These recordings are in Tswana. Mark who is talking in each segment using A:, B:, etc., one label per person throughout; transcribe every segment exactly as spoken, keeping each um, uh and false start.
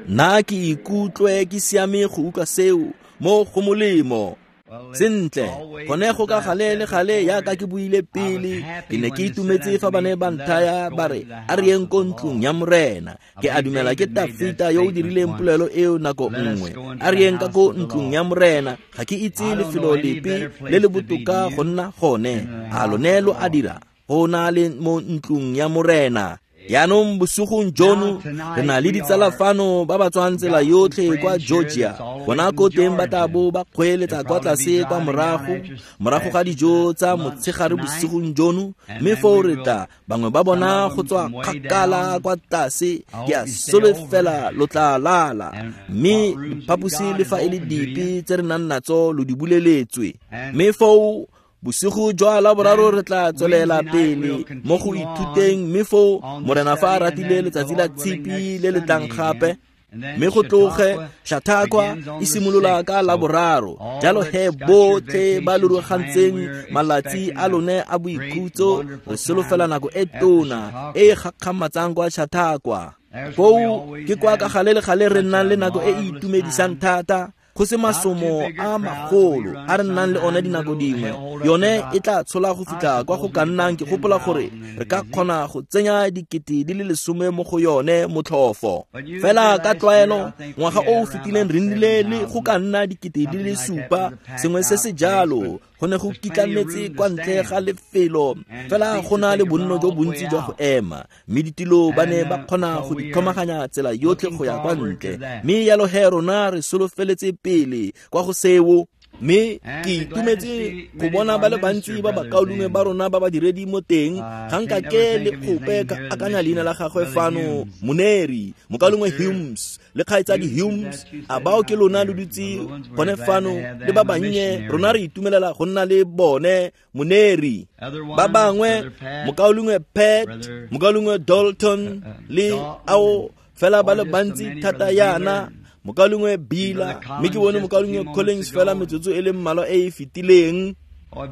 A: Nna ke ikutlwe ke siame go utlwa seo mo go molemo. Sentle, gone go ka gale le gale yaka ke buile pele, ke ne ke itumetse fa ba ne ba nthaya ba re a re yeng ko ntlong ya Morena. Ke a dumela ke Tafita yo o dirileng polelo eo nako nngwe. A re yeng ka ko ntlong ya Morena, ga ke itse lefelo lepe le le botoka go nna gone. A lone lo a dira go na le mo ntlong ya Morena. Jaanong bosigong jono re na le ditsala fano ba ba tswang tsela yotlhe kwa Georgia. Bona ko teng ba tla bo ba kgweeletsa kwa tlase kwa morago, morago ga dijo tsa motshegare bosigong jono, mme foo re tla bangwe ba bona go tswa kgakala kwa tlase. Ke a solofela lo tla lala, mme diphaposi le fa e le dipe tse re nang natso lo di buleletswe. Mme foo bosigo jwa Laboraro re tla tswelela pele mo go ithuteng, mme foo Morena fa a ratile letsatsi la Tshipi le le tlang gape, mme go tloge Chautauqua e simolola ka Laboraro. Jalo he botlhe ba lo ruagantseng malatsi a lone a boikhutso, re solofela nako e tona e e gakgamatsang kwa Chautauqua. Foo ke kwa ka gale le gale re nnang le nako e e itumedisang thata, go se masomo a magolo a re nnang le one dinako dingwe. Yone e tla tshola go fitlha kwa go ka nnang, ke gopola gore re ka kgona go tsenya dikete di le lesome mo go yone motlhofo. Fela ka tlwaelo ngwaga o o fetileng re nnile le go ka nna dikete di le supa, sengwe se se jalo. Go ne go kitlanetse kwa ntle ga lefelo, fela go na le bonno jo bontsi jwa go ema, mme ditilo ba ne ba kgona go di tlhomaganya tsela yotlhe go ya kwa ntle. Mme jalo he rona re solofeletse pele kwa go seo. Mme ke itumetse go bona ba le bantsi ba bakaulengwe ba rona ba badiredi mo teng. Ga nka ke le gope ka akanya leina la gagwe fano, Moneri, mokaulengwe Humes le kgaitsadi Humes, a bao ke lona lo dutse gone fano le ba bannye. Rona re itumelela go nna le bone, Moneri. Ba bangwe, mokaulengwe Pat, mokaulengwe Dalton le ao fela ba le bantsi thata yana, mokaulengwe Bila, mme ke bone mokaulengwe Collins fela metsotso e le mmalwa e e fetileng.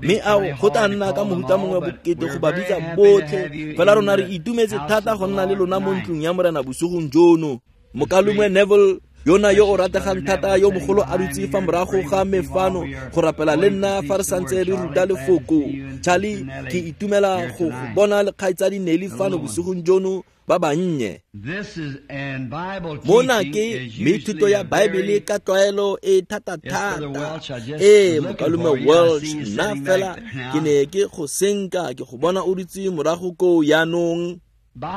A: Mme ao go tla nna ka mohuta mongwe bokete go ba bitsa botlhe, fela rona re itumetse thata go nna le lona mo ntlong ya Morena bosigong jono. Mokaulengwe Neville yona yo o rategang thata yo mogolo a dutse fa morago ga me fano go rapela le nna fa re santse re ruta lefoko. Charlie, ke itumela go go bona le kgaitsadi Nelly fano bosigong jono ba bannye. Mona ke mme thuto ya Baebele ka tlwaelo e thata-thata. Ee, mokaulengwe Welch, nna fela ke ne ke go senka ke go bona o dutse morago koo jaanong.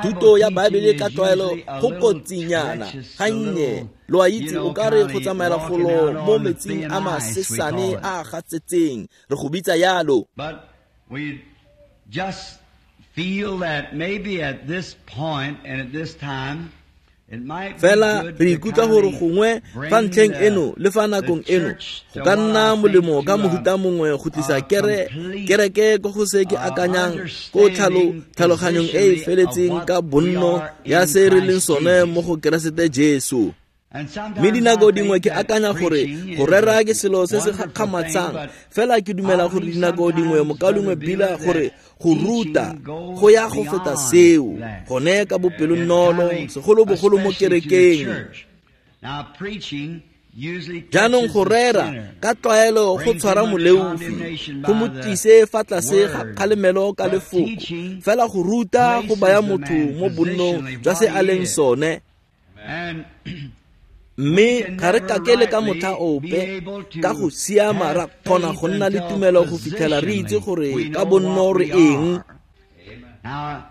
A: Thuto ya Baebele ka tlwaelo go kotsinyana gannye, lo a itse o ka re go tsamaela golo mo metsing a masesane a a gatsetseng, re go bitsa yalo.
B: Feel that maybe at this point and at this time it might be
A: Fela
B: good
A: re
B: to
A: ikutlwa gore
B: kindly
A: gongwe
B: bring
A: fa ntlheng
B: the
A: eno le fa nakong
B: the
A: eno
B: church
A: go
B: to
A: ka
B: what
A: nna
B: I think
A: molemo
B: to
A: ka
B: a
A: mohuta mongwe go tlisa
B: a
A: kere
B: complete,
A: kereke ko go se ke
B: uh,
A: akanyang ko tlhalo
B: understanding
A: tlhaloganyong e e
B: positionally of
A: feletseng
B: what
A: ka
B: we
A: bonno
B: are
A: ya
B: in
A: se re leng
B: Christ
A: sone
B: Jesus.
A: mo go Keresete Jesu.
B: And
A: Mme
B: sometimes I
A: dinako dingwe
B: think
A: ke
B: that
A: akanya gore
B: preaching
A: go
B: is
A: rera
B: a
A: ke selo se se
B: wonderful thing,
A: gakgamatsang,
B: but
A: fela ke dumela
B: I
A: gore
B: believe
A: dinako dingwe
B: sometimes,
A: mokaulengwe
B: Brother
A: Bila
B: Beeler,
A: gore
B: that
A: go ruta
B: teaching goes
A: go ya go feta
B: beyond
A: seo
B: that.
A: gone ka
B: It
A: bopelonolo,
B: kindly,
A: segolobogolo mo
B: especially to the
A: kerekeng.
B: church. Now, preaching usually
A: Jaanong
B: touches
A: go
B: the
A: rera
B: sinner,
A: ka tlwaelo go
B: brings
A: tshwara
B: him under
A: moleofi,
B: condemnation
A: go mo
B: by the
A: tlise fa tlase ga
B: word.
A: kgalemelo ka
B: But
A: lefoko.
B: teaching
A: Fela go ruta go baya
B: places the
A: motho
B: man
A: mo bonnong
B: positionally
A: jwa se
B: what
A: a
B: he
A: leng
B: is.
A: sone.
B: And
A: Mme
B: we can
A: ga re
B: never
A: kake le ka motlha
B: rightly be
A: ope
B: able to
A: ka go siama ra
B: have
A: kgona
B: faith
A: go nna le
B: until
A: tumelo go fitlhela re itse
B: positionally
A: gore
B: we
A: ka
B: know
A: bonno
B: what
A: re
B: we
A: eng.
B: are. Now,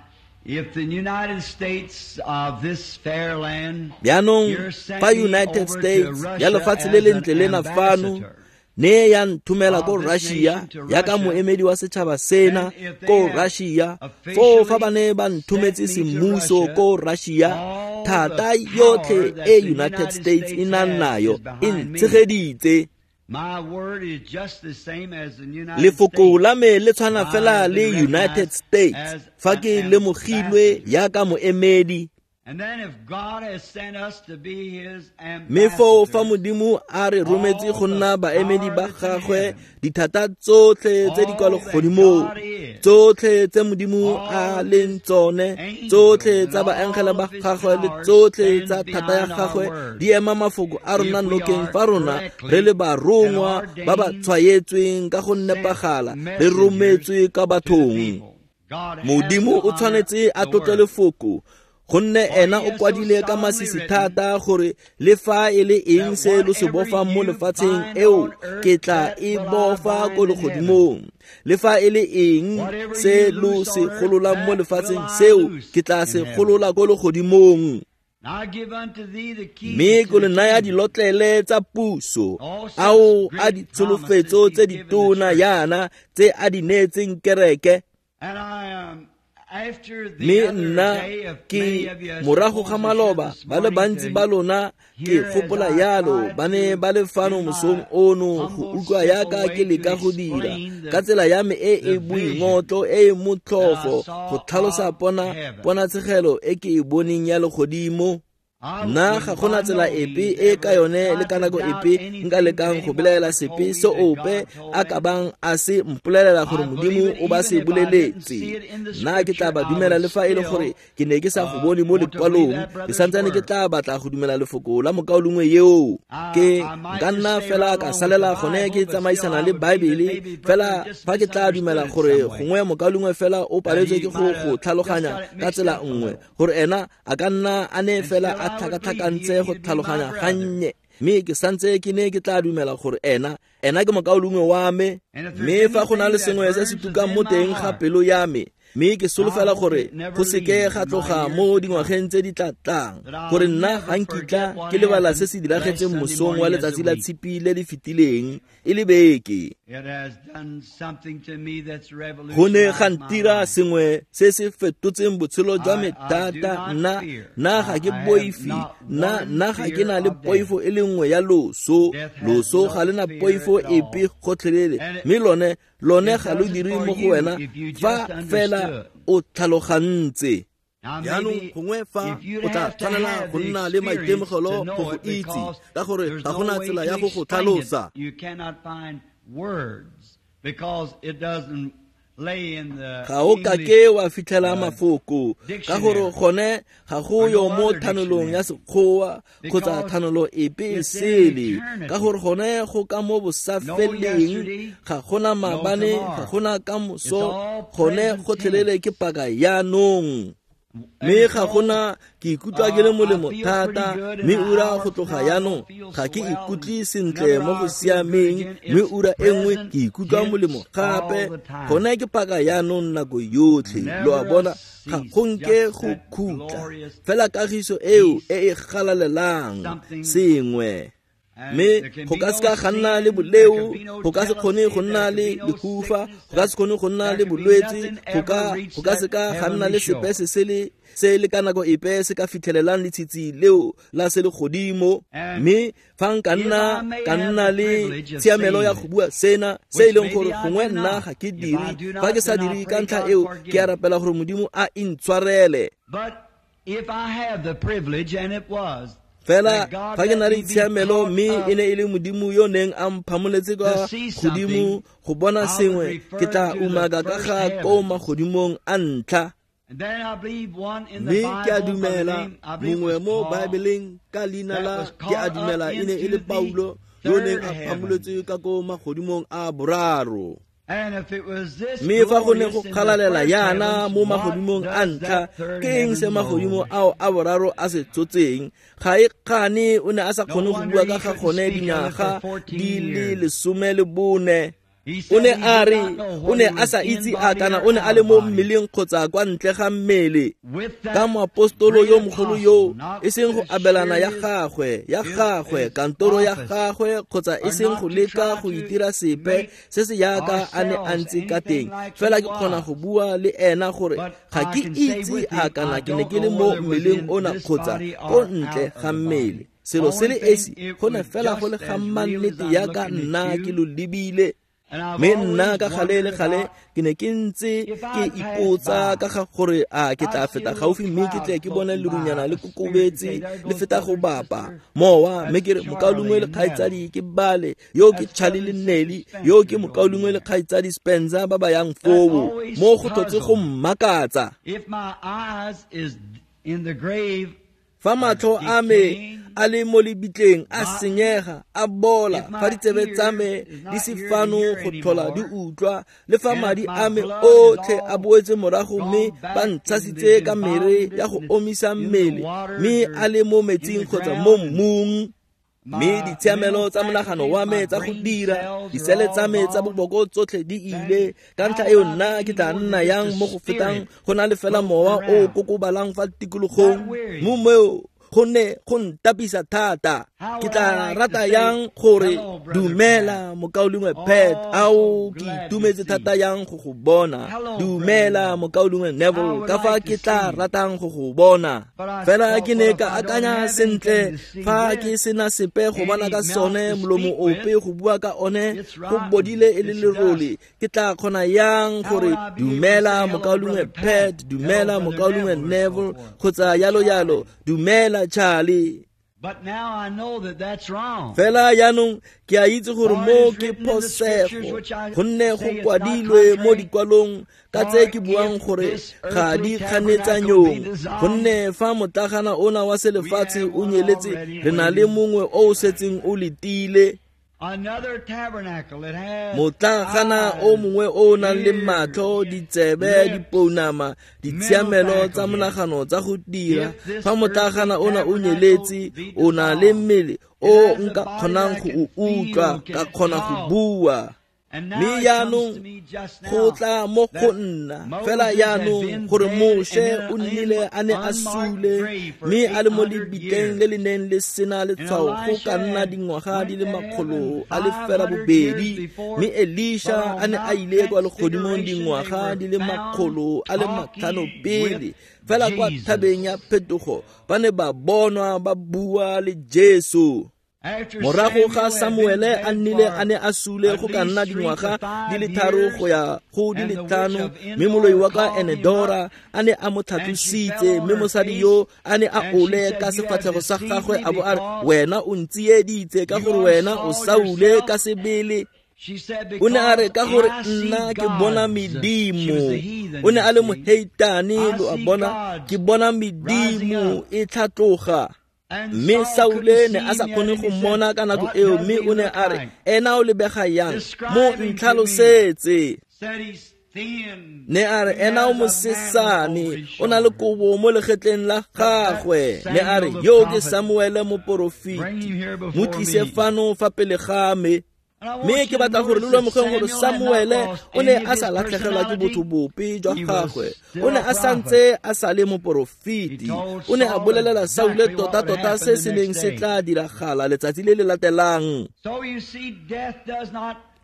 B: if the United States of this fair land
A: Jaanong
B: here sent
A: fa
B: me
A: United
B: over to
A: States ya
B: Russia
A: lefatshe le
B: as an
A: lentle lena fano
B: ambassador
A: ne ya nthomela ko
B: of this
A: Russia
B: nation to
A: ya ka
B: Russia,
A: moemedi wa setšhaba sena
B: then if they
A: ko
B: have
A: Russia, foo fa ba
B: officially
A: ne ba nthometse
B: sent me to
A: semmuso
B: Russia,
A: ko Russia,
B: all the
A: thata
B: power
A: yotlhe
B: that
A: e
B: the
A: United
B: United
A: States e
B: States
A: nang
B: has
A: nayo
B: is
A: e
B: behind me.
A: ntshegeditse.
B: My word is just the same as the United
A: Lefoko
B: States.
A: la me le tshwana
B: I
A: fela
B: have
A: le
B: been
A: United
B: recognized
A: States
B: as
A: fa
B: an
A: ke lemogilwe
B: ambassador.
A: yaka moemedi. Mme foo fa Modimo a re rometse go nna baemedi ba gagwe, dithata tsotlhe tse di kwa legodimong, tsotlhe tse Modimo a leng tsone, tsotlhe tsa baengele ba gagwe le tsotlhe tsa thata ya gagwe di ema mafoko a rona nokeng fa rona re le barongwa ba ba tshwaetsweng ka go nepagala, re rometswe ka bathong. Modimo o tshwanetse a tlotle lefoko, gonne ena o kwadile ka masisi thata gore le fa e le eng se lo se bofang mo lefatsheng eo ke tla e bofa ko legodimong, le fa e le eng se lo se gololang mo lefatsheng seo ke tla se golola ko legodimong. Mme ke le naya dilotlele tsa puso, ao a ditsholofetso tse ditona yana tse a di neetseng kereke. Mme nna ke morago ga maloba ba le bantsi ba lona ke gopola yalo ba ne ba le fano mosong ono go utlwa yaka ke leka go dira ka tsela ya me e e boingotlo e e motlhofo go tlhalosa pona ponatshegelo e ke e boneng ya legodimo. Nna ga gona tsela epe e ka yone le ka nako epe nka lekang go belaela sepe se ope a ka bang a se mpolelela gore Modimo o ba se boleletse. Nna ke tla ba dumela le fa e le gore ke ne ke sa go bone mo lekwalong, ke santsane ke tla batla go dumela lefoko la mokaulengwe eo. Ke nka nna fela ka salela gone ke tsamaisana le Baebele, fela fa ke tla dumela gore gongwe mokaulengwe fela o paletswe ke go go tlhaloganya ka tsela nngwe, gore ena a ka nna a ne fela a tlhakatlhakantse go tlhaloganya gannye, mme ke santse ke ne ke tla dumela gore ena ena ke mokaulengwe wa me. Mme fa go na le sengwe se se tukang mo teng ga pelo ya me, mme ke solofela gore go seke ga tloga mo dingwageng tse di tla tlang, gore nna ga nkitla ke lebala se se diragetseng mosong wa letsatsi la tshipi le le fetileng e le beke. Go ne ga ntira sengwe se se fetotseng botshelo jwa me thata. Nna nna ga ke boife, nna nna ga ke na le poifo e le nngwe ya loso. Loso ga le na poifo epe gotlhelele, mme lone lone ga lo dire mo go wena fa fela o tlhalogantse. Jaanong gongwe fa o tla tshwanela go nna le maitemogelo go go itse, ka gore ga gona tsela ya go go tlhalosa. Ga o kake wa fitlhela mafoko, ka gore gone ga go yo mo thanolong ya Sekgowa kgotsa thanolo epe e sele, ka gore gone go ka mo bosafeleng, ga gona maabane, ga gona kamoso, gone gotlhelele ke paka yaanong. Mme ga gona ke ikutlwa ke le molemo thata, mme ura go tloga yaanong ga ke ikutlwe sentle mo go siameng, mme ura e nngwe ke ikutlwa molemo gape. Gone ke paka yaanong nako yotlhe, lo a bona, ga go nke go khutla fela kagiso eo e e galalelang sengwe. Mme go ka seka ga nna le boleo, go ka se kgone go nna le lehufa, go ka se kgone go nna le bolwetse, go ka go ka seka ga nna le sepe se se le se le ka nako epe se ka fitlhelelang letshitsi leo la se legodimo. Mme fa nka nna ka nna le tshiamelo ya go bua sena se e leng gore gongwe nna ga ke dire, fa ke sa dire ka ntlha eo ke a rapela gore Modimo a intshwarele. Fela fa ke na le tshiamelo, mme e ne e le Modimo yo neng a mphamoletse kwa godimo go bona sengwe, ke tla umaka ka ga ko magodimong a ntlha. Mme ke a dumela mongwe mo Baebeleng ka leina la ke a dumela e ne e le Paulo yo neng a phamoletswe ka ko magodimong a boraro. Mme fa go ne go galalela yana mo magodimong a ntlha, ke eng se magodimo ao a boraro a se tsotseng? Ga e kgane o ne a sa kgone go bua ka ga gone dinyaga di le lesome le bone. O ne a re o ne a sa itse a kana o ne a le mo mmeleng kgotsa kwa ntle ga mmele. Ka moapostolo yo mogolo yo, e seng go abelana ya gagwe ya gagwe kantoro ya gagwe, kgotsa e seng go leka go itira sepe se se yaka a ne a ntse ka teng, fela ke kgona go bua le ena gore ga ke itse a kana ke ne ke le mo mmeleng ona kgotsa ko ntle ga mmele. Selo se le esi go ne fela go le ga mmannete yaka nna ke lo lebile. Mme nna ka gale le gale ke ne ke ntse ke ipotsa ka ga gore a ke tla feta gaufi mme ke tle ke bone lerunyana le kokobetse le feta go bapa mowa, mme ke re mokaulengwe le kgaitsadi ke bale, yo ke Charlie le Nelly, yo ke mokaulengwe le kgaitsadi Spencer ba ba yang foo. Mo go tlhotse go mmakatsa. Fa matlho a me a le mo lebitleng a senyega a bola, fa ditsebe tsa me di se fano go tlhola di utlwa, le fa madi a me otlhe a boetse morago mme ba ntshasitse ka mere ya go omisa mmele, mme a le mo metsing kgotsa mo mmung, mme ditshiamelo tsa monagano wa me tsa go dira, disele tsa me tsa boboko tsotlhe di ile, ka ntlha eo nna ke tla nna yang mo go fetang go na le fela mowa o kokobalang fa tikologong. Mo meo go ne go ntapisa thata. Ke tla rata yang gore dumela mokaulengwe Pat, ao ke itumetse thata yang go go bona. Dumela mokaulengwe Neville, ka fa ke tla ratang go go bona. Fela ke ne ka akanya sentle, fa ke sena sepe go bona ka sone, molomo ope go bua ka one, go bodile e le lerole, ke tla kgona yang gore dumela mokaulengwe Pat, dumela mokaulengwe Neville, kgotsa yalo yalo, dumela Charlie.
B: But now I know that that's wrong.
A: Fela jaanong ke a itse gore mo ke phosego, gonne go kwadilwe mo dikwalong ka tse ke buang gore ga di kganetsanyong, gonne fa motlagana ona wa selefatshe o nyeletse, re na le mongwe o o setseng o letile. Motlagana o mongwe o nang le matlho, ditsebe, dipounama, ditshiamelo tsa monagano tsa go dira. Fa motlagana ona o nyeletse, o na le mmele o nka kgonang go o utlwa, ka kgona go bua. Mme jaanong go tla mo go nna fela jaanong gore Moshe o nnile a ne a sule, mme a le mo lebitleng le le neng le sena letshwao go ka nna dingwaga di le makgolo a le fela bobedi, mme Elisha a ne a ile kwa legodimong dingwaga di le makgolo a le matlhano pele. Fela kwa thabeng ya phetogo ba ne ba bonwa ba bua le Jesu. Morago ga Samuele a nnile a ne a sule go ka nna dingwaga di le tharo go ya go di le tlhano, mme moloi wa ka Enedora a ne a mo tlhatlositse, mme mosadi yo a ne a ole ka sefatlhego sa gagwe a bo a re, wena o ntsieditse ka gore wena o Saule ka sebele. O ne a re ka gore nna ke bona medimo. O ne a le moheitane, lo a bona, ke bona medimo e tlhatloga. Mme Saule ne a sa kgone go mmona ka nako eo, mme o ne a re, ena o lebega yang? Mo ntlhalosetse. Ne a re, ena o mosesane, o na le kobo mo legetleng la gagwe. Ne a re, yo ke Samuele moporofeti, mo tlise fano fa pele ga me. Mme ke batla gore lo lemogeng gore Samuele o ne a sa latlhegelwa ke botho bope jwa gagwe, o ne a santse a sa le moporofeti. O ne a bolelela Saule tota-tota se se neng se tla diragala letsatsi le le latelang.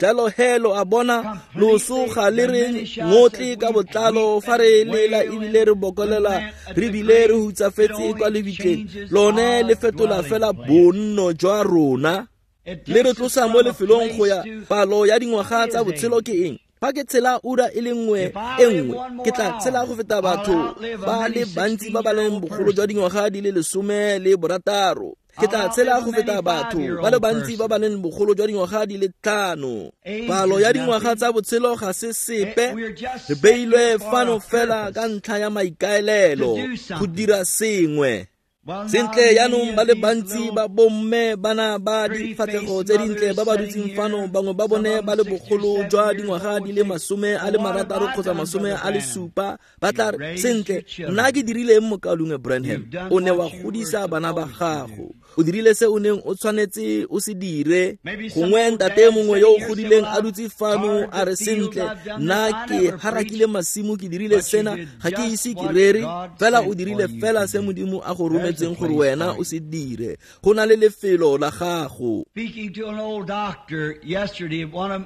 A: Jalo he lo a bona, loso ga le re ngotle ka botlalo fa re lela ebile re bokolela re bile re hutsafetse kwa lebitleng, lone le fetola fela bonno jwa rona. Le re tlosa mo lefelong go ya palo ya dingwaga tsa botshelo ke eng? Fa ke tshela ura e le nngwe e nngwe, ke tla tshela go feta batho ba le bantsi ba ba leng bogolo jwa dingwaga di le lesome le borataro. Ke tla tshela go feta batho ba le bantsi ba ba leng bogolo jwa dingwaga di le tlhano. Palo ya dingwaga tsa botshelo ga se sepe, re beilwe fano fela ka ntlha ya maikaelelo go dira sengwe. Sentle jaanong ba le bantsi ba bomme bana ba difatlhego tse dintle ba ba dutseng fano, bangwe ba bone ba le bogolo jwa dingwaga di le masome a le marataro kgotsa masome a le supa, ba tla re, sentle nna ke dirileng mokaulengwe Branham? O ne wa godisa bana ba gago, o dirile se o neng o tshwanetse o se dire. Gongwe ntate mongwe yo o godileng a dutse fano a re, sentle nna ke harakile masimo, ke dirile sena, ga ke ise ke rere. Fela o dirile fela se Modimo a go rometseng gore wena o se dire. Go na le lefelo la gago.
B: Speaking to an old doctor yesterday, one of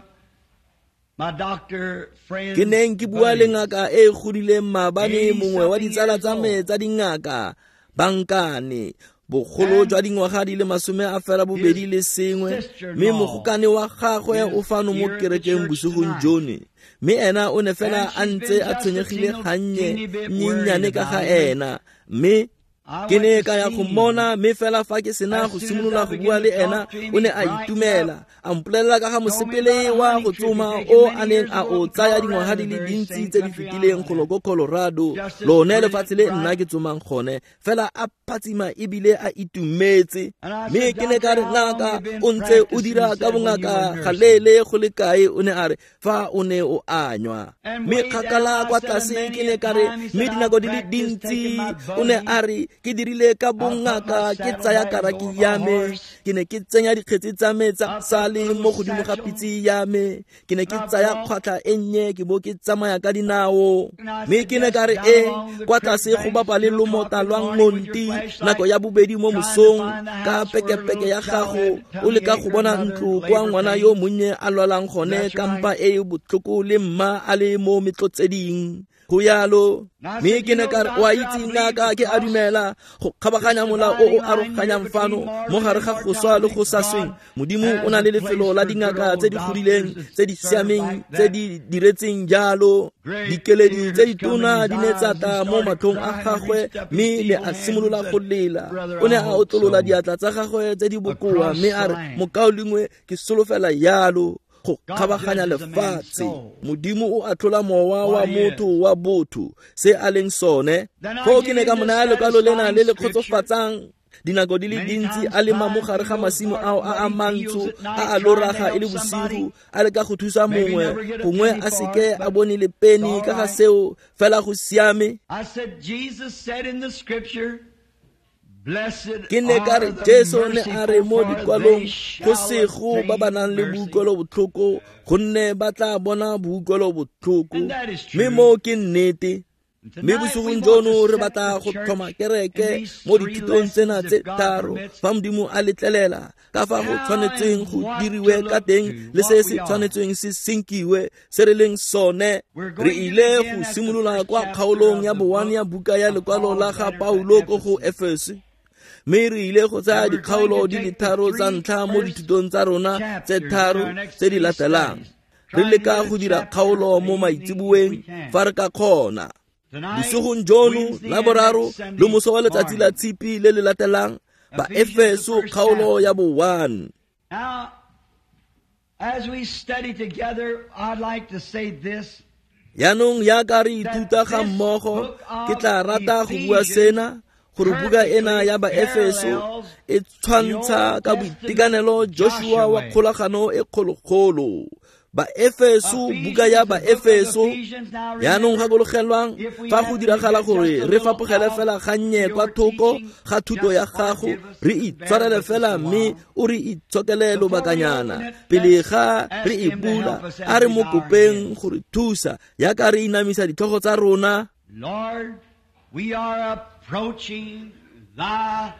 B: my doctor friends,
A: Ke neng ke bua le ngaka e godileng maabane, mongwe wa ditsala tsa me tsa dingaka, bankane, Bogolo jwa dingwaga di le masome a fela bobedi le sengwe, mme mogokane wa gagwe o fano mo kerekeng bosigong jono. Mme ena o ne fela a ntse a tshwenyegile gannye nnyennyane ka ga ena, mme ke ne ka ya go mmona, mme fela fa ke sena go simolola go bua le ena, o ne a itumela, a mpolelela ka ga mosepele wa go tsoma o a neng a o tsaya dingwaga di le dintsi tse di fetileng golo ko Colorado, lone lefatshe le nna ke tsomang gone, fela a phatsima ebile a itumetse. Mme ke ne ka re, ngaka, o ntse o dira ka bongaka galeele go le kae? O ne a re, fa o ne o anywa. Mme kgakala kwa tlase ke ne ka re, mme dinako di le dintsi, o ne a re, ke dirile ka bongaka, ke tsaya karaki ya me, ke ne ke tsenya dikgetsi tsa me tsa sale mo godimo ga pitse ya me, ke ne ke tsaya kgwatlha e nnye ke bo ke tsamaya ka dinao. Mme ke ne ka re, e kwa tlase go bapa le lomota lwa Ngonti nako ya bobedi mo mosong ka pekepeke ya gago, o leka go bona ntlo kwa ngwana yo monnye a lwalang gone ka mpa e e botlhoko le mma a le mo metlotseding. Go yalo. Mme ke ne ka re, o a itse ngaka, ke a dumela go kgabaganya mola o o aroganyang fano mo gare ga go swa le go sa sweng, Modimo o na le lefelo la dingaka tse di godileng, tse di siameng, tse di diretseng jalo. Dikeledi tse ditona di ne tsa tla mo matlhong a gagwe, mme ne a simolola go lela. O ne a otlolola diatla tsa gagwe tse di bokoa, mme a re, mokaulengwe, ke solofela yalo go kgabaganya lefatshe. Modimo o atlhola mowa wa motho wa botho se a leng sone. Foo ke ne ka mo naya lekwalo lena le le kgotsofatsang. Dinako di le dintsi a lema mo gare ga masimo ao a a mantsho a a loraga e le bosigo, a leka go thusa mongwe, gongwe a seke a bone le peni ka ga seo, fela go siame. Ke ne ka re, Jesu ne a re mo dikwalong, go sego ba ba nang le boutlwelo botlhoko, gonne ba tla bona boutlwelo botlhoko. Mme mo ke nnete. Mme bosigong jono re batla go tlhoma kereke mo dithutong tsena tse tharo, fa Modimo a letlelela, ka fa go tshwanetseng go diriwe ka teng le se se tshwanetseng se senkiwe se re leng sone. Re ile go simolola kwa kgaolong ya boone ya buka ya lekwalo la ga Paulo ko go Efeso, mme re ile go tsaya dikgaolo di le tharo tsa ntlha mo dithutong tsa rona tse tharo tse di latelang, re leka go dira kgaolo mo maitseboeng fa re ka kgona. Bosigong jono la boraro le moso wa letsatsi la tshipi le le latelang, ba Efeso kgaolo ya bo one. Yaanong yaka re ithuta ga mmogo, ke tla rata go bua sena, gore buka ena ya ba Efeso e tshwantsha ka boitekanelo Joshua wa kgolagano e kgologolo. Ba Efeso, buka ya ba Efeso. Yaanong gakologelwang, fa go diragala gore re fapogele fela gannye kwa thoko ga thuto ya gago, re itshwarele fela mme o re itshokele lobakanyana pele ga re e bula. A re mo kopeng go re thusa yaka re inamisa ditlhogo tsa rona.
B: Lord, we are approaching thy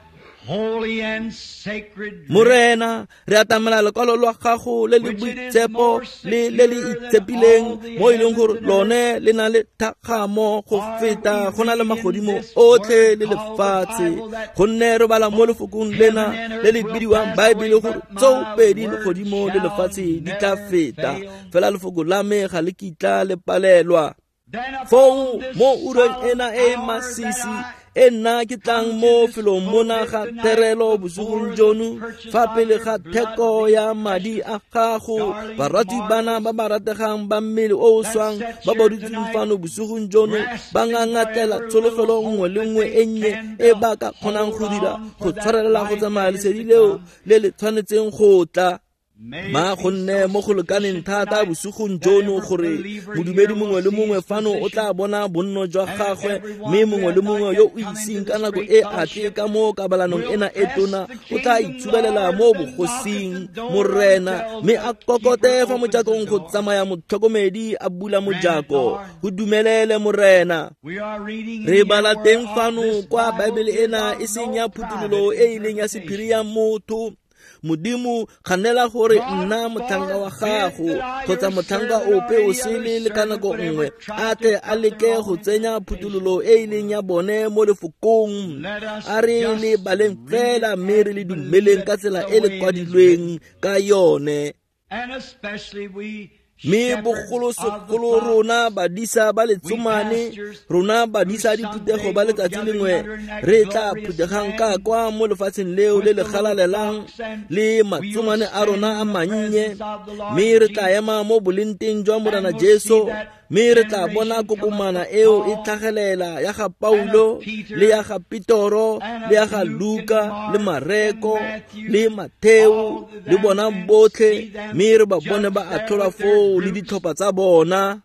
B: holy and sacred
A: Morena, re atamela lekwalo lwa gago le le boitshepo le le le itshepileng, mo e leng gore lone le na le thakgamo go feta go na le magodimo otlhe le lefatshe. Gonne re bala mo lefokong lena le le bidiwang Baebele gore tsoopedi legodimo le lefatshe di tla feta, fela lefoko la me ga le kitla le palelwa. Foo mo ureng ena e masisi e nna ke tlang mo felong mona ga therelo bosigong jono, fa pele ga theko ya madi a gago, barati bana ba ba rategang ba mmele o o swang ba ba dutseng fano bosigong jono, ba ngangatlela tsholofelo nngwe le nngwe e nnye e ba ka kgonang go dira go tshwarelela go tsamaya lesedi leo le le tshwanetseng go tla. Ma gonne mo go lekaneng thata bosigong jono gore modumedi mongwe le mongwe fano o tla bona bonno jwa gagwe, mme mongwe le mongwe yo o iseng ka nako e a tle ka mo kabalanong ena e tona o tla itsubelela mo bogosing Morena, mme a kokote fa mojakong go tsamaya motlhokomedi a bula mojako. Go dumelele Morena. Re bala teng fano kwa Baebele ena e seng ya phuthololo e e leng ya sephiri ya motho, Modimo kganela gore nna motlhanka wa gago kgotsa motlhanka ope o sele le ka nako nngwe a tle a leke go tsenya phuthololo e e leng ya bone mo lefokong. A re le baleng fela mme re le dumeleng ka tsela e le kwadilweng ka yone. Mme bogolosegolo rona badisa ba letsomane, rona badisa diphuthego ba letsatsi lengwe re tla phuthegang ka kwa mo lefatsheng leo le le galalelang le matsomane a rona a mannye, mme re tla ema mo bolenteng jwa Morena Jesu, mme re tla bona kokomana eo e tlhagelela ya ga Paulo le ya ga Petoro le ya ga Luka le Mareko le Matheo le bona botlhe, mme re ba bone ba atlhola foo le ditlhopha tsa bona.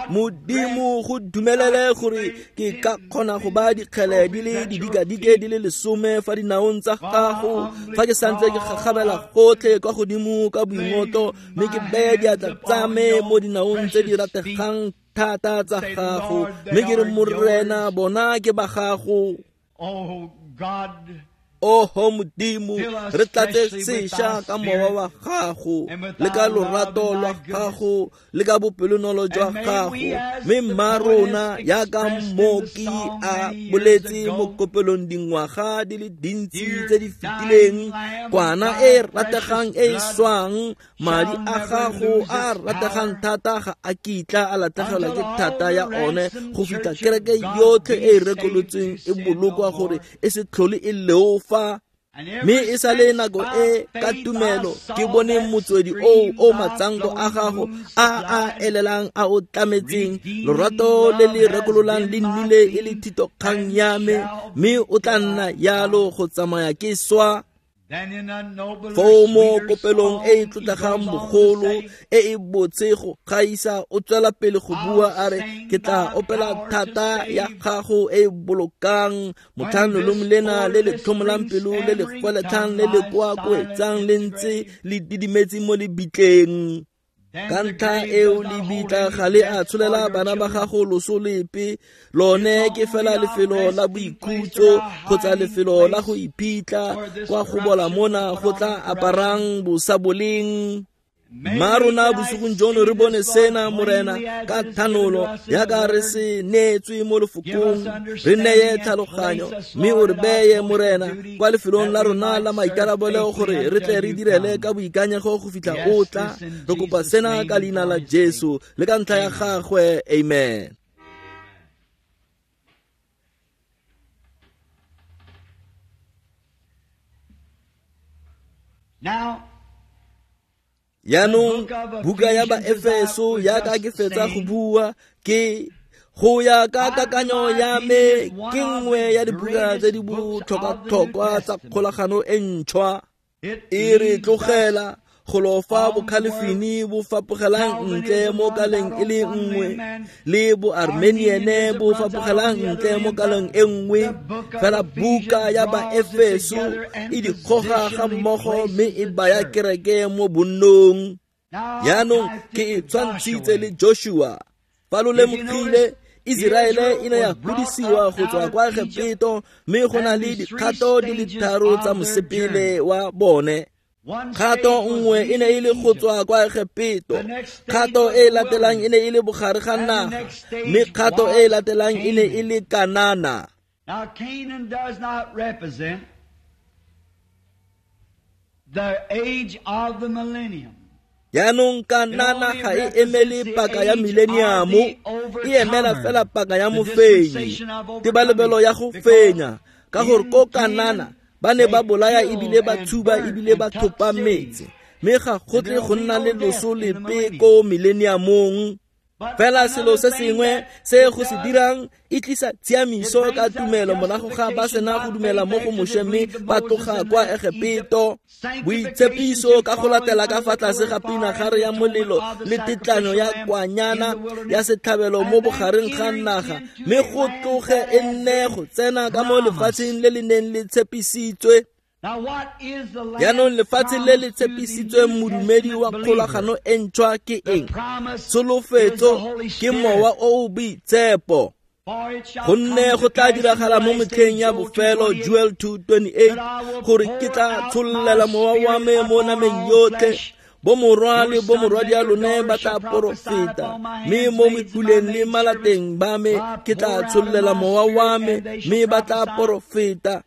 A: Modimo go dumelele gore ke ka kgona go ba dikgele di le didikadike di le lesome fa dinaong tsa gago fa ke santse ke gagabela gotlhe kwa godimo ka boingotlo, mme ke beye diatla tsa me mo dinaong tse di rategang thata tsa gago, mme ke re Morena bona ke ba gago. Oho Modimo, re tlatse sešwa ka mowa wa gago le ka lorato lwa gago le ka bopelonolo jwa gago, mme mma rona yaka mmoki a boletse mo kopelong dingwaga di le dintsi tse di fetileng, kwana e rategang e e swang, madi a gago a rategang thata ga a kitla a latlhegelwa ke thata ya one go fitlha kereke yotlhe e e rekolotsweng e bolokwa gore e se tlhole e leofa. Mme e sa le nako e ka tumelo ke bone motswedi oo o matsanko a gago a a elelang a o tlametseng, lorato le le rekololang le nnile e le thitokgang ya me, mme o tla nna yalo go tsamaya ke swa. Foo mo kopelong e e tlotlegang bogolo e e botse go gaisa o tswela pele go bua a re, ke tla opela thata ya gago e e bolokang motlhang lolome lena le le tlhomolang pelo le le gweletlhang le le koakoetsang le ntse le didimetse mo lebitleng. Ka ntlha eo lebitla ga le a tsholela bana ba gago loso lepe, lone ke fela lefelo la boikhutso kgotsa lefelo la go iphitlha kwa go bola mona go tla aparang bosaboleng. Mma rona bosigong jono re bone sena Morena ka thanolo yaka re se neetswe mo lefokong, re neye tlhaloganyo mme o re beye Morena kwa lefelong la rona la maikarabelo gore re tle re direle ka boikanyego go fitlha o tla. Re kopa sena ka leina la Jesu le ka ntlha ya gagwe, amen.
B: Now
A: Yaanong buka ya Baefeso yaka ke fetsa go bua ke go ya ka kakanyo ya me ke nngwe ya dibuka tse di botlhokwa-tlhokwa tsa kgolagano e ntšhwa. E re tlogela go lofa bokhalefini bo fapogelang ntle mo kaleng e le nngwe le boarmeniene bo fapogelang ntle mo kaleng e nngwe, fela buka ya Baefeso e di goga ga mmogo mme e baya kereke mo bonnong. Yaanong ke e tshwantshitse le Joshua. Fa lo lemogile, Iseraele e ne ya godisiwa go tswa kwa Egepeto, mme go na le dikgato di le tharo tsa mosepele wa bone. Kgato nngwe e ne e le go tswa kwa Egepeto, kgato e e latelang e ne e le bogare ga naga, mme kgato e e latelang e ne e le Kanana.
B: Now Canaan does not represent the age of the millennium.
A: Yaanong Kanana ga e emele paka ya mileniamo, e emela fela paka ya mofenyi, tebalebelo ya go fenya, ka gore ko Kanana ba ne ba bolaya ebile ba tshuba ebile ba thopa metse, mme ga go tle go nna le loso lepe ko mileniamong. Fela selo se sengwe se go se dirang e tlisa tshiamiso ka tumelo morago ga ba sena go dumela mo go Moshe mme ba tloga kwa Egepeto. Boitshepiso ka go latela ka fa tlase ga pinagare ya molelo le tetlanyo ya kwanyana ya setlhabelo mo bogareng ga naga, mme go tloge e nne go tsena ka mo lefatsheng le le neng le tshepisitswe. Yaanong lefatshe le le tshepisitsweng modumedi wa kgolagano e ntšhwa ke eng? Tsholofetso ke mowa o o boitshepo. Gonne go tla diragala mo metlheng ya bofelo, Joel two twenty-eight, gore ke tla tshollela mowa wa me mo nameng yotlhe. Bomorwa le bomorwadia lone ba tla porofeta, mme mo mekuleng le malateng ba me ke tla tshollela mowa wa me, mme ba tla porofeta.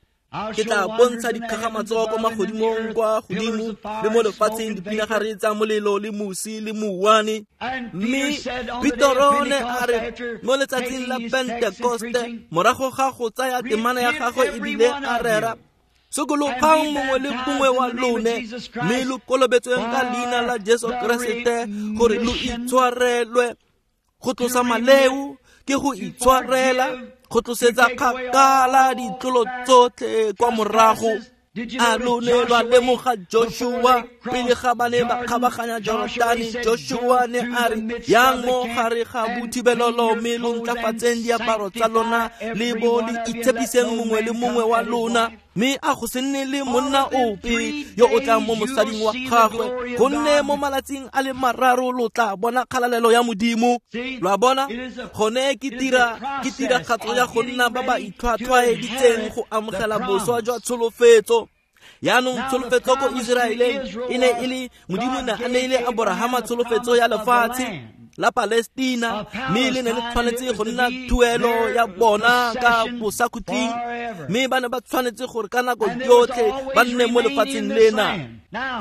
A: Ke tla bontsha dikgakgamatso kwa magodimong kwa godimo le mo lefatsheng, dipinagare tsa molelo le mosi le mouwane. Mme Petoro ne a re mo letsatsing la Pentekoste, morago ga go tsaya temana ya gagwe ebile a rera, sokologang mongwe le mongwe wa lone, mme lo kolobetsweng ka leina la Jesu Keresete gore lo itshwarelwe. Go tlosa maleo ke go itshwarela, go tlosetsa kgakala ditlolo tsotlhe kwa morago. A lo ne lwa lemoga Joshua pele ga ba ne ba kgabaganya Jorodane? Joshua ne a re, yang mo gare ga bothibelelo mme lo ntlafatseng diaparo tsa lona le bo le itshepiseng mongwe le mongwe wa lona, mme a go se nne le monna ope yo o tlang mo mosading wa gagwe, gonne mo malatsing a le mararo lo tla bona kgalalelo ya Modimo. Lo a bona? Gone ke tira ke tiragatso ya go nna ba ba itlhwatlhwaeditseng go amogela boswa jwa tsholofetso. Yaanong tsholofetso ko Iseraeleng e ne e le Modimo ne a neile Aborahama tsholofetso ya lefatshe la Palestina, mme le ne le tshwanetse go nna tuelo ya bona ka bosakhutleng, mme ba ne ba tshwanetse gore ka nako yotlhe ba nne mo lefatsheng lena.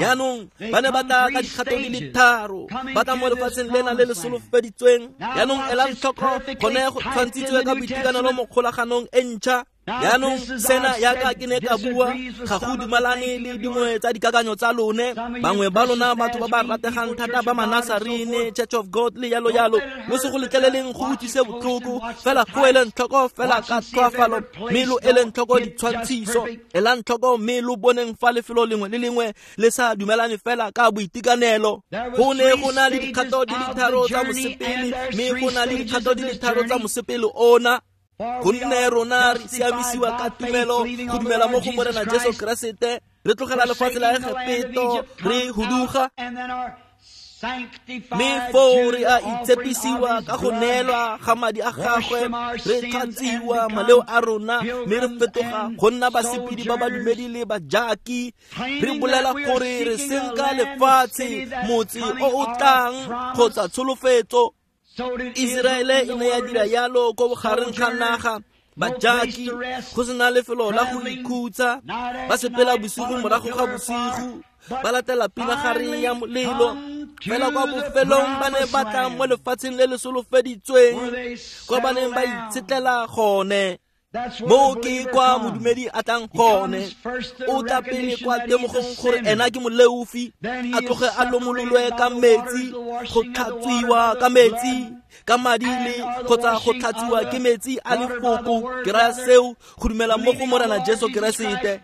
A: Yaanong ba ne ba tla ka dikgato di le tharo, ba tla mo lefatsheng lena le le solofeditsweng. Yaanong elang tlhoko, gone go tshwantshitswe ka boitekanelo mo kgolaganong e ntšha. Yaanong sena yaka ke ne ka bua, ga go dumalane le dingwe tsa dikakanyo tsa lone. Bangwe ba lona batho ba ba rategang thata ba Manasarene, Church of God le yalo yalo, lo se go letleleleng go utlwise botlhoko, fela go eleng tlhoko fela ka tlhoafalo, mme lo eleng tlhoko ditshwantshiso. Elang tlhoko mme lo boneng fa lefelo lengwe le lengwe le sa dumelane fela ka boitekanelo. Go ne go na le dikgato di le tharo tsa mosepele, mme go na le dikgato di le tharo tsa mosepele ona. Gonne rona re siamisiwa ka tumelo, go dumela mo go Morena Jesu Keresete, re tlogela lefatshe la Egepeto, re huduga, mme foo re a itshepisiwa ka go neelwa ga madi a gagwe, re tlhatsiwa maleo a rona, mme re fetoga go nna basepedi ba badumedi le bajaki. Re bolela gore re senka lefatshe, motse o o tlang kgotsa tsholofetso. Iseraele e ne ya dira yalo ko bogareng ga naga, bajaki, go sena lefelo la go ikhutsa, ba sepela bosigo morago ga bosigo, ba latela pinagare ya molelo. Fela kwa bofelong ba ne ba tla mo lefatsheng le le solofeditsweng, kwa ba neng ba itshetlela gone. Mo ke kwa modumedi a tlang gone, o tla pele kwa temogong gore ena ke moleofi, a tloge a lomololwe ka metsi, go tlhatswiwa ka metsi, ka madi le kgotsa go tlhatswiwa ke metsi a lefoko. Ke raya seo, go dumela mo go Morena Jesu Keresete.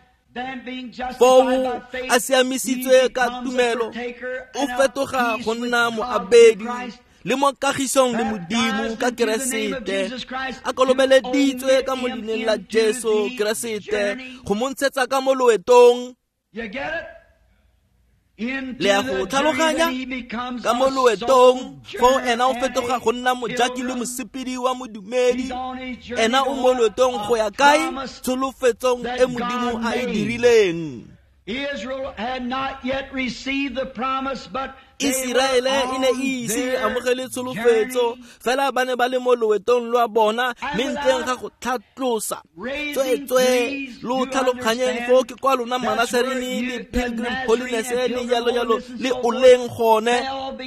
A: Foo a siamisitswe ka tumelo, o fetoga go nna moabedi le mo kagisong le Modimo ka Keresete, a kolobeleditswe ka mo leineng la Jesu Keresete go mo ntshetsa ka mo loetong. Le a go tlhaloganya? Ka mo loetong, foo ena o fetoga go nna mojaki le mosepedi wa modumedi. Ena o mo loetong go ya kae? Tsholofetsong e Modimo a e dirileng.
B: Israel had not yet received the promise, but
A: Iseraele e ne e ise amogele tsholofetso, fela ba ne ba le mo loetong lwa bona, mme ntleng ga go tlhatlosa. Tsweetswe lo tlhaloganyeng foo ke kwa lona Manasarene le Pilgrim Holiness le yalo yalo le oleng gone,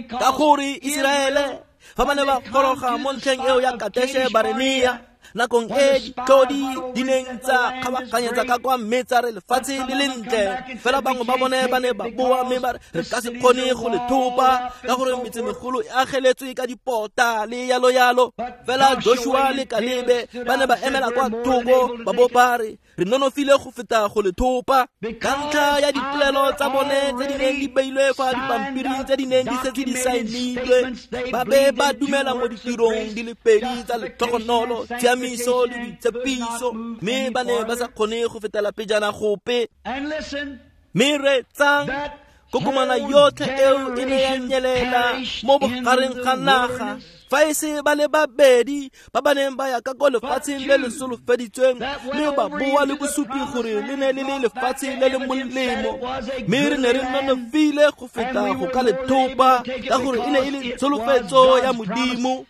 A: ka gore Iseraele fa ba ne ba goroga mo ntlheng eo ya Kadeshe Barnea, nakong e ditlhodi di neng tsa kgabaganyetsa ka kwa mme tsa re lefatshe le lentle, fela bangwe ba bone ba ne ba boa mme ba re re ka se kgone go le thopa ka gore metsemegolo e ageletswe ka dipota le yalo yalo. Fela Joshua le Kalebe ba ne ba emela kwa thoko ba bo ba re re nonofile go feta go le thopa, ka ntlha ya dipolelo tsa bone tse di neng di beilwe fa dipampiring tse di neng di setse di saenilwe. Ba be ba dumela mo ditirong di le pedi tsa letlhogonolo, tshiamiso le boitshepiso, mme ba ne ba sa kgone go fetela pejana gope. Mme reetsang, kokomana yotlhe eo e ne ya nyelela mo bogareng ga naga Fa e se ba le babedi ba ba neng ba ya ka ko lefatsheng le le solofeditsweng mme ba boa le bosupi gore le ne le le lefatshe le le molemo, mme re ne re nonofile go feta go ka le thopa ka gore e ne e le tsholofetso ya Modimo.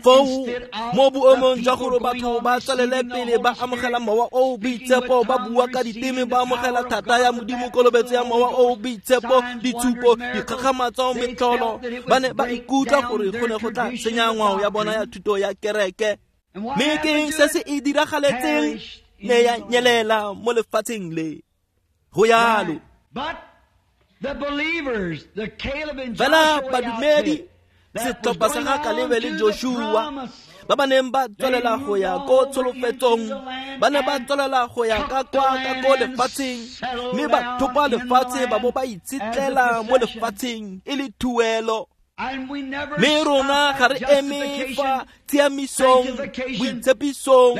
A: Foo mo boemong jwa gore batho ba tswelele pele ba amogela mowa o o boitshepo, ba bua ka diteme, ba amogela thata ya Modimo, kolobetso ya mowa o o boitshepo, ditshupo, dikgakgamatso, metlholo, ba ne ba ikutlwa gore go ne go tla senya ngwao ya bona ya thuto ya kereke. Mme ke eng se se e diragaletseng? Ne ya nyelela mo lefatsheng le. Go yalo. Fela badumedi, setlhopha sa ga Kalebe le Joshua ba ba neng ba tswelela go ya ko tsholofetsong, ba ne ba tswelela go ya ka kwa ka ko lefatsheng, mme ba thopa lefatshe ba bo ba itshetlela mo lefatsheng e le thuelo. Mme rona ga re eme fa tshiamisong, boitshepisong,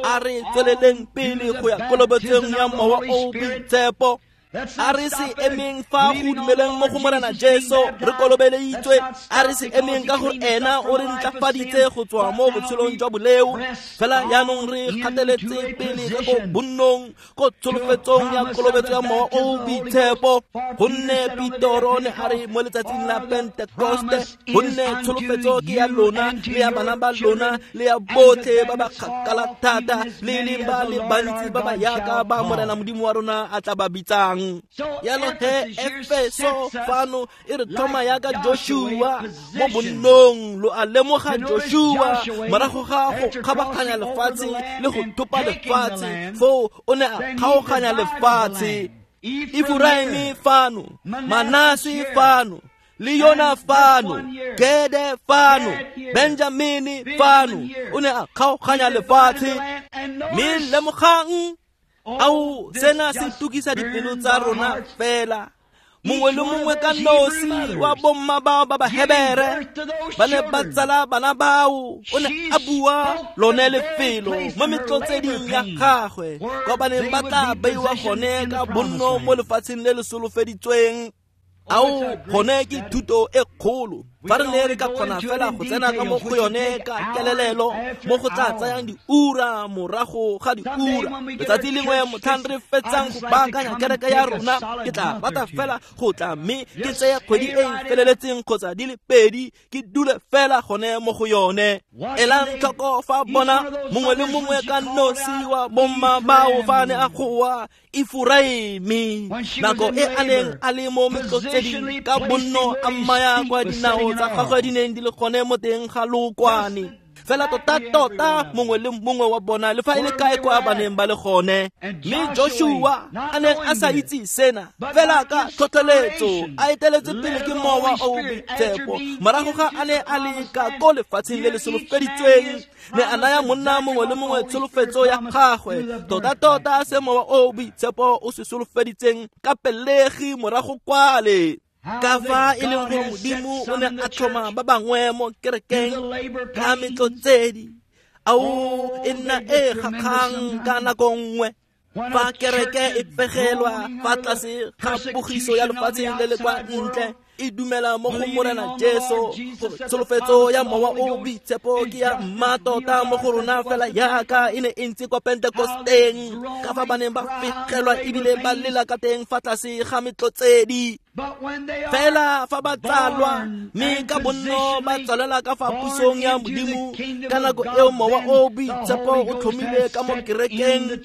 A: a re tsweleleng pele go ya kolobetsong ya mowa o o boitshepo. A re se emeng fa go dumeleng mo go Morena Jesu re kolobeleditswe, a re se emeng ka gore ena o re ntlafaditse go tswa mo botshelong jwa boleo, fela jaanong re kgateletse pele ka ko bonnong ko tsholofetsong ya kolobetso ya mowa o o boitshepo. Gonne Petoro ne a re mo letsatsing la Pentekoste, gonne tsholofetso ke ya lona le ya bana ba lona le ya botlhe ba ba kgakala thata le leng ba le bantsi ba ba yaka ba Morena Modimo wa rona a tla ba bitsang. Yalo he Efeso fano e re tlhoma yaka Joshua mo bonnong. Lo a lemoga Joshua morago ga go kgabaganya lefatshe le go thopa lefatshe, foo o ne a kgaoganya lefatshe. Efraime fano, Manase fano, le Yona fano, Gede fano, Benjamini fano, o ne a kgaoganya lefatshe. Mme lemogang, ao sena se tukisa dipelo tsa rona fela. Mongwe le mongwe ka nosi wa bomma bao ba Bahebere ba ne ba tsala bana bao, o ne a bua lone lefelo mo metlotseding ya gagwe kwa ba neng ba tla beiwa gone ka bonno mo lefatsheng le le solofeditsweng. Ao gone ke thuto e kgolo. Fa re ne re ka kgona fela go tsena ka mo go yone ka kelelelo mo go tla tsayang diura morago ga diura. Letsatsi lengwe motlhang re fetsang go baakanya kereke ya rona, ke tla rata fela go tla mme ke tseye kgwedi e e feleletseng kgotsa di le pedi ke dule fela gone mo go yone. Elang tlhoko fa bona mongwe le mongwe ka nosi wa bomma bao fa ne a goa Efraime nako e a neng a le mo metlotseding ka bonno a mmaya kwa dinao tsa gagwe di neng di le gone mo teng ga lookwane. Fela tota-tota mongwe le mongwe wa bona le fa e le kae kwa ba neng ba le gone. Mme Joshua a neng a sa itse sena, fela ka tlhotlheletso a eteletse pele ke mowa o o boitshepo, morago ga a ne a le ka ko lefatsheng le le solofeditsweng, ne a naya monna mongwe le mongwe tsholofetso ya gagwe, tota-tota se mowa o o boitshepo o se solofeditseng ka pelegi morago kwale. Ka fa e leng gore Modimo o ne a tlhoma ba bangwe mo kerekeng ka metlotsedi, ao e nna e kgakgang ka nako nngwe. Fa kereke e fegelwa fa tlase ga pogiso ya lefatshe le le kwa ntle, e dumela mo go Morena Jesu gore tsholofetso ya mowa o boitshepo ke ya mmatota mo go rona fela yaka e ne e ntse kwa Pentekosteng, ka fa ba neng ba fegelwa ebile ba lela ka teng fa tlase ga metlotsedi. Fela fa ba tsalwa mme ka bonno ba tswalela ka fa pusong ya Modimo, ka nako eo mowa o boitshepo o tlhomile ka mo kerekeng,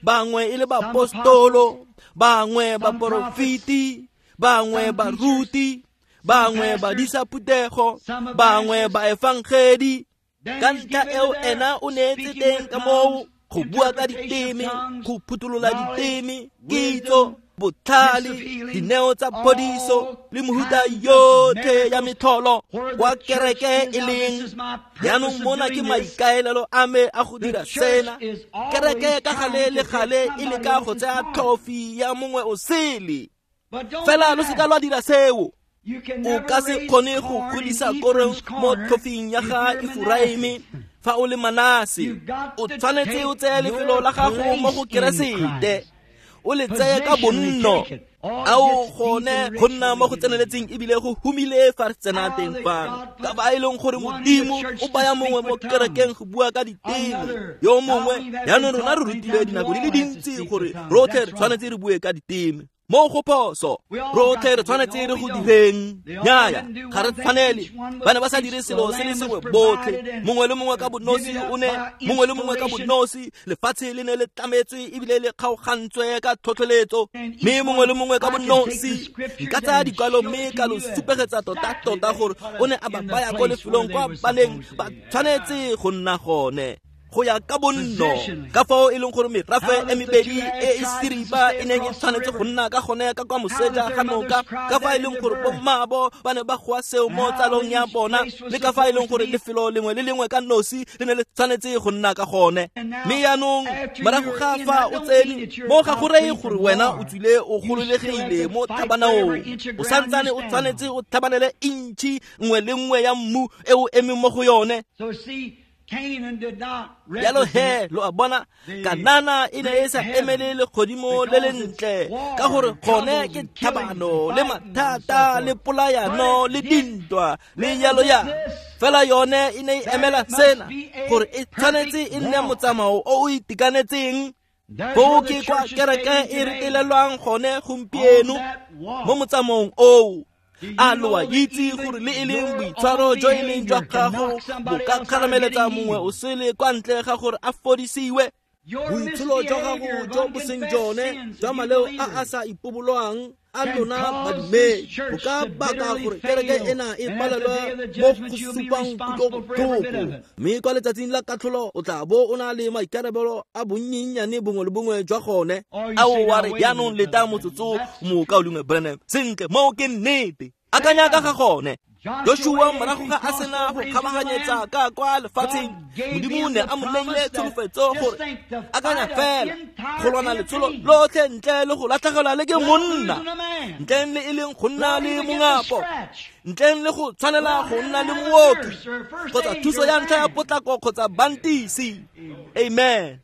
A: bangwe e le baapostolo, bangwe baporofeti, bangwe baruti, bangwe badisa phuthego, bangwe baefangedi. Ka ntlha eo ena o neetse teng ka moo go bua ka diteme, go phuthulola diteme, kitso, botlhale, dineo tsa phodiso le mohuta yotlhe ya metlholo kwa kereke e leng. Jaanong mona ke maikaelelo a me a go dira sena. Kereke ka gale le gale e leka go tsaya trophy ya mongwe o sele. Fela lo seka lwa dira seo. O ka se kgone go godisa korong mo tlhofing ya ga Efraime fa o le Manase. O tshwanetse o tseye lefelo la gago mo go Keresete. o le tseye ka bonno. Ao gone go nna mo go tseneletseng ebile go humile fa re tsena teng fano, ka ba e leng gore Modimo o baya mongwe mo kerekeng go bua ka diteme, yo mongwe. Jaanong rona re rutile dinako di le dintsi gore rotlhe re tshwanetse re bue ka diteme. Mo go phoso, rotlhe re tshwanetse re go direng. Nnyaya, ga re tshwanele. Ba ne ba sa dire selo se le sengwe botlhe, mongwe le mongwe ka bonosi o ne, mongwe le mongwe ka bonosi. Lefatshe le ne le tlametswe ebile le kgaogantswe ka tlhotlheletso, mme mongwe le mongwe ka bonosi. Nka tsaya dikwalo mme ka lo supegetsa tota-tota gore o ne a ba baya ko lefelong kwa ba neng ba tshwanetse go nna gone go ya ka bonno, ka fao e leng gore merafe e mebedi e e seripa e neng e tshwanetse go nna ka gone ka kwa moseja ga noka, ka fa e leng gore bommaabo ba ne ba goa seo mo tsalong ya bona, le ka fa e leng gore lefelo lengwe le lengwe ka nosi le ne le tshwanetse go nna ka gone. Mme jaanong morago ga fa o tsene mo, ga go reye gore wena o tswile o gololegile mo tlhabanaong. O santsane o tshwanetse o tlhabanele intšhi nngwe le nngwe ya mmu e o emeng mo go yone. Jalo he, lo a bona, Kanana e ne e sa emele legodimo le lentle, ka gore gone ke tlhabano le mathata le polayano le dintwa le jalo ya. Fela yone e ne e emela sena, gore e tshwanetse e nne motsamao o o itekanetseng. Foo ke kwa kereke e retelelwang gone gompieno, mo motsamaong oo. A lo a itse gore le e leng boitshwaro jo e leng jwa gago bo ka kgarameletsa mongwe o sele kwa ntle ga gore a fodisiwe? Boitsholo jwa gago jo bo seng jone jwa maleo a a sa ipobolwang a lona badumedi bo ka baka gore kereke ena e palelwe mo go supang kutlobotlhoko, mme kwa letsatsing la katlholo o tla bo o na le maikarabelo a bonnyennyane bongwe le bongwe jwa gone. Ao wa re jaanong leta motsotso, mokaulengwe Branham. Sentle, moo ke nnete. Akanya ka ga gone. Joshua morago ga a sena go kgabaganyetsa ka kwa lefatsheng, Modimo ne a mo neile tsholofetso gore akanya fela go lwana letsholo lotlhe ntle le go latlhegelwa le ke monna, ntle le e leng go nna le mongapo, ntle le go tshwanela go nna le mooki kgotsa thuso ya ntlha ya potlako kgotsa bantisi. Amen.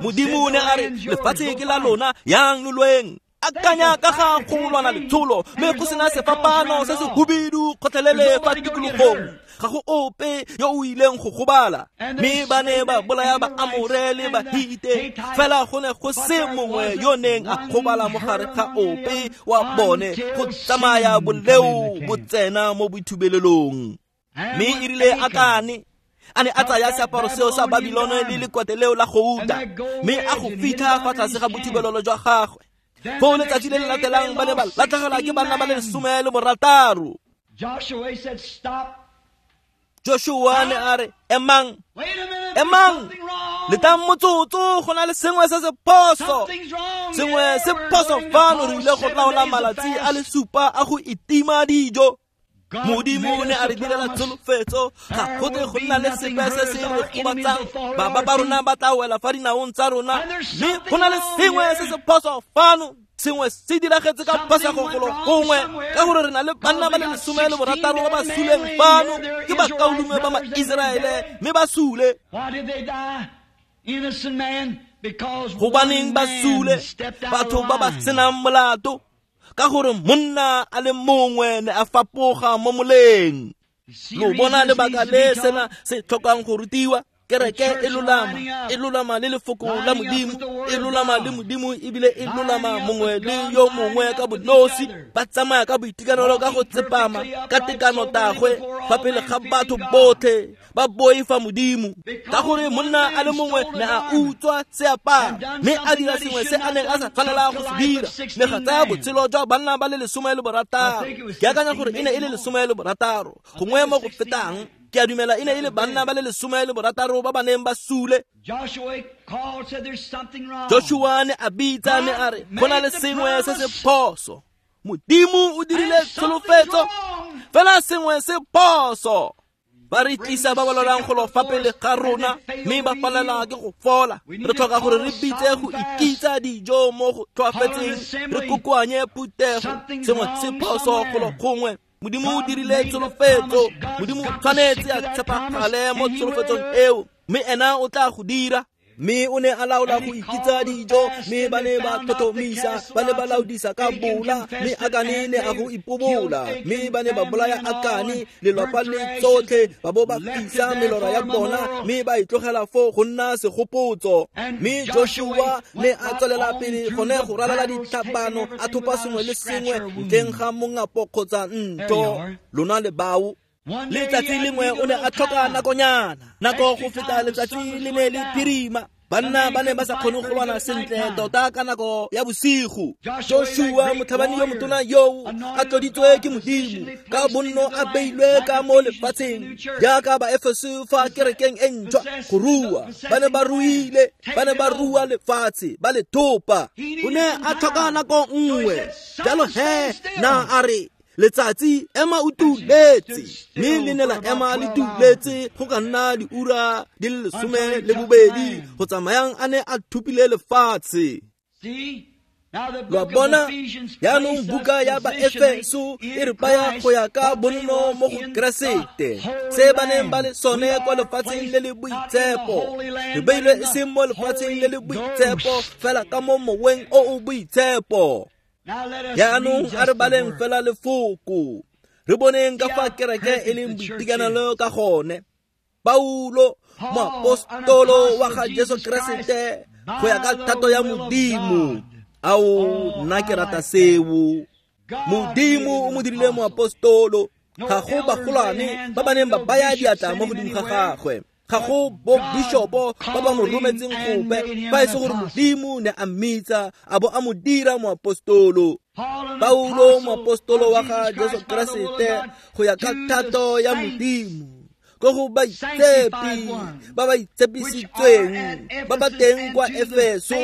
A: Modimo ne a re lefatshe ke la lona, yang lo lweng. Akanya ka ga go lwana letsholo mme go sena sefapano se se hubidu kgotlhelele fa tikologong, ga go ope yo o ileng go gobala. Mme ba ne ba bolaya ba Amore le ba Hite, fela go ne go se mongwe yo neng a gobala mo gare ga ope wa bone go tsamaya boleo bo tsena mo boithubelelong. Mme e rile Akane a ne a tsaya seaparo seo sa Babilone le lekwate leo la gouta, mme a go fitlha fa tlase ga bothibelelo jwa gagwe. Foo letsatsi le le latelang ba ne ba latlhegelwa ke banna ba le lesome le borataro. Joshua ne a re, emang, emang, letang motsotso, go na le sengwe se se phoso, sengwe se phoso fano. Re ile go laola malatsi a le supa a go itima dijo. Modimo ne a re direla tsholofetso, ga go tle go nna le sepe se se re gobatsang. Baba ba rona ba tla wela fa dinaong tsa rona, mme go na le sengwe se se phoso fano. Sengwe se diragetse ka phosego golo gongwe, ka gore re na le banna ba le lesome le borataro ba ba suleng fano, ke bakaulengwe ba ma-Iseraele, mme ba sule. Gobaneng ba sule? Batho ba ba senang molato, ka gore monna a le mongwe ne a fapoga mo moleng. Lo bona lebaka le sena se tlhokang go rutiwa? Kereke e lolama, e lolama le lefoko la Modimo, e lolama le Modimo ebile e lolama mongwe le yo mongwe ka bonosi. Ba tsamaya ka boitekanelo, ka go tsepama, ka tekano tagwe fa pele ga batho botlhe, ba boifa Modimo. Ka gore monna a le mongwe ne a utswa seaparo, mme a dira sengwe se a neng a sa tshwanela go se dira, ne ga tsaya botshelo jwa banna ba le lesome le borataro. Ke akanya gore e ne e le lesome le borataro, gongwe mo go fetang. Ke a dumela e ne e le banna ba le lesome le borataro ba ba neng ba sule. Joshua ne a bitsa ne a re go na le sengwe se se phoso. Modimo o dirile tsholofetso, fela sengwe se phoso. Ba re tlisa ba ba lwalang golo fa pele ga rona, mme ba palelwa ke go fola. Re tlhoka gore re bitse go ikitsa dijo mo go tlhoafetseng, re kokoanye phuthego. Sengwe se phoso golo gongwe. Modimo o dirile tsholofetso, Modimo o tshwanetse a tshepagale mo tsholofetsong eo, mme ena o tla go dira. Mme o ne a laola go ikitsa dijo, mme ba ne ba tlhotlhomisa, ba ne ba laodisa ka bola, mme Akane ne a go ipobola, mme ba ne ba bolaya Akane lelwapa le tsotlhe, ba bo ba fisa melora ya bona, mme ba e tlogela foo go nna segopotso. Mme Joshua ne a tswelela pele gone go ralala ditlhapano, a thopa sengwe le sengwe ntleng ga mongapo kgotsa ntho. Lona le bao. Letsatsi lengwe o ne a tlhoka nakonyana, nako go feta letsatsi le ne le phirima. Banna ba ne ba sa kgone go lwana sentle tota ka nako ya bosigo. Joshua motlhabani yo motona yoo a tloditswe ke Modimo, ka bonno a beilwe ka mo lefatsheng jaaka ba Efeso fa kerekeng e ntšhwa go rua. Ba ne ba ruile, ba ne ba rua lefatshe, ba le thopa. O ne a tlhoka nako nngwe. Jalo he na a re, letsatsi ema o tuletse, mme le ne la ema le tuletse go ka nna diura di le lesome le bobedi go tsamayang a ne a thupile lefatshe. Lo a bona, jaanong buka ya Baefeso e re baya go ya ka bonno mo go Keresete, se ba neng ba le sone kwa lefatsheng le le boitshepo. Re beilwe e seng mo lefatsheng le le boitshepo, fela ka mo moweng o o boitshepo. Jaanong a re baleng fela lefoko, re boneng ka fa kereke e leng boitekanelo ka gone. Paulo, moapostolo wa ga Jesu Keresete, go ya ka thato ya Modimo. Ao, nna ke rata seo. Modimo o mo dirile moapostolo. Ga go bagolwane ba ba neng ba baya diatla mo godimo ga gagwe, ga go bo bishopo ba ba mo rometseng gope, fa e se gore Modimo ne a mmitsa a bo a mo dira moapostolo. Paulo, moapostolo wa ga Jesu Keresete, go ya ka thato ya Modimo, ko go baitshepi ba ba itshepisitsweng ba ba teng kwa Efeso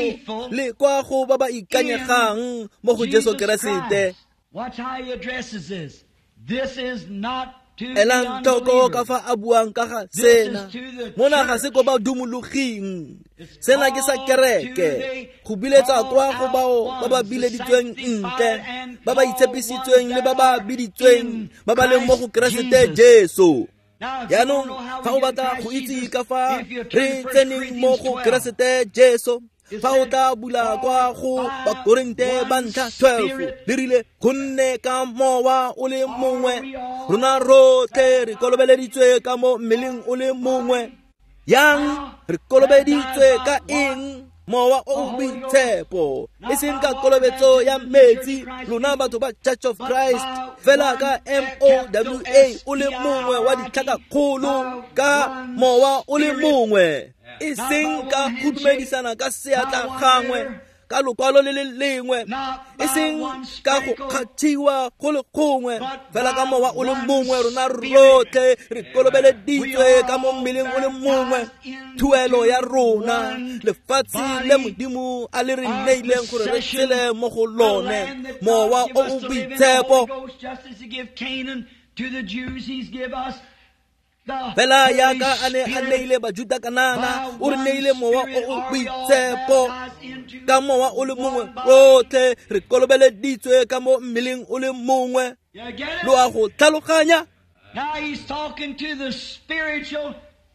A: le kwa go ba ba ikanyegang mo go Jesu Keresete.
B: Watch how he addresses this. This is not
A: Elang tlhoko ka fa a buang ka ga sena. Mona ga se ko ba dumologing, sena ke sa kereke, go biletsa kwa go bao ba ba bileditsweng ntle, ba ba itshepisitsweng le ba ba biditsweng, ba ba leng mo go Keresete Jesu. Jaanong fa o batla go itse ka fa re tseneng mo go Keresete Jesu, fa o tla bula kwa go Bakorinte ba ntlha twelve, le rile gonne ka mowa o le mongwe rona rotlhe re kolobeleditswe ka mo mmeleng o le mongwe. Yang re kolobeditswe ka eng? Mowa o o boitshepo, e seng ka kolobetso ya metsi, lona batho ba Church of Christ, fela ka M O W A o le mongwe wa ditlhakakgolo, ka mowa o le mongwe, e seng ka go dumedisana ka seatla gangwe, ka lokwalo le le lengwe, e seng ka go kgathiwa go le gongwe, fela ka mowa o le mongwe rona rotlhe re kolobeleditswe ka mo mmeleng o le mongwe. Thuelo ya rona, lefatshe le Modimo a le re neileng gore re tshele mo go lone, mowa o o boitshepo. Fela yaka a ne a neile Bajuda Kanana, o re neile mowa o o boitshepo. Ka mowa o le mongwe rotlhe re kolobeleditswe ka mo mmeleng o le mongwe. Lo a go tlhaloganya?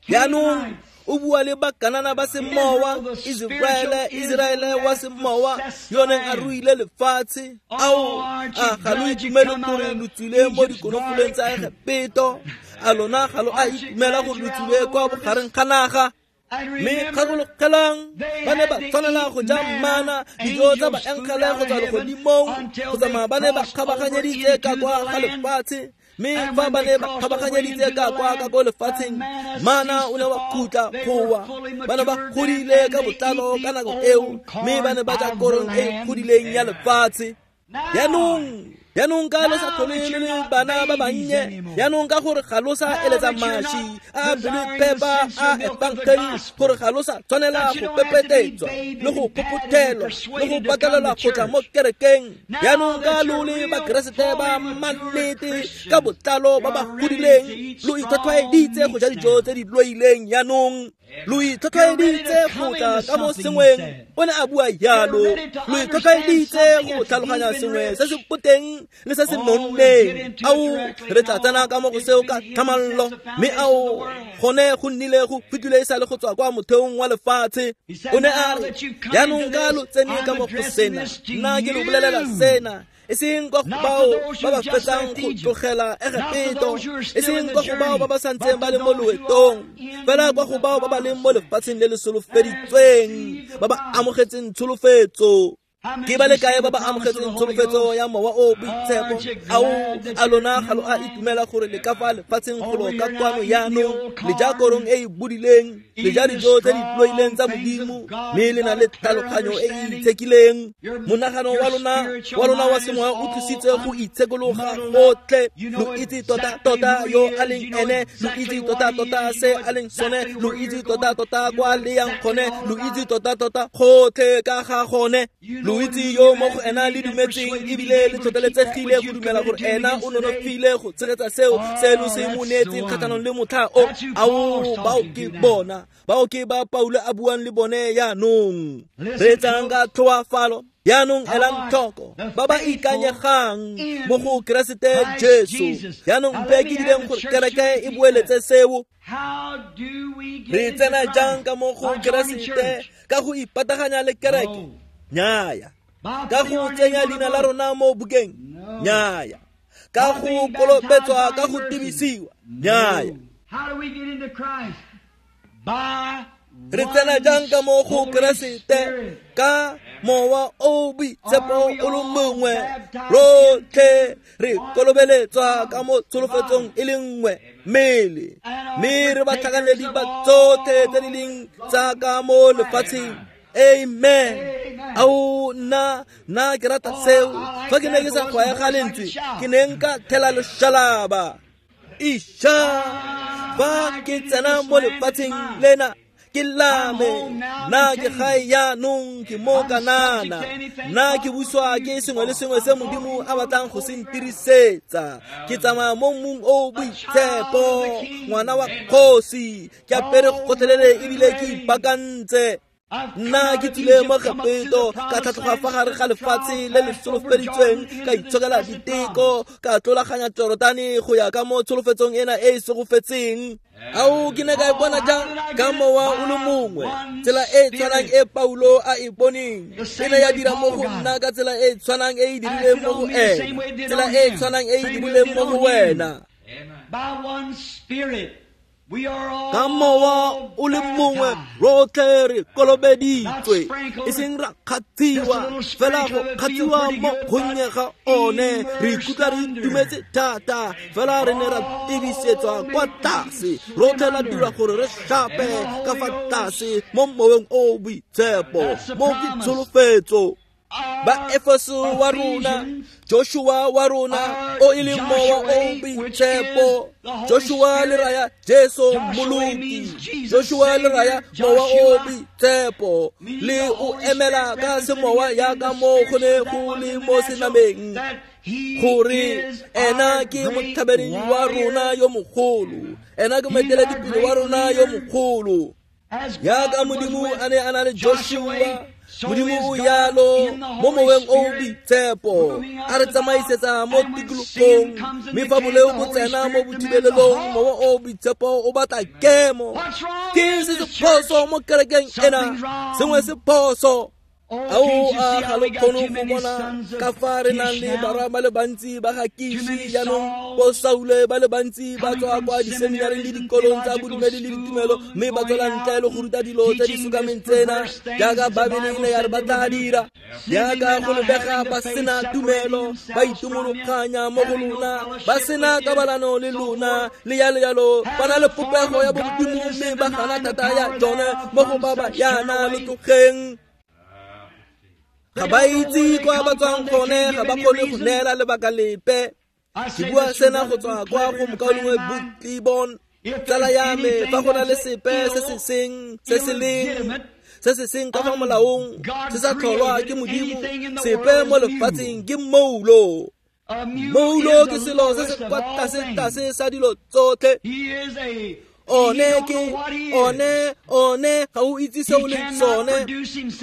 A: Jaanong o bua le Bakanana ba semowa, Israele, Israele wa semowa, yo neng a ruile lefatshe. Ao, a ga lo itumele gore lo tswile mo dikonofoleng tsa Egepeto? A lona ga lo a itumela gore lo tswile kwa bogareng ga naga? Mme gakologelang, ba ne ba tshwanela go ja mana, dijo tsa baengele go tswa legodimong, go tsamaya ba ne ba kgabaganyeditse ka kwa ga lefatshe. Mme fa ba ne ba kgabaganyeditse ka kwa ka ko lefatsheng, mana o ne wa khutla go wa. Ba ne ba godile ka botlalo ka nako eo, mme ba ne ba ja korong e godileng ya lefatshe. Jaanong, jaanong ka lo sa tlhole le le bana ba bannye, jaanong ka gore ga lo sa eletsa maši a pelo phepa a efangeli, gore ga lo sa tshwanela go pepetetswa le go phophothelwa le go patelelwa go tla mo kerekeng. Jaanong ka lo le Bakeresete ba mannete ka botlalo ba ba godileng, lo itlhwatlhwaeditse go ja dijo tse di loileng. Jaanong Lo itlhotlheleditse go tla ka mo sengweng, o ne a bua jalo. Lo itlhotlheleditse go tlhaloganya sengwe se se boteng le se se nonneng. Ao, re tla tsena ka mo go seo ka tlhamallo. Mme ao, gone go nnile go fetile e sa le go tswa kwa motheong wa lefatshe. O ne a re, jaanong ka lo tsene ka mo go sena, nna ke lo bolelela sena, e seng kwa go bao ba ba fetsang go tlogela Egepeto, e seng kwa go bao ba ba santseng ba le mo loetong, fela kwa go bao ba ba leng mo lefatsheng le le solofeditsweng, ba ba amogetseng tsholofetso. Ke ba le kae ba ba amogetseng tsholofetso ya Mowa o o Boitshepo? Ao, a lona ga lo a itumela gore le ka fa lefatsheng go lo ka kwano jaanong, le ja korong e e bodileng, le ja dijo tse di tloileng tsa Modimo, mme le na le tlhaloganyo e e itshekileng. Monagano wa lona wa lona wa semoya o tlositse go itshekologa gotlhe. Lo itse tota-tota yo a leng ene, lo itse tota-tota se a leng sone, lo itse tota-tota kwa le yang gone, lo itse tota-tota gotlhe ka ga gone. Lo itse yo mo go ena le dumetseng ebile le tlhotlheletsegile go dumela gore ena o nonofile go tshegetsa seo se lo se mo neetseng kgatlhanong le motlha o. Ao, bao ke bona, bao ke ba Paulo a buang le bone jaanong. Reetsang ka tlhoafalo. Jaanong elang tlhoko ba ba ikanyegang mo go Keresete Jesu. Jaanong mpe ke direng gore kereke e boeletse seo. Re tsena jang ka mo go Keresete? Ka go ipataganya le kereke? Nnyaya. Ka go tsenya leina la rona mo bukeng? Nnyaya. Ka go kolobetswa ka go tibisiwa? Nnyaya. Re tsena jang ka mo go Keresete? Ka Mowa o o Boitshepo o le mongwe. Rotlhe re kolobeletswa ka mo tsholofetsong e le nngwe, mmele. Mme re batlhakanedi ba tsotlhe tse di leng tsa ka mo lefatsheng. Amen. Ao, nna nna ke rata seo. Fa ke ne ke sa gwaega lentswe, ke ne nka thela loshalaba. Isha, fa ke tsena mo lefatsheng lena, ke lame. Nna ke gae jaanong, ke mo Kanana. Nna ke buswa ke sengwe le sengwe se Modimo a batlang go se ntirisetsa. Ke tsamaya mo mmung o o boitshepo, ngwana wa kgosi. Ke apere gotlhelele ebile ke ipaakantse. Nna ke tswile mo Egepeto, ka tlhatlhoga fa gare ga lefatshe le le solofeditsweng, ka itshokela diteko, ka tlolaganya Jorodane go ya ka mo tsholofetsong ena e e segofetseng. Ao, ke ne ka e bona jang? Ka Mowa o le mongwe. Tsela e e tshwanang e Paulo a e boneng e ne ya dira mo go nna ka tsela e e tshwanang e e dirileng mo go ena, tsela e e tshwanang e e dirileng mo go wena. Ka Mowa o le mongwe rotlhe re kolobeditswe, e seng ra kgathiwa, fela go kgathiwa mo gonnye ga one. Re ikutlwa re itumetse thata, fela re ne ra tibisetswa kwa tlase. Rotlhe la dira gore re shape ka fa tlase mo moweng o o boitshepo, mo ke tsholofetso. Ba Efeso wa rona, Joshua wa rona, o e leng Mowa o Boitshepo. Joshua le raya Jesu Mmoloki. Joshua le raya Mowa o Boitshepo. Le o emela ka semowa jaaka mo go ne go le mo senameng, gore ena ke motlhabedi wa rona yo mogolo, ena ke moeteledipele wa rona yo mogolo. Jaaka Modimo a ne a na le Joshua, Modimo o jalo mo moweng o o boitshepo, a re tsamaisetsa mo tikologong. Mme fa boleo bo tsena mo bothibelelong, Mowa o o Boitshepo o batla kemo. Ke se se phoso mo kerekeng ena? Sengwe se phoso. Ao, a ga lo kgone go bona ka fa re nang le barwa ba le bantsi ba ga Kishi jaanong, bo Saule ba le bantsi ba tswa kwa diseminareng le dikolong tsa bodumedi le ditumelo, mme ba tswela ntle le go ruta dilo tse di sokameng tsena jaaka Babele e ne ya re ba tla dira. Jaaka go lebega ba sena tumelo, ba itumologanya mo go lona, ba sena kabalano le lona, le jalo jalo. Ba na le popego ya bomodimo, mme ba gana thata ya tsone mo go ba ba yana lo tlogeng. Ga ba itse kwa ba tswang gone, ga ba kgone go neela lebaka lepe. Ke bua sena go tswa kwa go mokaulengwe Bootlebon, tsala ya me. Fa go na le sepe se se seng se se leng se se seng ka fa molaong, se sa tlholwa ke Modimo, sepe mo lefatsheng ke moulo. Moulo ke selo se se kwa tlase-tlase sa dilo tsotlhe. One ke one one ga o itse se o leng sone.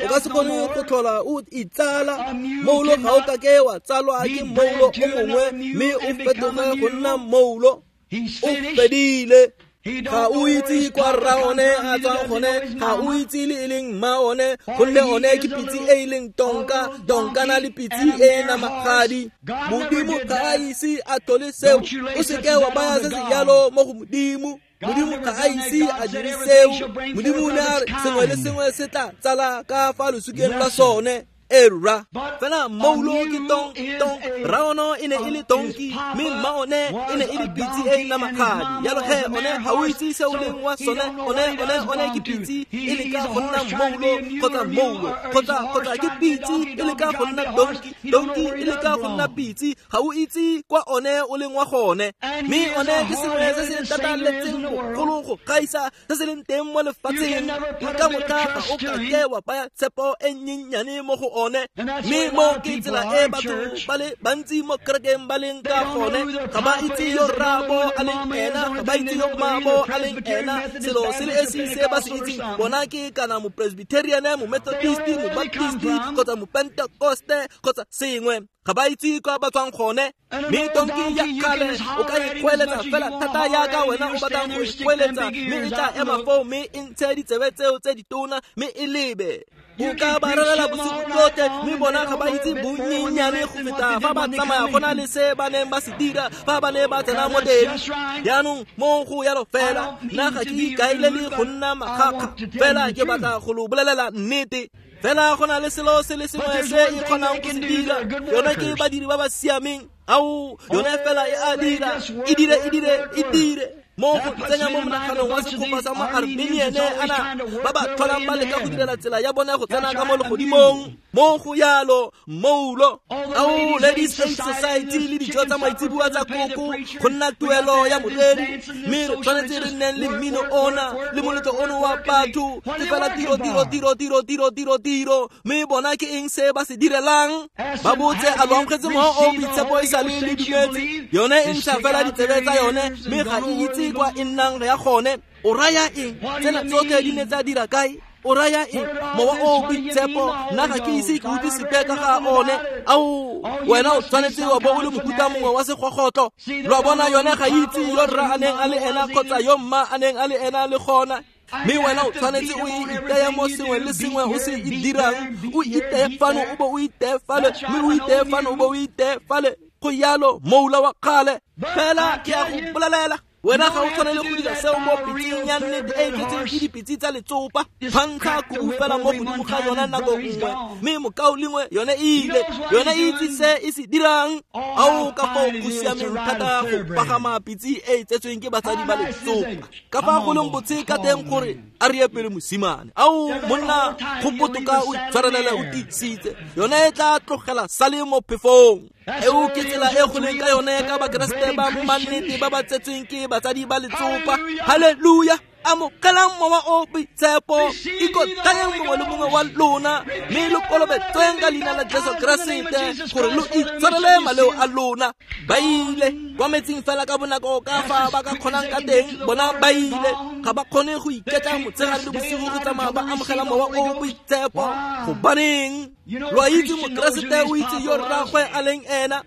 A: O ka se kgone go tlhola o itsala. Moulo ga o ka ke wa tsalwa ke moulo o mongwe mme o fetoge go nna moulo. O fedile. Ga o itse kwa rra one a tswang gone, ga o itse le e leng mma one, gonne one ke pitse e e leng tonka, donkana le pitse e e namagadi. Modimo ga a ise a tlhole seo. O seke wa baya se se jalo mo go Modimo. Modimo ga a ise a dire seo. Modimo o ne a re sengwe le sengwe se tla tsala ka fa losukeng lwa sone. Era fela moulo ke tong tong raono e ne e le tonki mme mma one e ne e le pitse e e namagadi. Jalo he one ga o itse se o leng wa sone. One one one ke pitse e le ka go nna moulo kgotsa moulo kgotsa kgotsa ke pitse e le ka go nna donki, donki e le ka go nna pitse. Ga o itse kwa one o leng wa gone. Mme one ke sengwe se se tataletseng bogolo go gaisa se se leng teng mo lefatsheng. Le ka motlha ga o ka ke wa baya tshepo e nnyenyane mo go one. Mme mo ke tsela e batho ba le bantsi mo kerekeng ba leng ka gone. Ga ba itse yo rraabo a leng ena, ga ba itse yo mmaabo a leng ena. Selo se le esi se ba se itseng bona ke kana mopresbyterian, momethodist, mobaptist kgotsa mopentekoste kgotsa sengwe. Ga ba itse kwa ba tswang gone. Mme tonki ya kgale o ka ikgoeletsa fela thata yaka wena o batlang go ikgoeletsa, mme e tla ema foo mme e ntshe ditsebe tseo tse ditona mme e lebe. O ka ba rerela bosigo jotlhe mme bona ga ba itse bonnyenyane go feta fa ba tsamaya go na le se ba neng ba se dira fa ba ne ba tsena mo teng. Jaanong mo go yalo fela, nna ga ke ikaelele go nna makgakga, fela ke batla go lo bolelela nnete. Fela go na le selo se le sengwe se e kgonang go se dira, yone ke badiri ba ba siameng. Ao, yone fela e a dira, e dire, e dire, e dire. Mo go tsenya mo monaganong wa segopa sa mo Armenian ana ba ba tlholang ba leka go direla tsela ya bone go tsena ka mo legodimong. Mo go yalo moulo. Ao, Ladies Aid Society le dijo tsa maitseboa tsa koko go nna tuelo ya moreri, mme re tshwanetse re nneng le mmino ona le moletlo ono wa batho. Ke fela tiro tiro tiro tiro tiro tiro tiro. Mme bona ke eng se ba se direlang? Ba botse a lo amogetse mowa o boitshepo e sa le le dumetse. Yone e ntsha fela ditsebe tsa yone mme ga e itse kwa e nnang ya gone. O raya eng? Tsena tsotlhe di ne tsa dira kae? O raya eng? Mowa o boitshepo nna ga ke ise ke utlwe sepe ka ga one. Ao, wena o tshwanetse wa bo o le mohuta mongwe wa segogotlo. Lo a bona, yone ga itse yo rra a neng a le ena kgotsa yo mma a neng a le ena le gona. Mme wena o tshwanetse o iteye mo sengwe le sengwe o se e dirang. O iteye fano o bo o iteye fale, mme o iteye fano o bo o iteye fale. Go yalo moula wa kgale. Fela ke a go bolelela, wena ga o tshwanele go dira seo mo pitseng ya nnete e e tletseng ke dipitse tsa letsopa. Phankga kubu fela mo godimo ga yona nako nngwe, mme mokaulengwe yone e ile. Yone e itse se e se dirang. Ao, ka foo go siameng thata go pagama pitse e e tsetsweng ke batsadi ba letsopa. Ka fa go leng botse ka teng gore a re ye pele mosimane. Ao, monna, go botoka o itshwarelele o tiisitse. Yone e tla tlogela sale mo phefong. Eo ke tsela e go leng ka yone ka bakeresete ba mannete ba ba tsetsweng ke batsadi ba letsopa. Halleluja! Amogelang mowa o boitshepo, ikotlayeng mongwe le mongwe wa lona, mme lo kolobetsweng ka leina la Jesu Keresete gore lo itshwarele maleo a lona. Ba ile kwa metsing fela ka bonako ka fa ba ka kgonang ka teng. Bona ba ile, ga ba kgone go iketla motshegare le bosigo go tsamaya ba amogela mowa o boitshepo. Gobaneng? Lo a itse mokeresete o itse yo rraagwe a leng ena.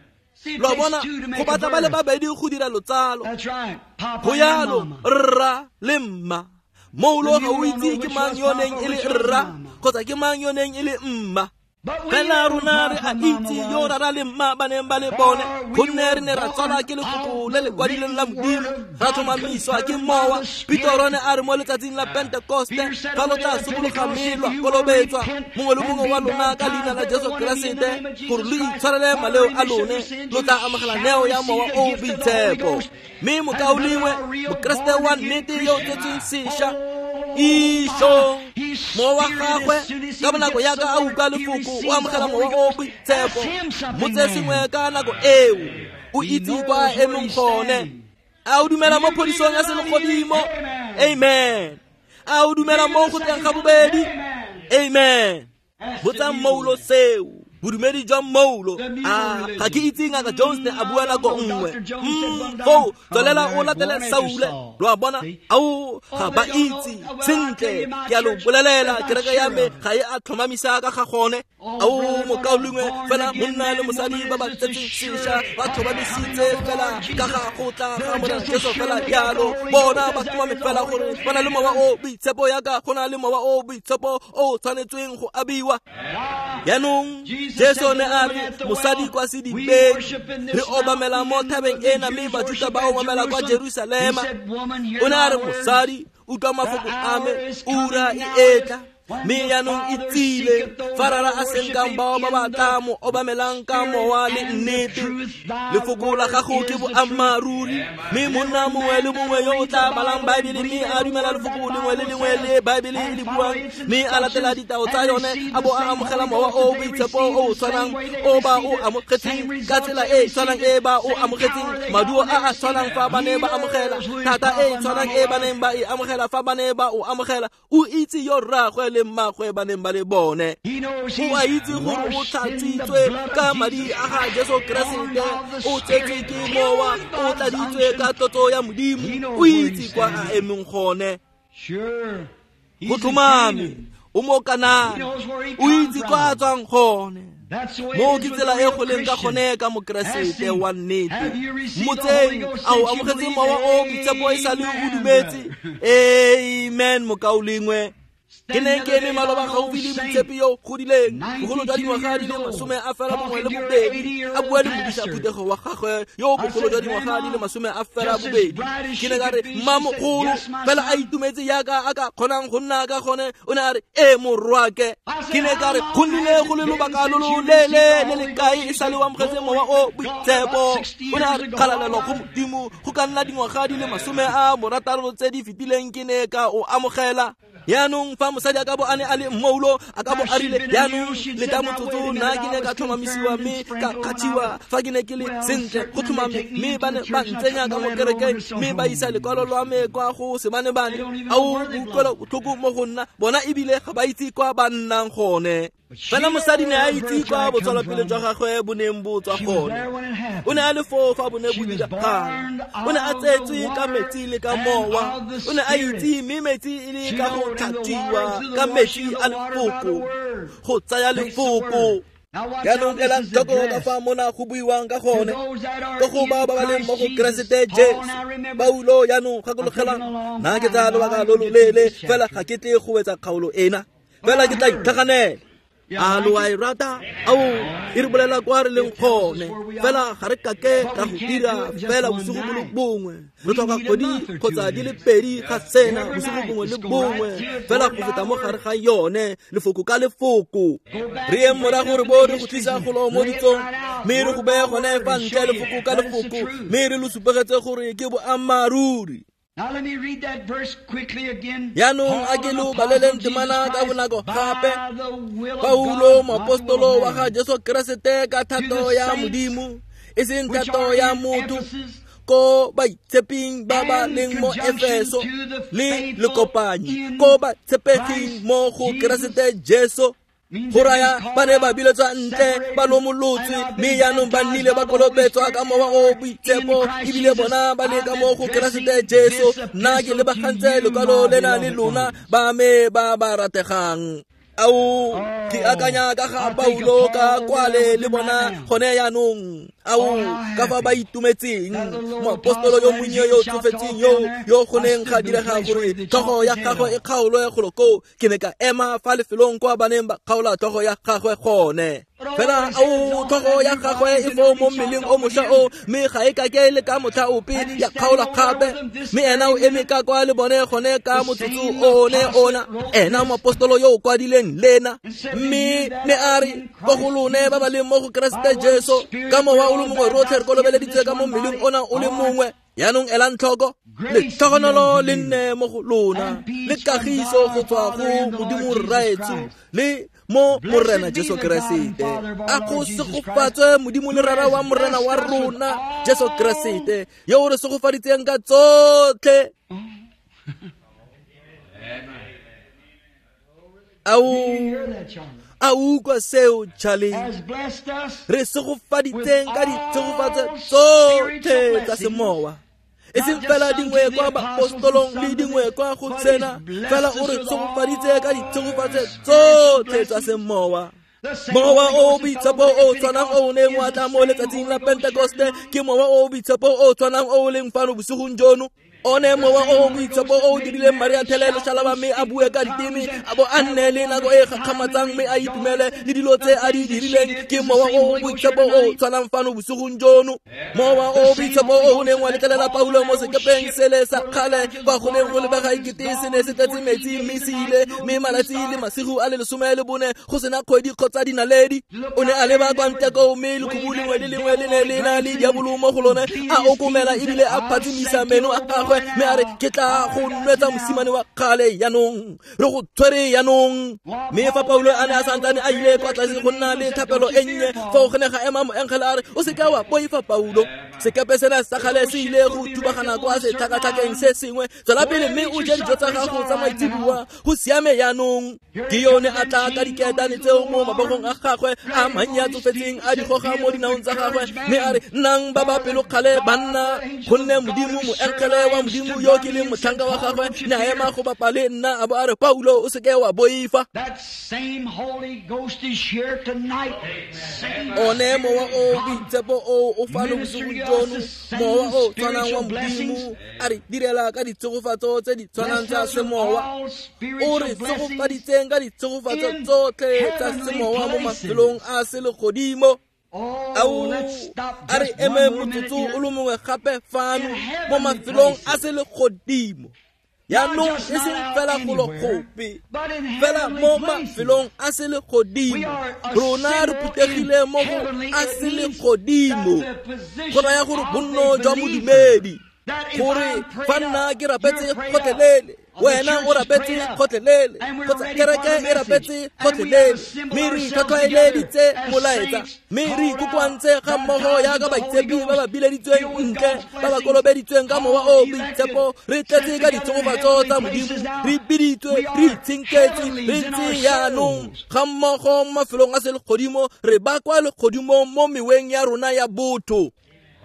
A: Lo a bona, go batla ba le babedi go dira lotsalo. Go yalo rra le mma. Moulo ga o itse ke mang yo neng e le rra kgotsa ke mang yo neng e le mma. Fela rona re a itse yo rara le mma ba neng ba le bone, gonne re ne ra tswalwa ke lefoko le le kwadilweng la Modimo, ra tlhomamiswa ke mowa. Petoro ne a re mo letsatsing la Pentekoste, fa lo tla sokologa mme lwa kolobetswa mongwe le mongwe wa lona ka leina la Jesu Keresete gore lo itshwarele maleo a lone, lo tla amogela neo ya mowa o boitshepo. Mme mokaulengwe, mokeresete wa nnete yo o tsetsweng sešwa, isho mowa wa gagwe ka bonako yaka a utlwa lefoko o amogela mowa o boitshepo. Motse sengwe ka nako eo o itse kwa emeng gone. A o dumela mo phodisong ya selegodimo? Amen. A o dumela mo go tleng ga bobedi? Amen. Botsang moulo seo. Bodumedi jwa mmoulo. A ga ke itse Ngaka Jones ne a bua nako nngwe. Foo tswelela o latele Saule. Lo a bona? Ao, ga ba itse sentle. Ke a lo bolelela, kereke ya me ga e a tlhomamisa ka ga gone. Ao, mokaulengwe, fela monna le mosadi ba ba tsetseng sešwa ba tlhomamisitse fela ka ga go tla ga Morena Jesu fela jalo. Bona ba tlhomame fela gore ba na le mowa o boitshepo yaka go na le mowa o boitshepo o tshwanetsweng go abiwa. Jaanong Jesu ne a re mosadi kwa sedibeng, re obamela mo thabeng ena, mme Bajuta ba obamela kwa Jerusalema. O ne a re mosadi, utlwa mafoko a me, ura e etla, mme jaanong e tsile, fa Rara a senkang bao ba ba tla mo obamelang ka mowa le nnete. Lefoko la gago ke boammaaruri, mme monna mongwe le mongwe yo o tla balang Baebele mme a dumela lefoko lengwe le lengwe le Baebele e le buang, mme a latela ditao tsa yone, a bo a amogela mowa o boitshepo o o tshwanang o ba o amogetseng ka tsela e e tshwanang e ba o amogetseng, maduo a a tshwanang fa ba ne ba amogela, thata e e tshwanang e ba neng ba e amogela fa ba ne ba o amogela. O itse yo rraagwe le mmagwe ba neng ba le bone. O a itse gore o tlhatswitswe ka madi a ga Jesu Keresete, o tsetswe ke mowa, o tladitswe ka tlotso ya Modimo. O itse kwa a emeng gone. Go tlhomame, o mo Kanana, o itse kwa a tswang gone. Moo ke tsela e go leng ka gone ka Mokeresete wa nnete. Motseng a o amogetse mowa o boitshepo e sale o dumetse. Amen, mokaulengwe. Ke ne ke eme maloba gaufi le moitshepi yo godileng, bogolo jwa dingwaga di le masome a fela bongwe le bobedi, a bua le modisa phuthego wa gagwe yo bogolo jwa dingwaga di le masome a fela bobedi. Ke ne ka re, mmamogolo, fela a itumetse yaka a ka kgonang go nna ka gone. O ne a re, ee morwake. Ke ne ka re, go nnile go le lobaka lo lo leele le le kae e sale o amogetse mowa o boitshepo? O ne a re, kgalalelo go Modimo, go ka nna dingwaga di le masome a morataro tse di fetileng ke ne ka o amogela. Jaanong fa mosadi a ka bo a ne a le mmoulo, a ka bo a rile, jaanong leta motsotso, nna ke ne ka tlhomamisiwa mme ka kgathiwa fa ke ne ke le sentle go tlhomame, mme ba ne ba ntsenya ka mo kerekeng mme ba isa lekwalo lwa me kwa go sebanebane. Ao, boutlwelo botlhoko mo go nna, bona ebile ga ba itse kwa ba nnang gone. Fela mosadi ne a itse kwa botswelopele jwa gagwe bo neng bo tswa gone. O ne a le foo fa bo ne bo diragala. O ne a tsetswe ka metsi le ka mowa. O ne a itse mme metsi e le ka go tlhatswiwa ka metsi a lefoko, go tsaya lefoko. Jaanong elang tlhoko ka fa mona go buiwang ka gone, ka go bao ba ba leng mo go Keresete Jesu. Paulo jaanong gakologelang, nna ke tsaya lobaka lo lo leele, fela ga ke tle go wetsa kgaolo ena, fela ke tla itlhaganela. A lo a e rata? Ao, e re bolela kwa re leng gone, fela ga re kake ra go dira fela bosigo bo le bongwe. Re tlhoka kgwedi kgotsa di le pedi ga sena bosigo bongwe le bongwe, fela go feta mo gare ga yone, lefoko ka lefoko. Re yeng morago re bo re go tlisa golo mo ditsong, mme re go beye gone fa ntle lefoko ka lefoko, mme re lo supegetse gore ke boammaaruri.
B: Now let me read that verse quickly again.
A: Jaanong a ke lo baleleng temana ka bonako gape. Paulo moapostolo wa ga Jesu Keresete ka thato ya Modimo, e seng thato ya motho, ko baitsheping ba ba leng mo Efeso le lekopanyi, ko batshepeging mo go Keresete Jesu. Go raya ba ne ba biletswa ntle, ba lomolotswe, mme jaanong ba nnile ba kolobetswa ka mowa o boitshepo, ebile bona ba le ka mo go Keresete Jesu. Nna ke lebagantse lekwalo lena le lona ba me ba ba rategang. Ao, ke akanya ka ga Paulo ka kwale le bona gone jaanong. Ao, ka fa ba itumetseng, moapostolo yo monnye yo tsofetseng yo yo go neng ga direga gore tlhogo ya gagwe e kgaolwe golo koo. Ke ne ka ema fa lefelong kwa ba neng ba kgaola tlhogo ya gagwe gone. Fela ao, tlhogo ya gagwe e foo mo mmeleng o mošwa o, mme ga e kake le ka motlha ope ya kgaolwa gape. Mme ena o eme ka kwa le bone gone ka motsotso one ona, ena moapostolo yo o kwadileng lena. Mme ne a re ko go lone ba ba leng mo go Keresete Jesu, ka mowa o le mongwe rotlhe re kolobeleditswe ka mo mmeleng ona o le mongwe. Jaanong elang tlhoko, letlhogonolo le nne mo go lona, le kagiso go tswa go Modimo Rraetsho le mo Morena Jesu Keresete. A go segofatswe Modimo le Rara wa Morena wa rona Jesu Keresete, yo o re segofaditseng ka tsotlhe. Ao, A utlwa seo, Charlie?
B: Has blessed us
A: Re segofaditseng ka
B: with
A: ditshegofatso
B: all
A: tsotlhe
B: spiritual
A: tsa semowa. E seng
B: Not just
A: fela
B: some
A: dingwe
B: to the
A: kwa
B: apostles
A: baapostolong
B: and
A: le
B: some to
A: dingwe
B: the-
A: kwa go
B: but
A: tsena,
B: he's blessed
A: fela
B: us
A: o re
B: with
A: tshegofaditse ka
B: all
A: ditshegofatso
B: spiritual
A: tsotlhe tsa
B: blessings.
A: semowa.
B: The same
A: Mowa
B: Holy
A: o
B: Ghost that
A: boitshepo
B: fell on
A: o
B: the
A: tshwanang o o neng wa
B: is
A: tla
B: the
A: mo
B: same
A: letsatsing la
B: Holy Ghost
A: Pentekoste
B: here
A: ke mowa o o boitshepo o o tshwanang o o leng fano bosigong jono. One mowa o o boitshepo o o dirileng Maria Thelelo Shalaba mme a bue ka diteme, a bo a nne le nako e e gakgamatsang mme a itumele le dilo tse a di dirileng, ke mowa o o boitshepo o o tshwanang fano bosigong jono. Mowa o o boitshepo o o neng wa letlelela Paulo mo sekepeng sele sa kgale kwa go neng go lebega ekete se ne se tletse metsi mme se ile, mme malatsi le masigo a le lesome le bone go sena kgwedi kgotsa dinaledi. O ne a leba kwa ntle koo mme lekhubu lengwe le lengwe le ne le na le diabolo mo go lone, a okomela ebile a phatsimisa meno a gagwe mme a re, ke tla go nwetsa mosimane wa kgale jaanong, re go tshwere jaanong. Mme fa Paulo a ne a santsane a ile kwa tlase go nna le thapelo e nnye, foo go ne ga ema moengele a re, o seka wa boifa Paulo, sekepe sena sa kgale se ile go thubagana kwa setlhakatlhakeng se sengwe, tswela pele mme o je dijo tsa gago tsa maitseboa, go siame jaanong. Ke yone a tla ka diketane tseo mo mabogong a gagwe a mannye a tsofetseng a di goga mo dinaong tsa gagwe, mme a re, nnang ba ba pelokgale banna, gonne Modimo moengele wa Modimo yo ke leng motlhanka wa gagwe ne a ema go bapa le nna a bo a re, Paulo o seke wa boifa.
B: That same Holy Ghost is here tonight. Same
A: One mowa o
B: God
A: boitshepo o o fano bosigong jono, mowa o tshwanang wa Modimo a re direla ka ditshegofatso tse di tshwanang
B: blessed
A: tsa
B: us with
A: semowa.
B: all
A: O
B: spiritual
A: re
B: blessings
A: segofaditseng ka ditshegofatso
B: in
A: tsotlhe tsa
B: heavenly
A: semowa mo
B: places.
A: mafelong a selegodimo.
B: Oh,
A: Ao,
B: let's stop
A: a re
B: just
A: eme
B: one more minute
A: motsotso o
B: here.
A: le mongwe gape fano
B: In
A: mo
B: heavenly
A: mafelong a
B: places.
A: selegodimo.
B: Not
A: Jaanong
B: just
A: e
B: not
A: seng
B: out
A: fela golo
B: anywhere,
A: gope,
B: but in
A: fela
B: heavenly
A: mo
B: places.
A: mafelong a
B: We
A: selegodimo.
B: are
A: Rona re
B: assembled in
A: phuthegile mo go
B: heavenly.
A: a
B: It means
A: selegodimo,
B: that the
A: go
B: position
A: raya gore
B: of
A: bonno
B: the
A: jwa
B: believer,
A: modumedi,
B: that if
A: gore
B: I'm
A: fa
B: prayed
A: nna
B: up,
A: ke rapetse
B: you're prayed up,
A: gotlhelele,
B: the
A: wena
B: church
A: o
B: is
A: rapetse
B: prayed up,
A: gotlhelele,
B: and we're
A: kgotsa
B: ready for
A: kereke
B: the
A: e
B: message,
A: rapetse
B: and we have
A: gotlhelele,
B: assembled
A: mme re
B: ourselves
A: itlhwatlhwaeleditse
B: together as
A: molaetsa,
B: saints
A: mme re
B: called out,
A: ikokoantse ga mmogo
B: baptized
A: jaaka
B: with the Holy
A: baitshepi ba ba
B: Ghost,
A: bileditsweng
B: filled with
A: ntle,
B: God's
A: ba ba
B: blessings,
A: kolobeditsweng ka mowa
B: all
A: o
B: elected,
A: boitshepo, re tletse
B: set
A: ka
B: together in
A: ditshegofatso
B: heavenly
A: tsa Modimo,
B: places now.
A: re biditswe,
B: We
A: re
B: are
A: itshenketswe, re
B: heavenlies in
A: ntse
B: our
A: jaanong
B: souls.
A: ga mmogo mo mafelong a selegodimo, re ba kwa legodimong mo meweng ya rona ya botho.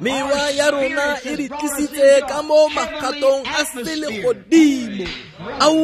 A: Mewa
B: Our
A: ya rona
B: spirits
A: e
B: has
A: re
B: brought us
A: tlisitse
B: into
A: ka
B: a
A: mo
B: heavenly
A: magatong a
B: atmosphere.
A: selegodimo. Ao,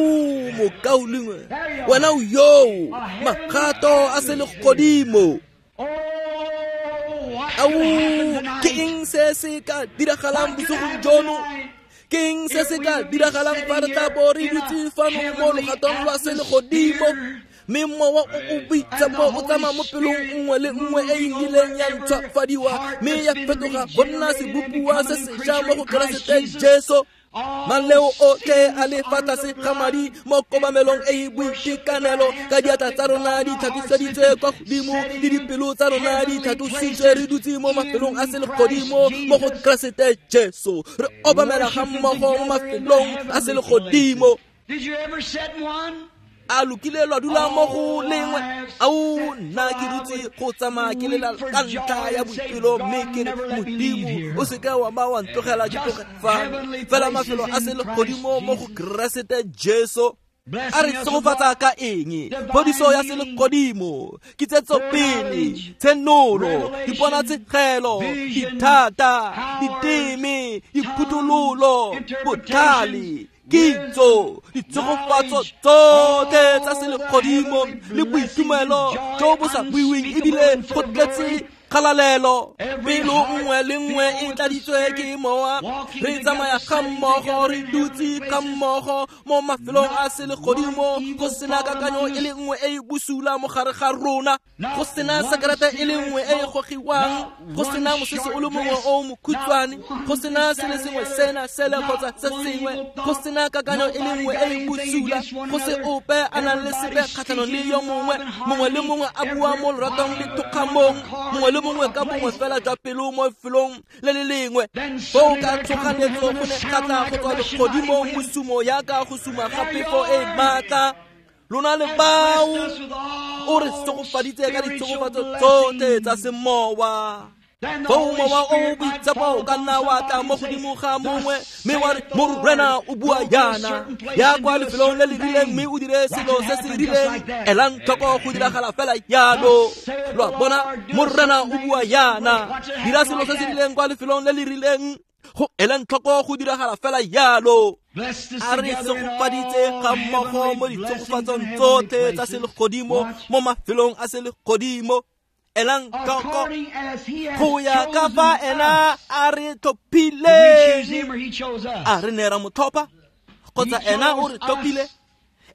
A: mokaulengwe,
B: There you
A: wena
B: are.
A: o yoo,
B: A heavenly
A: magato a
B: atmosphere.
A: selegodimo.
B: Oh, what
A: Ao,
B: could happen
A: ke
B: tonight?
A: eng se se ka diragalang
B: What could
A: bosigong
B: happen
A: jono?
B: tonight
A: Ke eng se
B: if
A: se
B: we
A: ka
B: would be
A: diragalang fa
B: sitting
A: re tla
B: here
A: bo re
B: in a
A: dutse fano mo
B: heavenly
A: logatong lwa selegodimo?
B: atmosphere
A: Mme mowa o o
B: and the
A: boitshepo o
B: Holy
A: tsamaya mo pelong
B: Spirit
A: nngwe le nngwe e e
B: moving over
A: ileng ya
B: every
A: ntšhwafadiwa
B: heart
A: mme
B: that's
A: ya
B: been
A: fetoga go nna
B: regenerated and
A: sebopiwa
B: become
A: se
B: a new
A: sešwa
B: creature
A: mo go
B: in Christ
A: Keresete
B: Jesus.
A: Jesu.
B: All
A: Maleo otlhe a
B: sins
A: le fa
B: under
A: tlase
B: the
A: ga madi
B: blood
A: mo
B: in
A: kobamelong e e
B: perfect worship with our
A: boitekanelo, ka
B: hands up
A: diatla
B: to
A: tsa
B: God
A: rona
B: and
A: di
B: our hearts
A: tlhatlosediitswe
B: lifted,
A: kwa godimo le
B: sitting in
A: dipelo tsa rona di
B: heavenly
A: tlhatlositswe, re
B: places
A: dutse mo mafelong a
B: in Christ
A: selegodimo mo go
B: Jesus,
A: Keresete Jesu, re obamela ga
B: worshiping
A: mmogo mo
B: together in the
A: mafelong a
B: heavenly
A: selegodimo.
B: places. Did you ever sit in one?
A: A lokile lwa dula mo go
B: Oh,
A: lengwe?
B: I have
A: Ao,
B: sat
A: nna
B: till
A: ke
B: I
A: dutse
B: would
A: go tsamaya ke lela
B: weep for
A: ka
B: joy
A: ntlha ya
B: and say,
A: boipelo, mme
B: God,
A: ke re,
B: never let me leave
A: Modimo
B: here.
A: o seke wa ba wa ntlogela ke
B: Just
A: tloge fano.
B: heavenly
A: Fela
B: places
A: mafelo a
B: in Christ
A: selegodimo mo go
B: Jesus,
A: Keresete Jesu. A re
B: blessing us with
A: tshegofatsa
B: all
A: ka eng?
B: divine
A: Phodiso ya
B: healing,
A: selegodimo, kitsetsopele,
B: foreknowledge,
A: tshenolo,
B: revelation,
A: diponatshegelo,
B: vision,
A: dithata,
B: powers,
A: diteme,
B: tongues,
A: diphuthololo,
B: interpretations,
A: botlhale, kitso,
B: wisdom,
A: ditshegofatso
B: knowledge,
A: tsotlhe tsa
B: all the
A: selegodimo
B: heavenly
A: le
B: blessings and
A: boitumelo
B: joy
A: jo bo sa buiweng
B: unspeakable
A: ebile
B: and
A: go
B: full of
A: tletse
B: glory.
A: kgalalelo.
B: Every
A: Pelo
B: heart
A: nngwe le nngwe
B: filled
A: e
B: with the
A: tladitswe ke
B: Spirit,
A: mowa,
B: walking
A: re
B: together,
A: tsamaya ga
B: sitting
A: mmogo,
B: together
A: re
B: in heavenly
A: dutse ga
B: places.
A: mmogo mo mafelong a
B: Not one
A: selegodimo, go
B: evil
A: sena
B: thought
A: kakanyo
B: among
A: e le
B: us,
A: nngwe e e bosula mo gare ga rona, go
B: not
A: sena
B: one
A: sekerete e le
B: cigarette
A: nngwe e e
B: smoke,
A: gogiwang,
B: not
A: go
B: one
A: sena mosese o
B: short
A: le mongwe
B: dress,
A: o
B: not
A: mokhutshwane, go
B: one
A: sena
B: this,
A: se le
B: that, or the
A: sengwe
B: other,
A: sena sele kgotsa
B: not
A: se
B: one
A: sengwe,
B: evil
A: go
B: thought,
A: sena kakanyo e le
B: nobody
A: nngwe
B: got
A: e e
B: anything
A: bosula,
B: against one
A: go se
B: another,
A: ope a nang le sepe
B: everybody
A: kgatlhanong le
B: speaking
A: yo
B: in
A: mongwe,
B: love and
A: mongwe le
B: harmony,
A: mongwe a bua mo loratong le
B: everybody with one
A: thokgamong,
B: accord
A: mongwe le
B: in
A: mongwe
B: one
A: ka bongwe
B: place.
A: fela jwa pelo mo lefelong le le lengwe.
B: Then
A: Foo
B: suddenly
A: ka
B: there come from
A: tshoganetso
B: heaven
A: go
B: a
A: ne ga
B: sound
A: tla
B: like
A: go
B: a
A: tswa
B: rushing mighty
A: legodimong
B: wind.
A: mosumo yaka go suma ga
B: There you
A: phefo e
B: are.
A: maatla. Lona le
B: Has
A: bao
B: blessed us with
A: o re
B: all
A: segofaditse ka
B: spiritual
A: ditshegofatso tsotlhe tsa
B: blessings
A: semowa. Foo mowa o o boitshepo o ka nna wa tla mo godimo ga mongwe mme wa re Morena o bua yana, ya kwa lefelong le le rileng mme o dire selo se se rileng. Elang tlhoko go diragala fela yalo. Lo a bona, Morena o bua yana, dira selo se se rileng kwa lefelong le le rileng. Go elang tlhoko go diragala fela yalo. A re segofaditse ga mmogo mo ditshegofatsong tsotlhe tsa selegodimo mo mafelong a selegodimo. Elang tlhoko go ya ka fa ena a re tlhophileng. A re ne ra mo tlhopha kgotsa ena o re tlhophile?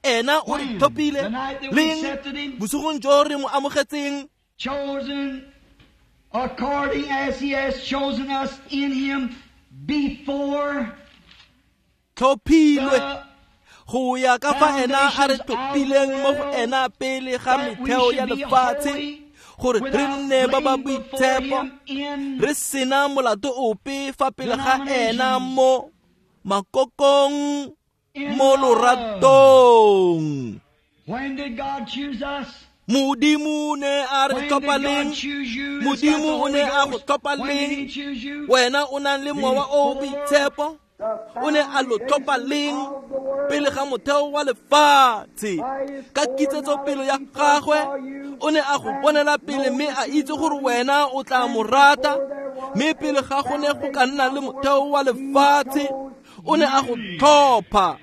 A: Ena o re tlhophile leng? Bosigong jo re mo amogetseng.
B: According as he has chosen us in him before
A: tlhophilwe go ya ka fa ena a re tlhophileng mo go ena pele ga metheo ya lefatshe, gore re nne ba ba boitshepo, re sena molato ope fa pele ga ena mo makokong mo loratong.
B: When did God choose us?
A: Modimo ne a re tlhopha leng? Modimo o ne a go tlhopha leng? Wena o nang le mowa o o boitshepo, o ne a lo tlhopha leng? Pele ga motheo wa lefatshe. Ka kitsetsopele ya gagwe o ne a go bonela pele mme a itse gore wena o tla mo rata. Mme pele ga go ne go ka nna le motheo wa lefatshe, o ne a go tlhopha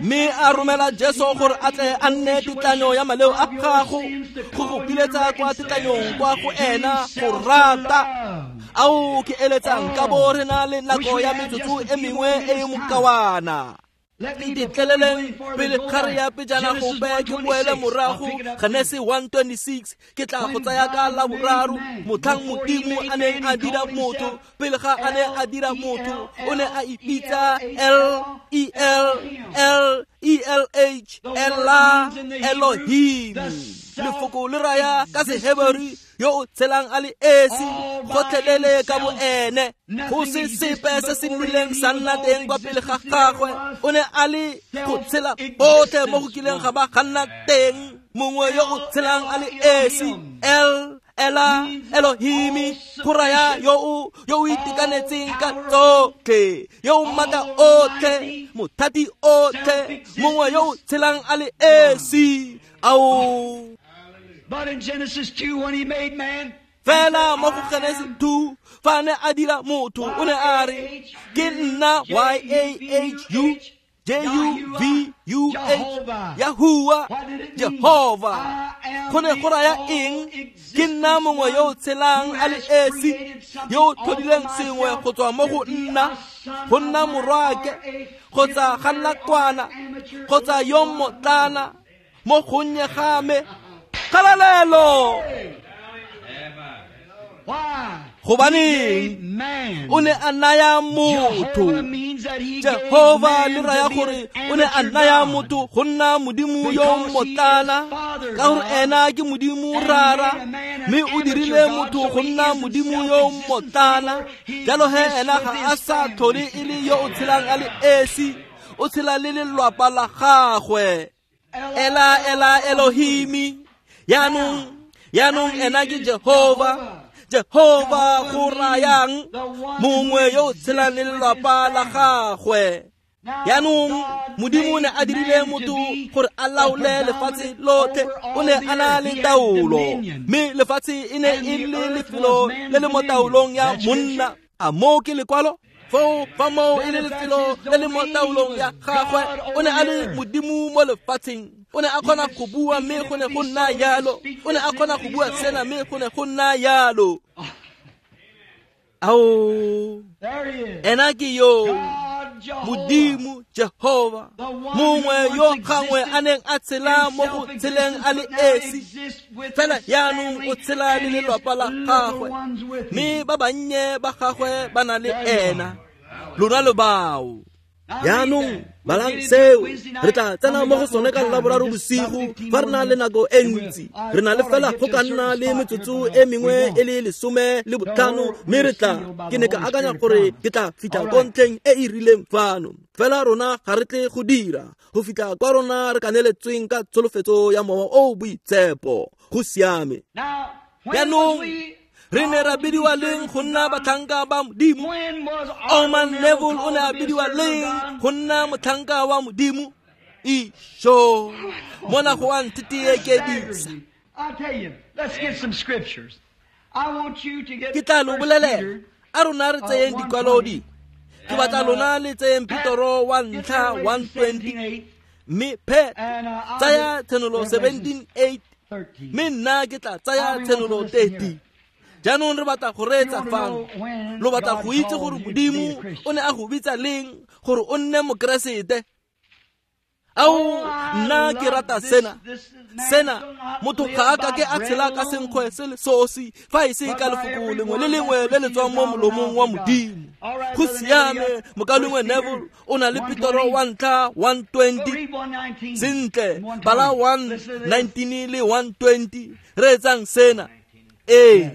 A: mme a romela Jesu gore a tle a nne tetlanyo ya maleo a gago, go go piletsa kwa tetlanyong kwa go ena go rata. Ao ke eletsang ka bo re na le nako ya metsotso e mengwe e e mokawana. Ntetleleleng pele ga re ya pejana gope ke boele morago Genesi one twenty-six. Ke tla go tsaya ka la boraro. Motlhang Modimo a neng a dira motho, pele ga a ne a dira motho, o ne a ipitsa L E L L E L H, Ela Elohim. Lefoko le raya ka Seheberi yo o tshelang a le esi, gotlhelele ka bo ene. Go se sepe se se nnileng sa nna teng kwa pele ga gagwe. O ne a le go tshela botlhe mo go kileng ga ba ga nna teng. Mongwe yo o tshelang a le esi, El Ela Elohimi, go raya yo o yo o itekanetseng ka tsotlhe, yo o maatla otlhe, mothati otlhe, mongwe yo o tshelang a le esi. Ao.
B: But in Genesis two, when he made man,
A: fela mo go Genesis two, fa ne a dira motho, o ne a re ke nna Y A H U J U V U H, Yahuwah, Jehovah. Go ne go raya eng? Ke nna mongwe yo o tshelang a le esi, yo o tlhodileng sengwe go tswa mo go nna, go nna morwake, kgotsa ga nna kwana, kgotsa yo mmotlana, mo gonnye ga me. Kgalalelo! Gobaneng o ne a naya motho? Jehova le raya gore o ne a naya motho go nna Modimo yo mmotlana, ka gore ena ke Modimo Rara, mme o dirile motho go nna Modimo yo mmotlana. Jalo he ena ga a sa tlhole e le yo o tshelang a le esi, o tshela le lelwapa la gagwe. Ela Ela Elohimi. Yaanong, yaanong ena ke Jehova. Jehova go rayang mongwe yo o tshelang le lelwapa la gagwe. Yaanong Modimo o ne a dirile motho gore a laole lefatshe lotlhe. O ne a na le taolo, mme lefatshe e ne e le lefelo le le mo taolong ya monna. A moo ke lekwalo? Foo fa moo e le lefelo le le mo taolong ya gagwe, o ne a le Modimo mo lefatsheng. O ne a kgona go bua mme go ne go nna yalo. O ne a kgona go bua sena mme go ne go nna yalo. Ao, ena ke yo Modimo Jehova, mongwe yo gangwe a neng a tshela mo go tsheleng a le esi, fela yaanong o tshela le lelwapa la gagwe, mme ba bannye ba gagwe ba na le ena. Lona lo bao. Yaanong balang seo, re tla tsena mo go sone ka Laboraro bosigo fa re na le nako e ntsi. Re na le fela go ka nna le metsotso e mengwe e le lesome le botlhano, mme re tla ke ne ka akanya gore ke tla fitlha ko ntlheng e e rileng fano. Fela rona ga re tle go dira go fitlha kwa rona re kaneletsweng ka tsholofetso ya mowa o o boitshepo. Go siame. Yaanong Re ne ra bidiwa leng go nna batlhanka ba Modimo? Orman Neville o ne a bidiwa leng go nna motlhanka wa Modimo? Isho, mona go a nthitiekedisa. Ke tla lo bolelela, a rona re tseyeng dikwalo dingwe. Ke batla lona le tseyeng Petro wa ntlha one twenty, mme Pet tsaya Tshenolo seventeen eight, mme nna ke tla tsaya Tshenolo thirteen. Jaanong re batla go reetsa fano. Lo batla go itse gore Modimo o ne a go bitsa leng gore o nne Mokeresete. Ao, nna ke rata sena. Sena, motho ga a ka ke a tshela ka senkgwe se le sosi, fa e se ka lefoko lengwe le lengwe le le tswang mo molomong wa Modimo. Go siame, mokalengwe Neville o na le Petro wa ntlha one twenty. Sentle, bala one nineteen le one twenty. Reetsang sena. Ee,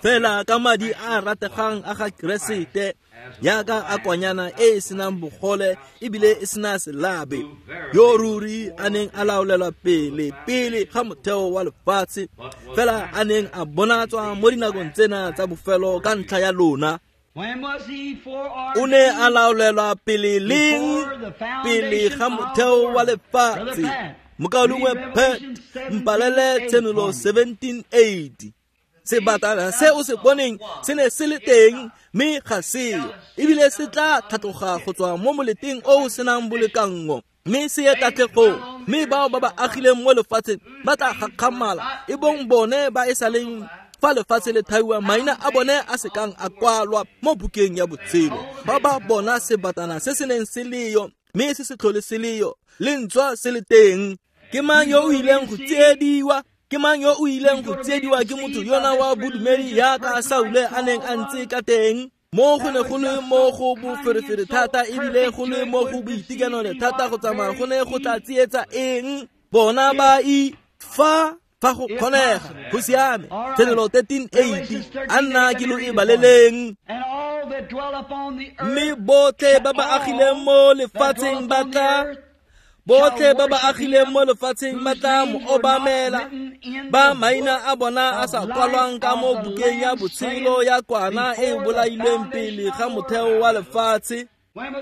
A: fela ka madi a rategang a ga Keresete, yaka a kwanyana e e senang bogole ebile e sena selabe, yo ruri a neng a laolelwa pele pele ga motheo wa lefatshe, fela a neng a bonatswa mo dinakong tsena tsa bofelo ka ntlha ya lona. O ne a laolelwa pele leng? Pele ga motheo wa lefatshe. Mokaulengwe Pet, mpalele Tshenolo seventeen eight. Sebatana se o se boneng se ne se le teng, mme ga seo, ebile se tla tlhatloga go tswa mo moleteng o o senang bolekanngo, mme se ye tatlhegong, mme bao ba ba agileng mo lefatsheng ba tla gakgamala, e bong bone ba e saleng fa lefatshe le thaiwa, maina a bone a se kang a kwalwa mo bukeng ya botshelo. Ba ba bona sebatana se se neng se leyo, mme se se tlhole se leyo, le ntswa se le teng. Ke mang yo o ileng go tsiediwa? Ke mang yo o ileng go tsiediwa ke motho yona wa bodumedi yaka Saule a neng a ntse ka teng? Mo go ne go le mo go boferefere thata, ebile go le mo go boitekanelo thata go tsamaya go ne go tla tsietsa eng? Bona ba i fa fa go kgonega. Go siame. Tshenolo thirteen eight. A nna ke lo e baleleng. Mme botlhe ba ba agileng mo lefatsheng ba tla botlhe ba ba agileng mo lefatsheng ba tla mo obamela, ba maina a bona a sa kwalwang ka mo bukeng ya botshelo ya kwana e bolailweng pele ga motheo wa lefatshe.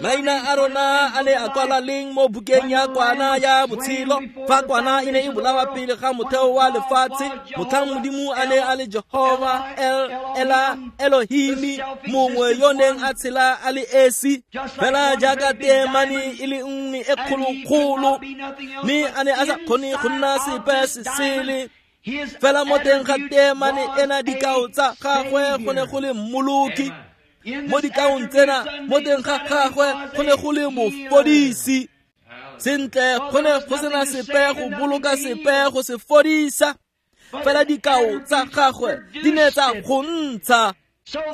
A: Maina a rona a ne a kwalwa leng mo bukeng ya kwana ya botshelo? Fa kwana e ne e bolawa pele ga motheo wa lefatshe, motlhang Modimo a ne a le Jehova El Ela Elohimi, mongwe yo neng a tshela a le esi, fela jaaka teemane e le nngwe e kgolokgolo, mme a ne a sa kgone go nna sepe se sele. Fela mo teng ga teemane ena dikao tsa gagwe go ne go le mmoloki. Mo dikaong tsena mo teng ga gagwe go ne go le mofodisi. Sentle, go ne go sena sepe go boloka sepe go se fodisa, fela dikao tsa gagwe di ne tsa go ntsha.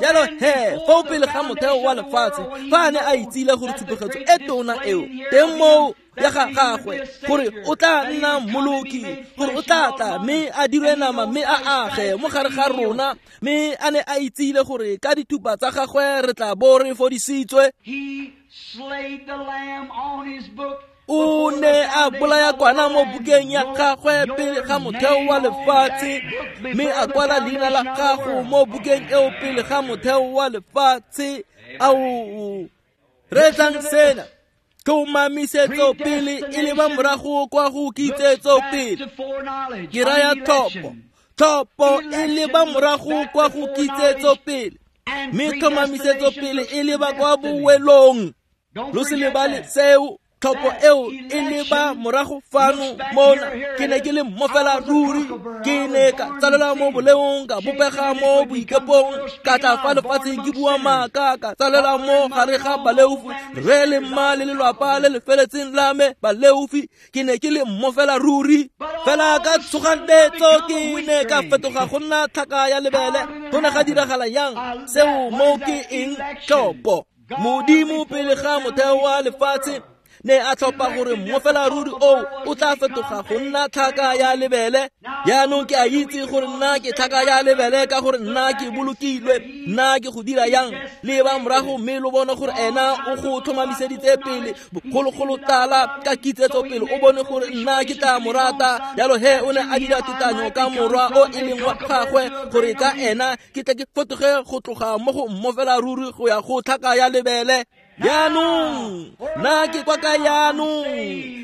A: Jalo he, foo pele ga motheo wa lefatshe, fa a ne a itsile gore tshupegetso e tona eo teng moo ya ga gagwe, gore o tla nna mmoloki, gore o tla tla mme a dirwe nama mme a age mo gare ga rona, mme a ne a itsile gore ka dithupa tsa gagwe re tla bo re fodisitswe. O ne a bolaya kwana mo bukeng ya gagwe pele ga motheo wa lefatshe, mme a kwala leina la gago mo bukeng eo pele ga motheo wa lefatshe. Ao, reetsang sena. Tlhomamisetso pele e leba morago kwa go kitsetso pele. Ke raya tlhopho. Tlhopho e leba morago kwa go kitsetso pele, mme tlhomamisetso pele e leba kwa bowelong. Lo se lebale seo. Tlhopho eo e leba morago fano mona. Ke ne ke le mmofela ruri, ke ne ka tsalelwa mo boleong, ka bopega mo boikepong, ka tla fa lefatsheng ke bua maaka, ka tsalelwa mo gare ga baleofi, rre le mma le lelwapa le le feletseng la me baleofi. Ke ne ke le mmofela ruri, fela ka tshoganetso ke ne ka fetoga go nna tlhaka ya lebele. Go ne ga diragala yang seo? Mo ke eng? Tlhopho. Modimo pele ga motheo wa lefatshe Ne a tlhopha gore mmofela ruri o o tla fetoga go nna tlhaka ya lebele. Jaanong ke a itse gore nna ke tlhaka ya lebele ka gore nna ke bolokilwe. Nna ke go dira yang? Leba morago mme lo bone gore ena o go tlhomamiseditse pele bogologolo tala ka kitsetso pele, o bone gore nna ke tla mo rata. Jalo he o ne a dira tetanyo ka morwa o e leng wa gagwe gore ka ena ke tle ke fetoge go tloga mo go mmofela ruri go ya go tlhaka ya lebele. Jaanong nna ke kwa ka jaanong,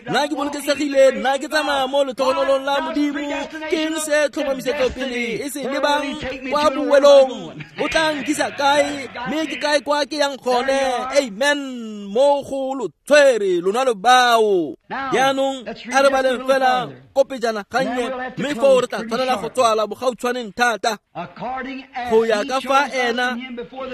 A: nna ke bolokesegile, nna ke tsamaya mo letlhogonolong la Modimo. Ke eng se tlhomamisetso pele e se lebang kwa bowelong? O tla nkisa kae? Mme ke kae kwa ke yang gone? Amen. Mo go lo tshwere lona lo bao. Jaanong a re baleng fela kopejana gannye, mme foo re tla tshwanela go tswala bogautshwaneng thata. Go ya ka fa ena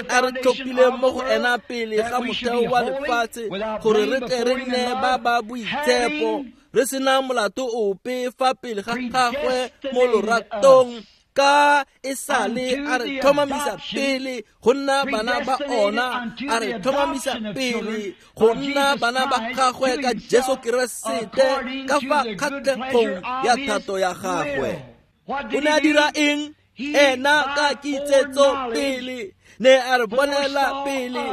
A: a re tlhophileng mo go ena pele ga motheo wa lefatshe, gore re tle re nne ba ba boitshepo, re sena molato ope fa pele ga gagwe mo loratong. Ka e sale a re tlhomamisa pele go nna bana ba ona, a re tlhomamisa pele go nna bana ba gagwe ka Jesu Keresete ka fa kgatlhegong ya thato ya gagwe. O ne a dira eng? Ena ka kitsetso pele ne a re bonela pele,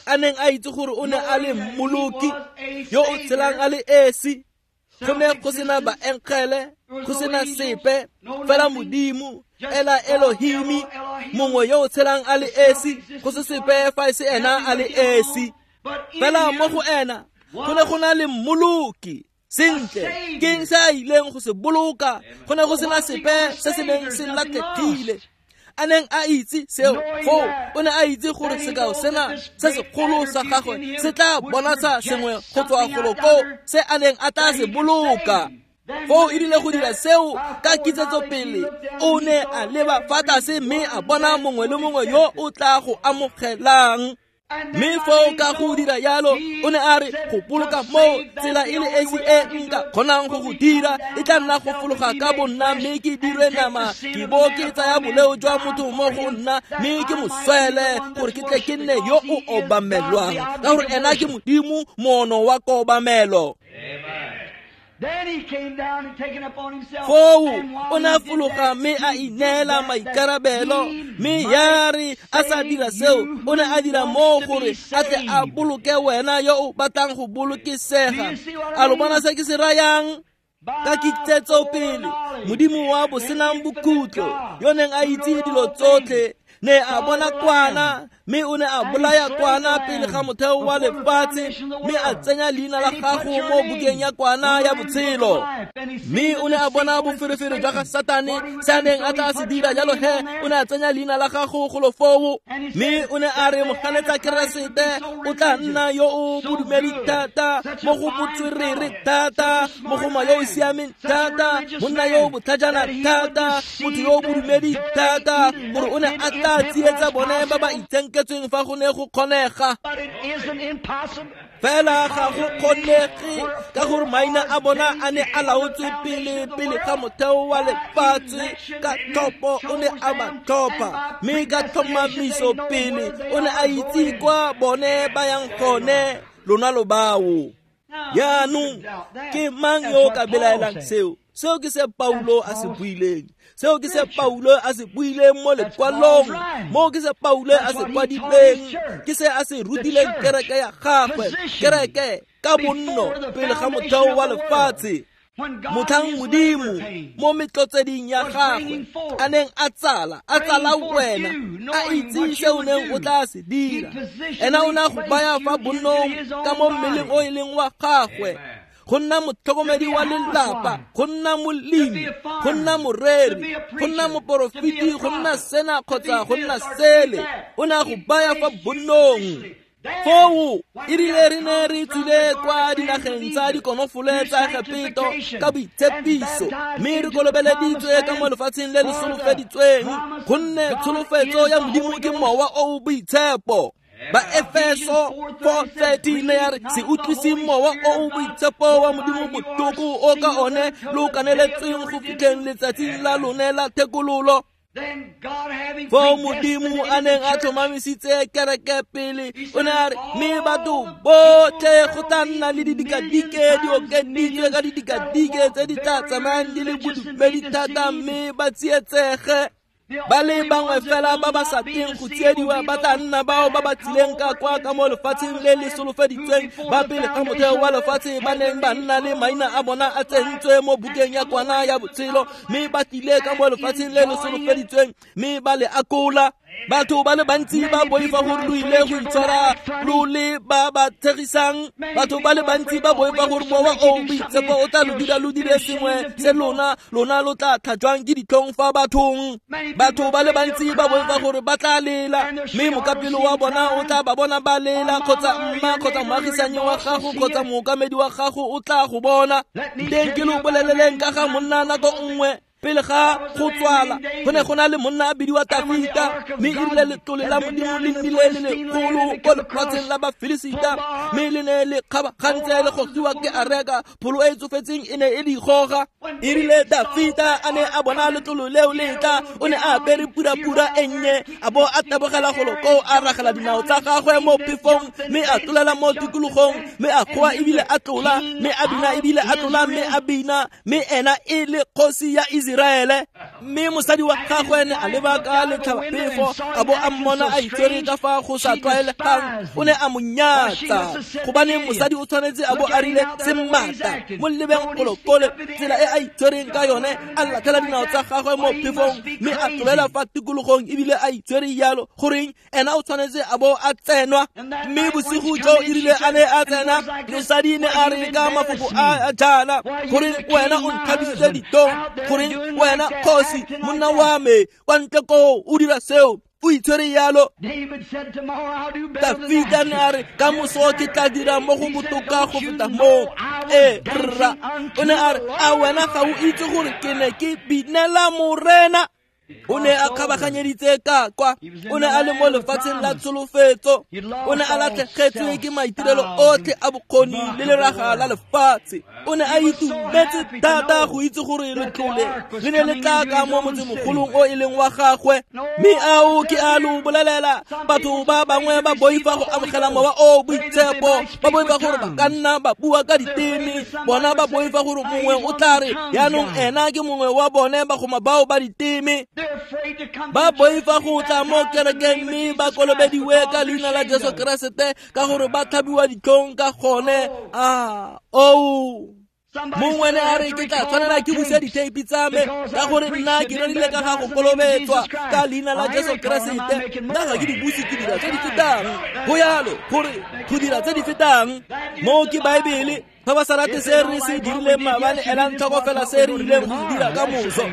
A: a neng a itse gore o ne a le mmoloki yo o tshelang a le esi. Go ne go sena baengele, go sena sepe, fela Modimo, ela Elohimi, mongwe yo o tshelang a le esi, go se sepe fa e se ena a le esi. Fela mo go ena go ne go na le mmoloki. Sentle, ke eng se a ileng go se boloka? Go ne go sena sepe se se neng se latlhegile. A neng a itse seo foo, o ne a itse gore sekao sena se segolo sa gagwe se tla bonatsa sengwe go tswa golo koo se a neng a tla se boloka. Foo e rile go dira seo ka kitsetso pele, o ne a leba fa tlase mme a bona mongwe le mongwe yo o tla go amogelang. Mme foo ka go dira yalo, o ne a re go boloka moo tsela e le esi e nka kgonang go go dira e tla nna go fologa ka bonna, mme ke dirwe nama, ke bo ke tsaya boleo jwa motho mo go nna, mme ke mo swele gore ke tle ke nne yo o obamelwang, ka gore ena ke Modimo moono wa kobamelo. Foo o ne a fologa mme a ineela maikarabelo, mme ya re a sa dira seo, o ne a dira moo gore a tle a boloke wena yo o batlang go bolokesega. A lo bona se ke se rayang? Ka kitsetso pele, Modimo wa bosenang bokhutlo, yo neng a itse dilo tsotlhe, ne a bona kwana, mme o ne a bolaya kwana pele ga motheo wa lefatshe, mme a tsenya leina la gago mo bukeng ya kwana ya botshelo. Mme o ne a bona boferefere jwa ga Satane, se a neng a tla se dira, jalo he o ne a tsenya leina la gago golo foo. Mme o ne a re moganetsa Keresete o tla nna yo o bodumedi thata, mo go botswerere thata, mogoma yo o siameng thata, monna yo o botlhajana thata, motho yo o bodumedi thata, gore o ne a tla tsietsa bone ba ba itsenketsweng fa go ne go kgonega. Fela ga go kgonege ka gore maina a bona a ne a laotswe pele pele ga motheo wa lefatshe. Ka tlhopho o ne a ba tlhopha, mme ka tlhomamiso pele o ne a itse kwa bone ba yang gone. Lona lo bao. Jaanong ke mang yo o ka belaelang seo? Seo ke se Paulo a se buileng. Seo ke se Paulo a se buileng mo lekwalong. Mo ke se Paulo a se kwadileng. Ke se a se rutileng kereke ya gagwe, kereke ka bonno pele ga motheo wa lefatshe. Motlhang Modimo mo metlotseding ya gagwe a neng a tsala, a tsala wena, a itse se o neng o tla se dira. Ena o ne a go baya fa bonnong ka mo mmeleng o e leng wa gagwe, go nna motlhokomedi wa lelapa, go nna molemi, go nna moreri, go nna moporofeti, go nna sena kgotsa go nna sele. O ne a go baya fa bonnong. Foo e rile re ne re tswile kwa dinageng tsa dikonofole tsa Egepeto ka boitshepiso, mme re kolobeleditswe ka mo lefatsheng le le solofeditsweng, gonne tsholofetso ya Modimo ke mowa o o boitshepo. Ba Efeso four thirteen ya re se utlwiseng mowa o o boitshepo wa Modimo botlhoko o ka one lo kaneletsweng go fitlheng letsatsing la lone la thekololo. Foo Modimo a neng a tlhomamisitse kereke pele, o ne a re mme batho botlhe go tla nna le didikadike di okeditswe ka didikadike tse di tla tsamayang di le bodumedi thata mme ba tsietsege. Ba le bangwe fela ba ba sa teng go tsiediwa ba tla nna bao ba ba tsileng ka kwa ka mo lefatsheng le le solofeditsweng, ba pele ga motheo wa lefatshe ba neng ba nna le maina a bona a tsentswe mo bukeng ya kwana ya botshelo, mme ba tlile ka mo lefatsheng le le solofeditsweng mme ba le akola. Batho ba le bantsi ba boifa gore lo ile go itshwara lo le ba ba tshegisang. Batho ba le bantsi ba boifa gore mowa o boitshepo o tla lo dira lo dire sengwe se lona lona lo tla tlhajwang ke ditlhong fa bathong. Batho ba le bantsi ba boifa gore ba tla lela, mme mokapelo wa bona o tla ba bona ba lela, kgotsa mma kgotsa moagisanyi wa gago kgotsa mookamedi wa gago o tla go bona. Teng ke lo boleleleng ka ga monna nako nngwe pele ga go tswala, go ne go na le monna a bidiwa Tafita, mme e rile letlole la Modimo le nnile le legolo ko lefatsheng la Bafilisita, mme le ne le kgabagantse le gogiwa ke areka, pholo e e tsofetseng e ne e di goga. E rile Tafita a ne a bona letlolo leo le tla, o ne a apere purapura e nnye, a bo a tabogela golo koo, a ragela dinao tsa gagwe mo phefong, mme a tlolela mo tikologong, mme a goa ebile a tlola, mme a bina ebile a tlola, mme a bina, mme ena e le kgosi ya Iseraele. Mme mosadi wa gagwe ne a leba ka letlhabaphefo, a bo a mmona a itshwere ka fa go sa tlwaelegang, o ne a mo nyatsa, gobane mosadi o tshwanetse a bo a rile semmata. Mo lebeng golokole tsela e a itshwereng ka yone, a latlhela dinao tsa gagwe mo phefong, mme a tlolela fa tikologong ebile a itshwere jalo. Goreng ena o tshwanetse a bo a tsenwa. Mme bosigo jo e rile a ne a tsena, mosadi ne a re ka mafoko a jaana, goreng wena o ntlhabisitse ditlhong, goreng wena kgosi monna wa me kwa ntle koo o dira seo, o itshwere jalo. Tafita ne a re ka moso ke tla dira mo go botoka go feta moo. Ee rra, o ne a re a wena ga o itse gore ke ne ke binela Morena. O ne a kgabaganyeditse ka kwa, o ne a le mo lefatsheng la tsholofetso, o ne a latlhegetswe ke maitirelo otlhe a bokgoni le leraga la lefatshe. O ne a itumetse thata go itse gore letlole le ne le tla ka mo motsemogolong o e leng wa gagwe. Mme ao ke a lo bolelela, batho ba bangwe ba boifa go amogela mowa o boitshepo, ba boifa gore ba ka nna ba bua ka diteme, bona ba boifa gore mongwe o tla re yaanong ena ke mongwe wa bone bagoma bao ba diteme. Ba boifa go tla mo kerekeng mme ba kolobediwe ka leina la Jesu Keresete ka gore ba tlhabiwa ditlhong ka gone. Ah, oh. Mongwe ne a re ke tla tshwanela ke buse ditheipi tsa me ka gore nna ke rerile ka ga go kolobetswa ka leina la Jesu Keresete, nna ga ke di buse, ke dira tse di fetang. Go yalo gore go dira tse di fetang mo ke Baebele. Fa ba sa rate se re se dirileng maabane, elang tlhoko fela se re ileng go dira ka moso.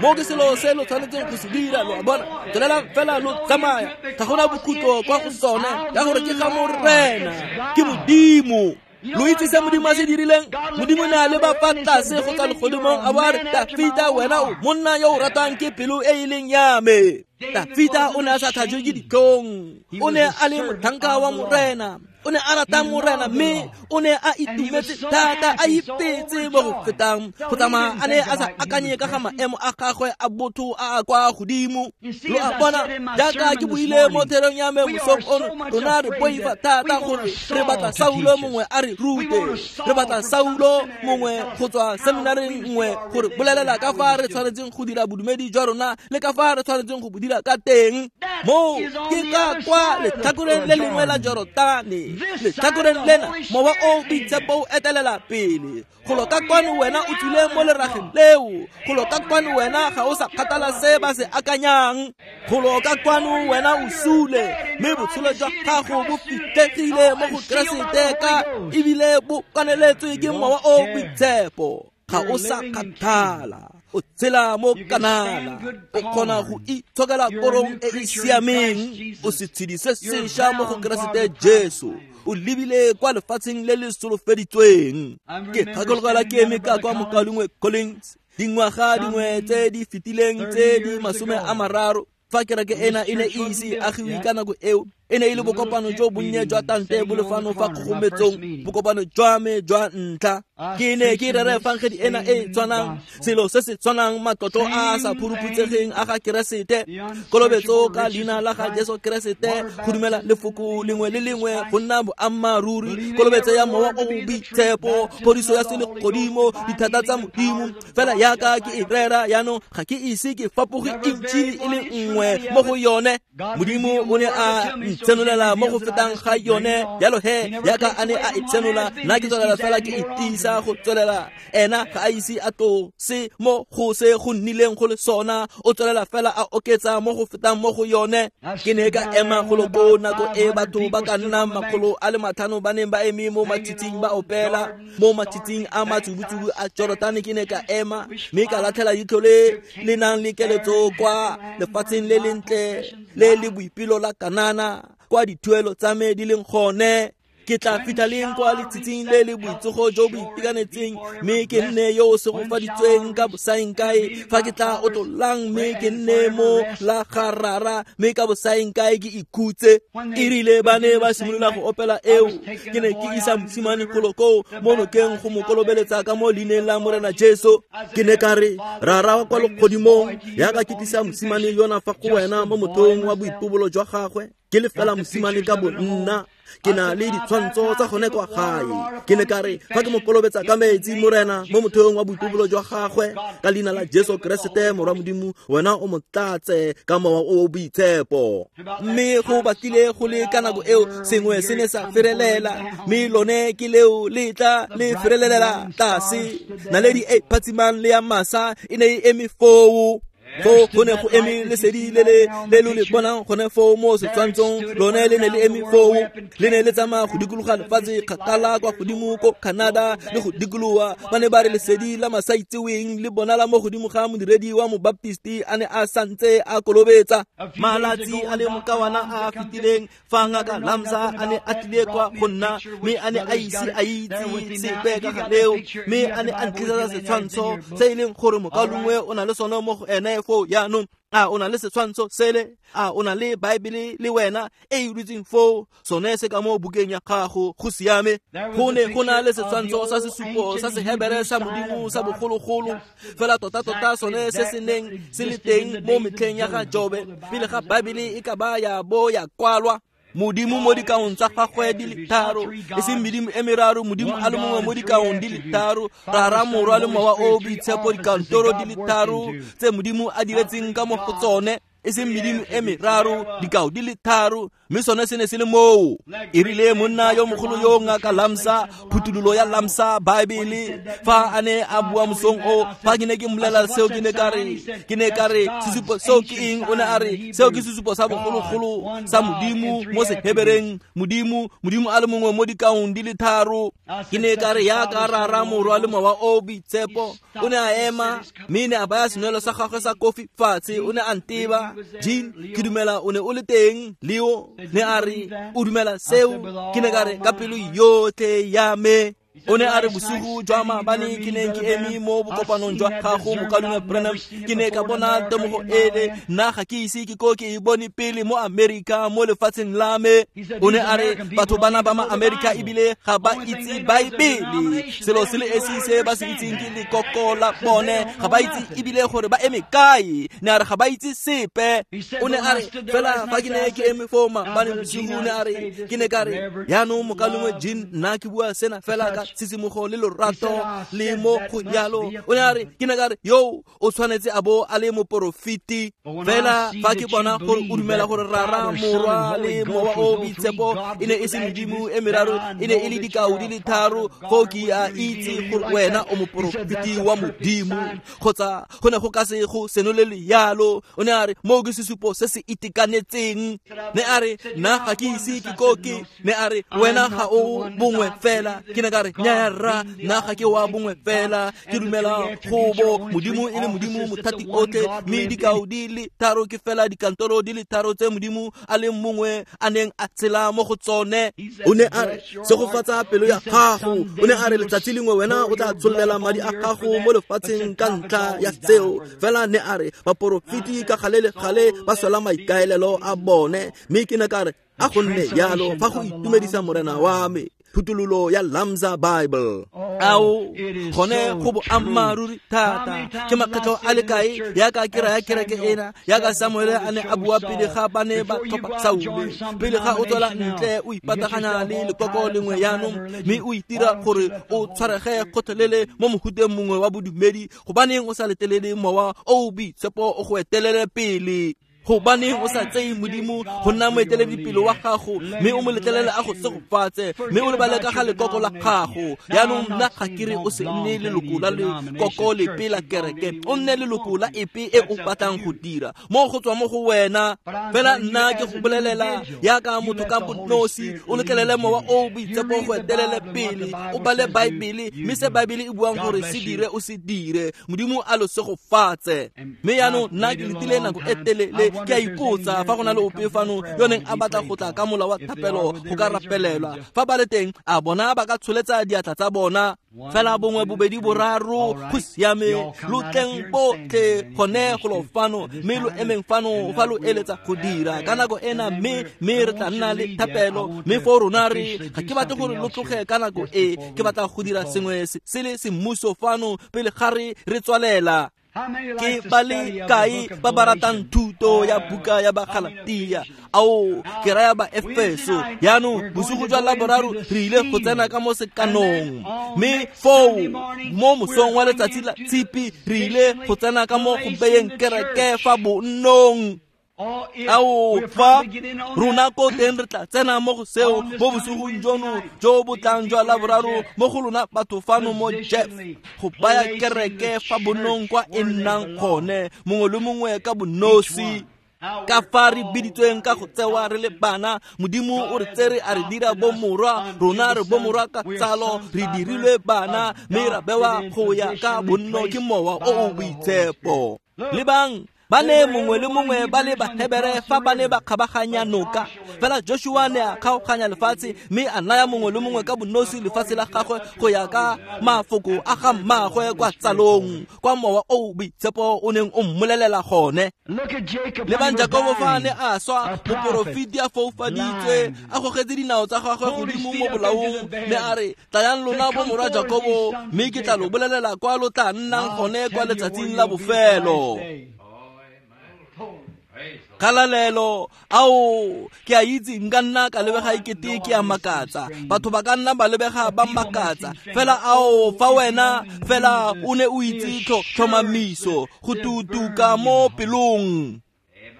A: Mo ke selo se lo tshwanetseng go se dira, lo a bona. Tswelelang fela lo tsamaya, ga gona bokhutlo kwa go sone, ka gore ke ga Morena, ke Modimo. Lo itse se Modimo a se dirileng? Modimo ne a leba fa tlase go tswa legodimong a bo a re, Tafita wena o monna yo o ratwang ke pelo e e leng ya me. Tafita o ne a sa tlhajwe ke ditlhong, o ne a le motlhanka wa Morena, o ne a rata Morena, mme o ne a itumetse thata, a ipetse mo go fetang go tsamaya a ne a sa akanye ka ga maemo a gagwe a botho a a kwa godimo. Lo a bona, jaaka ke buile mo therong ya me mosong ono, rona re boifa thata gore re batla Saulo mongwe a re rute, re batla Saulo mongwe go tswa seminareng nngwe gore bolelela ka fa re tshwanetseng go dira bodumedi jwa rona le ka fa re tshwanetseng go bo dira ka teng. Mo ke ka kwa letlhakoreng le lengwe la Jorotane, letlhakoreng lena mowa o boitshepo o etelela pele. Golo ka kwano wena o tswile mo lerageng leo, golo ka kwano wena ga o sa kgathala se ba se akanyang, golo ka kwano wena o sule, mme botshelo jwa gago bo fitlhegile mo go Keresete ka ebile bo kaneletswe ke mowa o boitshepo. Ga o sa kgathala, o tshela mo Kanana, o kgona go itshokela korong e e siameng, o setshedi se sešwa mo go Keresete Jesu, o lebile kwa lefatsheng le le solofeditsweng. Ke gakologelwa ke eme ka kwa mokaulengwe Collins dingwaga dingwe tse di fetileng tse di masome a mararo, fa kereke ena e ne e ise agiwe ka nako eo. E ne e le bokopano jo bonnye jwa tante bo le fano fa kgogometsong, bokopano jwa me jwa ntlha. Ke ne ke rera efangedi ena e e tshwanang, selo se se tshwanang, matlotlo a a sa phuruphutsegeng a ga Keresete, kolobetso ka leina la ga Jesu Keresete, go dumela lefoko lengwe le lengwe go nna boammaaruri, kolobetso ya Mowa o o Boitshepo, phodiso ya selegodimo, dithata tsa Modimo. Fela yaka ke e rera jaanong, ga ke ise ke fapoge intšhi e le nngwe mo go yone. Modimo o ne a ntshenolela mo go fetang ga yone, jalo he yaka a ne a e tshenola, nna ke tswelela fela ke e tiisa go tswelela. Ena ga a ise a tlose mo go se go nnileng go le sona, o tswelela fela a oketsa mo go fetang mo go yone. Ke ne ka ema golo koo nako e batho ba ka nnang makgolo a le matlhano ba neng ba eme mo matshitshing ba opela, mo matshitshing a matsubutsubu a Jordan. Ke ne ka ema mme ka latlhela leitlho le le nang le keletso kwa lefatsheng le lentle le le boipelo la Kanana, kwa dithuelo tsa me di leng gone. Ke tla fitlha leng kwa letshitshing le le boitsogo jo bo itekanetseng, mme ke nne yo o segofaditsweng ka bosaengkae, fa ke tla otlolang mme ke nne mo la ga Rara, mme ka bosaengkae ke ikhutse. E rile ba ne ba simolola go opela eo, ke ne ke isa mosimane golo koo mo nokeng go mo kolobeletsa ka mo leineng la Morena Jesu. Ke ne ka re, Rara wa kwa legodimong, yaka ke tlisa mosimane yona fa go wena mo motheong wa boipobolo jwa gagwe, ke le fela mosimane ka bo nna, ke na le ditshwantsho tsa gone kwa gae. Ke ne ka re, fa ke mo kolobetsa ka metsi, Morena, mo motheong wa boipobolo jwa gagwe, ka leina la Jesu Keresete Morwa Modimo, wena o mo tlatse ka Mowa o o Boitshepo. Mme go batlile go le ka nako eo sengwe se ne sa ferelela, mme lone ke leo le tla le ferelelela tlase. Naledi e phatsimang le ya masa e ne e eme foo. Foo go ne go eme lesedi le le le lo le bonang gone foo mo setshwantshong, lone le ne le eme foo, le ne le tsamaya go dikologa lefatshe kgakala kwa godimo ko Canada le go dikologa. Ba ne ba re lesedi la masaitseweng le bonala mo godimo ga modiredi wa mobaptisti a ne a santse a kolobetsa. Malatsi a le mokawana a a fetileng, fa ngaka Lamsa a ne a tlile kwa go nna, mme a ne a ise a itse sepe ka ga leo, mme a ne a ntlisetsa setshwantsho se e leng gore mokaulengwe o na le sone mo go ene foo jaanong. A o na le setshwantsho sele? A o na le Baebele le wena e e dutseng foo? Sone se ka mo bukeng ya gago, go siame. Go ne go na le setshwantsho sa sesupo sa Sehebere sa Modimo sa bogologolo, fela tota-tota sone se se neng se le teng mo metlheng ya ga Jobe, pele ga Baebele e ka ba ya bo ya kwalwa. Modimo mo dikaong tsa gagwe di le tharo, e seng medimo e meraro, Modimo a le mongwe mo dikaong di le tharo, Rara, Morwa le Mowa o o Boitshepo, dikantoro di le tharo tse Modimo a diretseng ka mo go tsone, e seng medimo e meraro, dikao di le tharo, mme sone se ne se le moo. E rile monna yo mogolo yo ngaka Lamsa, phuthololo ya Lamsa Baebele, fa a ne a bua mosong o, fa ke ne ke mmolelela seo, ke ne ka re, ke ne ka re, sesupo seo ke eng? O ne a re, seo ke sesupo sa bogologolo sa Modimo mo Sehebereng, Modimo, Modimo a le mongwe mo dikaong di le tharo. Ke ne ka re, yaka Rara, Morwa le Mowa o o Boitshepo. O ne a ema, mme ne a baya senwelo sa gagwe sa kofi fatshe, o ne a nteba. Jean, ke dumela o ne o le teng. Leo ne a re, o dumela seo? Ke ne ka re, ka pelo yotlhe ya me. O ne a re, bosigo jwa maabane ke neng ke eme mo bokopanong jwa gago, mokaulengwe Branham, ke ne ka bona temogo ele, nna ga ke ise ke ko ke e bone pele mo Amerika, mo lefatsheng la me. O ne a re, batho bana ba ma-Amerika ebile ga ba itse Baebele, selo se le esi se ba se itseng ke lekoko la bone, ga ba itse ebile gore ba eme kae. Ne a re ga ba itse sepe. O ne a re, fela fa ke ne ke eme foo maabane bosigo, ne a re, ke ne ka re, jaanong mokaulengwe Jean, nna ke bua sena fela ka tshisimogo le lorato le mo go yalo. O ne a re, ke ne ka re, yo o tshwanetse a bo a le moporofeti. Fela fa ke bona gore o dumela gore Rara, Morwa le Mowa o o Boitshepo e ne e se medimo e meraro, e ne e le dikao di le tharo, foo ke a itse gore wena o moporofeti wa Modimo, kgotsa go ne go ka se go senolele yalo. O ne a re, moo ke sesupo se se itekanetseng. Ne a re, nna ga ke ise ke ko ke. Ne a re, wena ga o bongwe fela. Ke ne ka re, Nnyaya rra, nna ga ke wa bongwe fela, ke dumela go bo Modimo e le Modimo mothati otlhe, mme dikao di le tharo ke fela dikantoro di le tharo tse Modimo a le mongwe a neng a tshela mo go tsone. O ne a re, segofatsa pelo ya gago. O ne a re, letsatsi lengwe wena o tla tshollela madi a gago mo lefatsheng ka ntlha ya seo. Fela ne a re, baporofeti ka gale le gale ba swela maikaelelo a bone. Mme ke ne ka re, a go nne jalo fa go itumedisa Morena wa me. Phuthololo ya Lamsa Bible. Ao, gone go boammaaruri thata. Ke makgetlho a le kae yaka ke raya kereke ena, yaka Samuele a ne a bua pele ga ba ne ba tlhopha Saule, pele ga o tswela ntle o ipataganya le lekoko lengwe jaanong, mme o itira gore o tshwarege gotlhelele mo mohuteng mongwe wa bodumedi, gobaneng o sa letelele Mowa o o Boitshepo o go etelele pele? Gobaneng o sa tseye Modimo go nna moeteledipele wa gago, mme o mo letlelele a go segofatse, mme o lebale ka ga lekoko la gago? Jaanong nna ga ke re o se nne leloko la lekoko lepe la kereke, o nne leloko la epe e o batlang go dira mo go tswa mo go wena. Fela nna ke go bolelela yaka motho ka bonosi, o letlelele Mowa o o Boitshepo go etelele pele, o bale Baebele, mme se Baebele e buang gore se dire o se dire. Modimo a lo segofatse. Mme jaanong nna ke letile nako e telele, ke a ipotsa fa go na le ope fano yo neng a batla go tla ka mola wa thapelo go ka rapelelwa. Fa ba le teng, a bona ba ka tsholetsa diatla tsa bona. Fela bongwe, bobedi, boraro, go siame, lo tleng botlhe gone golo fano, mme lo emeng fano fa lo eletsa go dira ka nako ena, mme mme re tla nna le thapelo. Mme fo rona re, ga ke batle gore lo tloge ka nako e, ke batla go dira sengwe se le semmuso fano pele ga re re tswalela. Ke ba le kae ba ba ratang thuto ya buka ya Bagalatia? Ao, ke raya ba Efeso. Jaanong bosigo jwa Laboraro re ile go tsena ka mo sekanong, mme foo mo mosong wa letsatsi la Tshipi re ile go tsena ka mo go beyeng kereke fa bonnong. Ao, fa rona ko teng re tla tsena mo go seo mo bosigong jono jo bo tlang jwa Laboraro mo go lona batho fano mo Jeff, go baya kereke fa bonnong kwa e nnang gone, mongwe le mongwe ka bonosi. Ka fa re biditsweng ka go tsewa re le bana, Modimo o re tsere a re dira bomorwa, rona re bomorwa ka tsalo, re dirilwe bana, mme ra bewa go ya ka bonno ke Mowa o o Boitshepo. Lebang, ba ne mongwe le mongwe ba le Bahebere fa ba ne ba kgabaganya noka. Fela Joshua ne a kgaoganya lefatshe, mme a naya mongwe le mongwe ka bonosi lefatshe la gagwe go ya ka mafoko a ga mmaagwe kwa tsalong, kwa Mowa o o Boitshepo o neng o mmolelela gone. Lebang Jakobo fa a ne a swa, moporofeti a foufaditswe, a gogetse dinao tsa gagwe godimo mo bolaong, mme a re, tlayang lona bomorwa Jakobo, mme ke tla lo bolelela kwa lo tla nnang gone kwa letsatsing la bofelo. Kgalalelo, ao, ke a itse nka nna ka lebega ekete ke a makatsa, batho ba ka nna ba lebega ba makatsa, fela ao, fa wena fela o ne o itse tlhomamiso go tutuka mo pelong.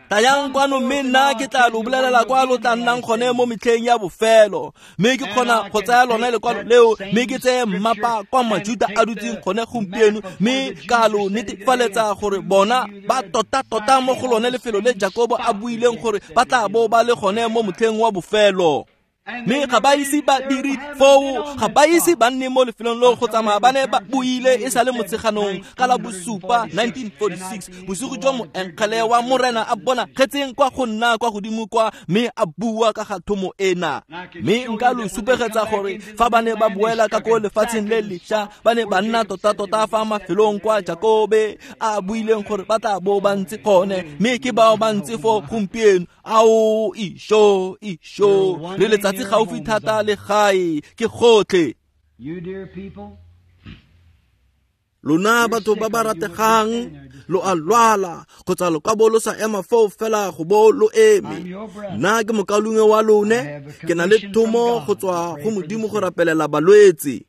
A: Tlayang kwano, mme nna ke tla lo bolelela kwa lo tla nnang gone mo metlheng ya bofelo. Mme ke kgona go tsaya lone lekwalo leo, mme ke tseye mmapa kwa Majuta a dutseng gone gompieno, mme ka lo netefaletsa gore bona ba tota-tota mo go lone lefelo le Jakobo a buileng gore ba tla bo ba le gone mo motlheng wa bofelo. Mme ga ba ise ba dire foo, ga ba ise ba nne mo lefelong leo go tsamaya ba ne ba buile e sa le motsheganong ka la bosupa nineteen forty-six, bosigo jwa moengele wa Morena a bonagetseng kwa go nna kwa godimo kwa, mme a bua ka ga thomo ena. Mme nka lo supegetsa gore fa ba ne ba boela ka ko lefatsheng le lešwa, ba ne ba nna tota-tota fa mafelong kwa Jakobe a buileng gore ba tla bo ba ntse gone, mme ke bao ba ntse fo gompieno. Ao, isho, isho, le letsatsi gaufi thata le gae, ke gotlhe. Lona batho ba ba rategang, lo a lwala kgotsa lo ka bo lo sa ema foo fela go bo lo eme. Nna ke mokaulengwe wa lone, ke na le thomo go tswa go Modimo go rapelela balwetse.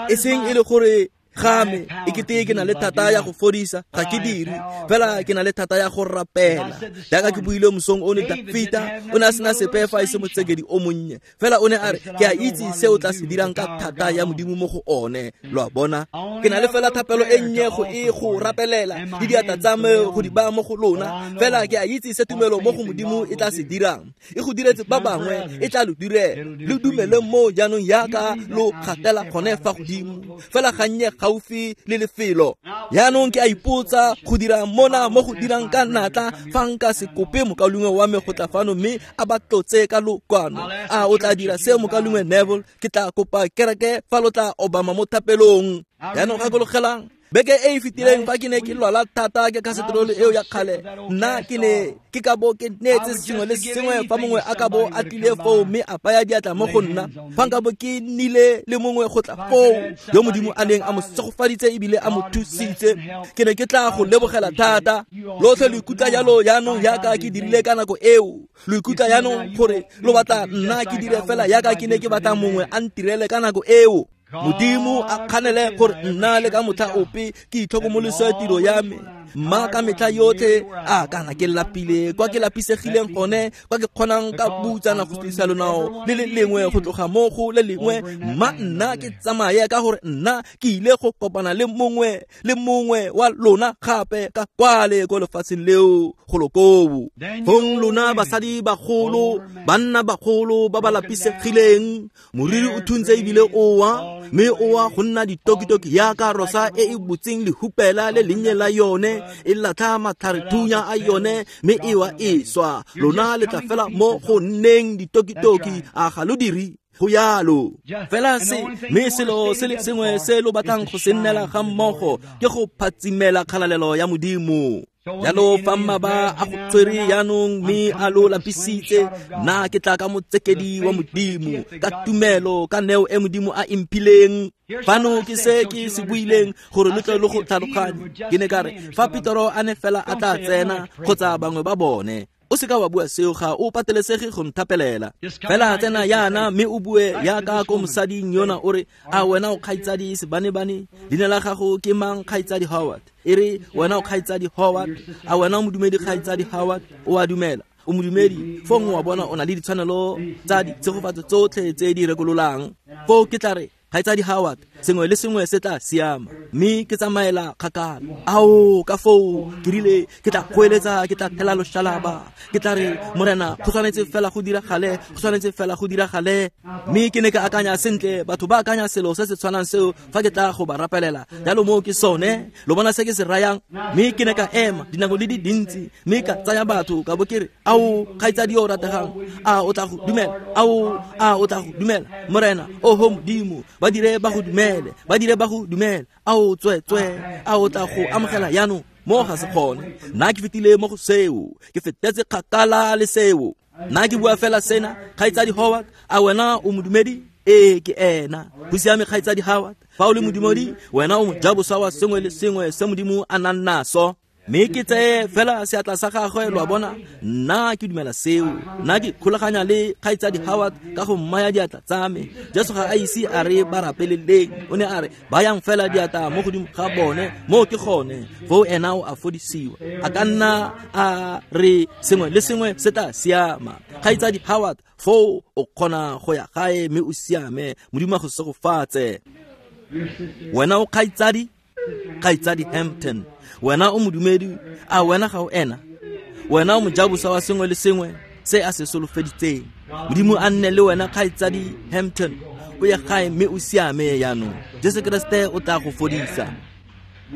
A: E seng e le gore Ga me e kete ke na le thata ya go fodisa, ga ke dire, fela ke na le thata ya go rapela. Jaaka ke buile mosong ono, Dafita o ne a sena sepe fa e se motsekedi o monnye, fela o ne a re ke a itse se o tla se dirang ka thata ya Modimo mo go one. Lo a bona, ke na le fela thapelo e nnye go e go rapelela le diatla tsa me go di baya mo go lona, fela ke a itse se tumelo mo go Modimo e tla se dirang. E go diretse ba bangwe, e tla lo direla. Lo dumele mo jaanong yaka lo gatela gone fa godimo, fela gannye gaufi le lefelo. Jaanong ke a ipotsa go dira mona mo go dirang ka natla fa nka se kope mokaulengwe wa me go tla fano mme a ba tlotse ka lokwano. A o tla dira seo, mokaulengwe Neville? Ke tla kopa kereke fa lo tla obama mo thapelong. Jaanong gakologelang beke e e fetileng fa ke ne ke lwala thata ke kaseterole eo ya kgale, nna ke ne ke ka bo ke neetse sengwe le sengwe fa mongwe a ka bo a tlile foo mme a baya diatla mo go nna. Fa nka bo ke nnile le mongwe go tla foo yo Modimo a neng a mo segofaditse ebile a mo thusitse, ke ne ke tla go lebogela thata. Lotlhe lo ikutlwa jalo jaanong yaka ke dirile ka nako eo. Lo ikutlwa jaanong gore lo batla nna ke dire fela yaka ke ne ke batla mongwe a ntirele ka nako eo. Modimo a kganele gore nna le ka motlha ope ke itlhokomolose tiro ya me. Mma ka metlha yotlhe a kana ke lapile kwa ke lapisegileng gone, kwa ke kgonang ka butsana go tlisa lonao le le lengwe go tloga mo go le lengwe. Mma nna ke tsamaye ka gore nna ke ile go kopana le mongwe le mongwe wa lona gape ka kwale ko lefatsheng leo golo koo. Fong lona basadi bagolo, banna bagolo ba ba lapisegileng, moriri o thuntse ebile o wa, mme o wa go nna ditokitoki yaka rosa e e butseng lehupela le lennye la yone, e latlha matlharethunya a yone mme e wa e swa. Lona le tla fela mo go nneng ditokitoki, a ga lo dire go yalo fela se. Mme selo se le sengwe se lo batlang go se nnela ga mmogo ke go phatsimela kgalalelo ya Modimo. Jalo fa mmaba a go tshwere jaanong mme a lo lapisitse, nna ke tla ka motsekedi wa Modimo ka tumelo, ka neo e Modimo a imphileng. Fano ke se ke se buileng gore lo tle lo go tlhaloganye. Ke ne ka re fa Petero a ne fela a tla tsena kgotsa bangwe ba bone, o seka wa bua seo, ga o patelesege go nthapelela. Fela tsena yana mme o bue yaka ko mosading yona o re, a wena o kgaitsadi Sebanebane, leina la gago ke mang? Kgaitsadi Howard. E re wena o kgaitsadi Howard, a wena o modumedi? Kgaitsadi Howard, o a dumela, o modumedi? Fong wa bona o na le ditshwanelo tsa ditshegofatso tsotlhe tse di rekololang. Foo ke tla re, kgaitsadi Howard, sengwe le sengwe se tla siama, mme ke tsamaela kgakala. Ao ka foo ke rile ke tla goeletsa, ke tla thela loshalaba, ke tla re Morena go tshwanetse fela go diragale, go tshwanetse fela go diragale. Mme ke ne ke akanya sentle, batho ba akanya selo se se tshwanang seo fa ke tla go ba rapelela. Jalo moo ke sone, lo bona se ke se rayang. Mme ke ne ka ema dinako di di dintsi, mme ka tsaya batho ka bo ke re, ao kgaitsadi yo o rategang, a o tla go dumela? Ao a o tla go dumela? Morena, oho Modimo, ba dire ba go dumele, ba dire ba go dumele. Ao tswe-tswe, a o tla go amogela jaanong? Mo ga se kgone. Nna ke fetile mo go seo, ke fetetse kgakala le seo. Nna ke bua fela sena, kgaitsadi Howard, a wena o modumedi? Ee, ke ena. Go siame kgaitsadi Howard, fa o le modumedi, wena o mojaboswa wa sengwe le sengwe se Modimo a nang naso. Mme ke tseye fela seatla sa gagwe, lo a bona, nna ke dumela seo. Nna ke kgolaganya le kgaitsadi Howard ka go mmaya diatla tsa me. Jesu ga a ise a re ba rapeleleng, o ne a re bayang fela diatla mo godimo ga bone, moo ke gone foo ena o a fodisiwa. A ka nna a re sengwe le sengwe se tla siama. Kgaitsadi Howard, foo o kgona go ya gae mme o siame. Modimo a go segofatse. Wena o kgaitsadi, kgaitsadi Hampton, wena o modumedi, a wena ga o ena? Wena o mojaboswa wa sengwe le sengwe se a se solofeditseng. Modimo a nne le wena kgaitsadi Hampton, o ye gae mme o siame jaanong. Jesu Kreste o tla go fodisa.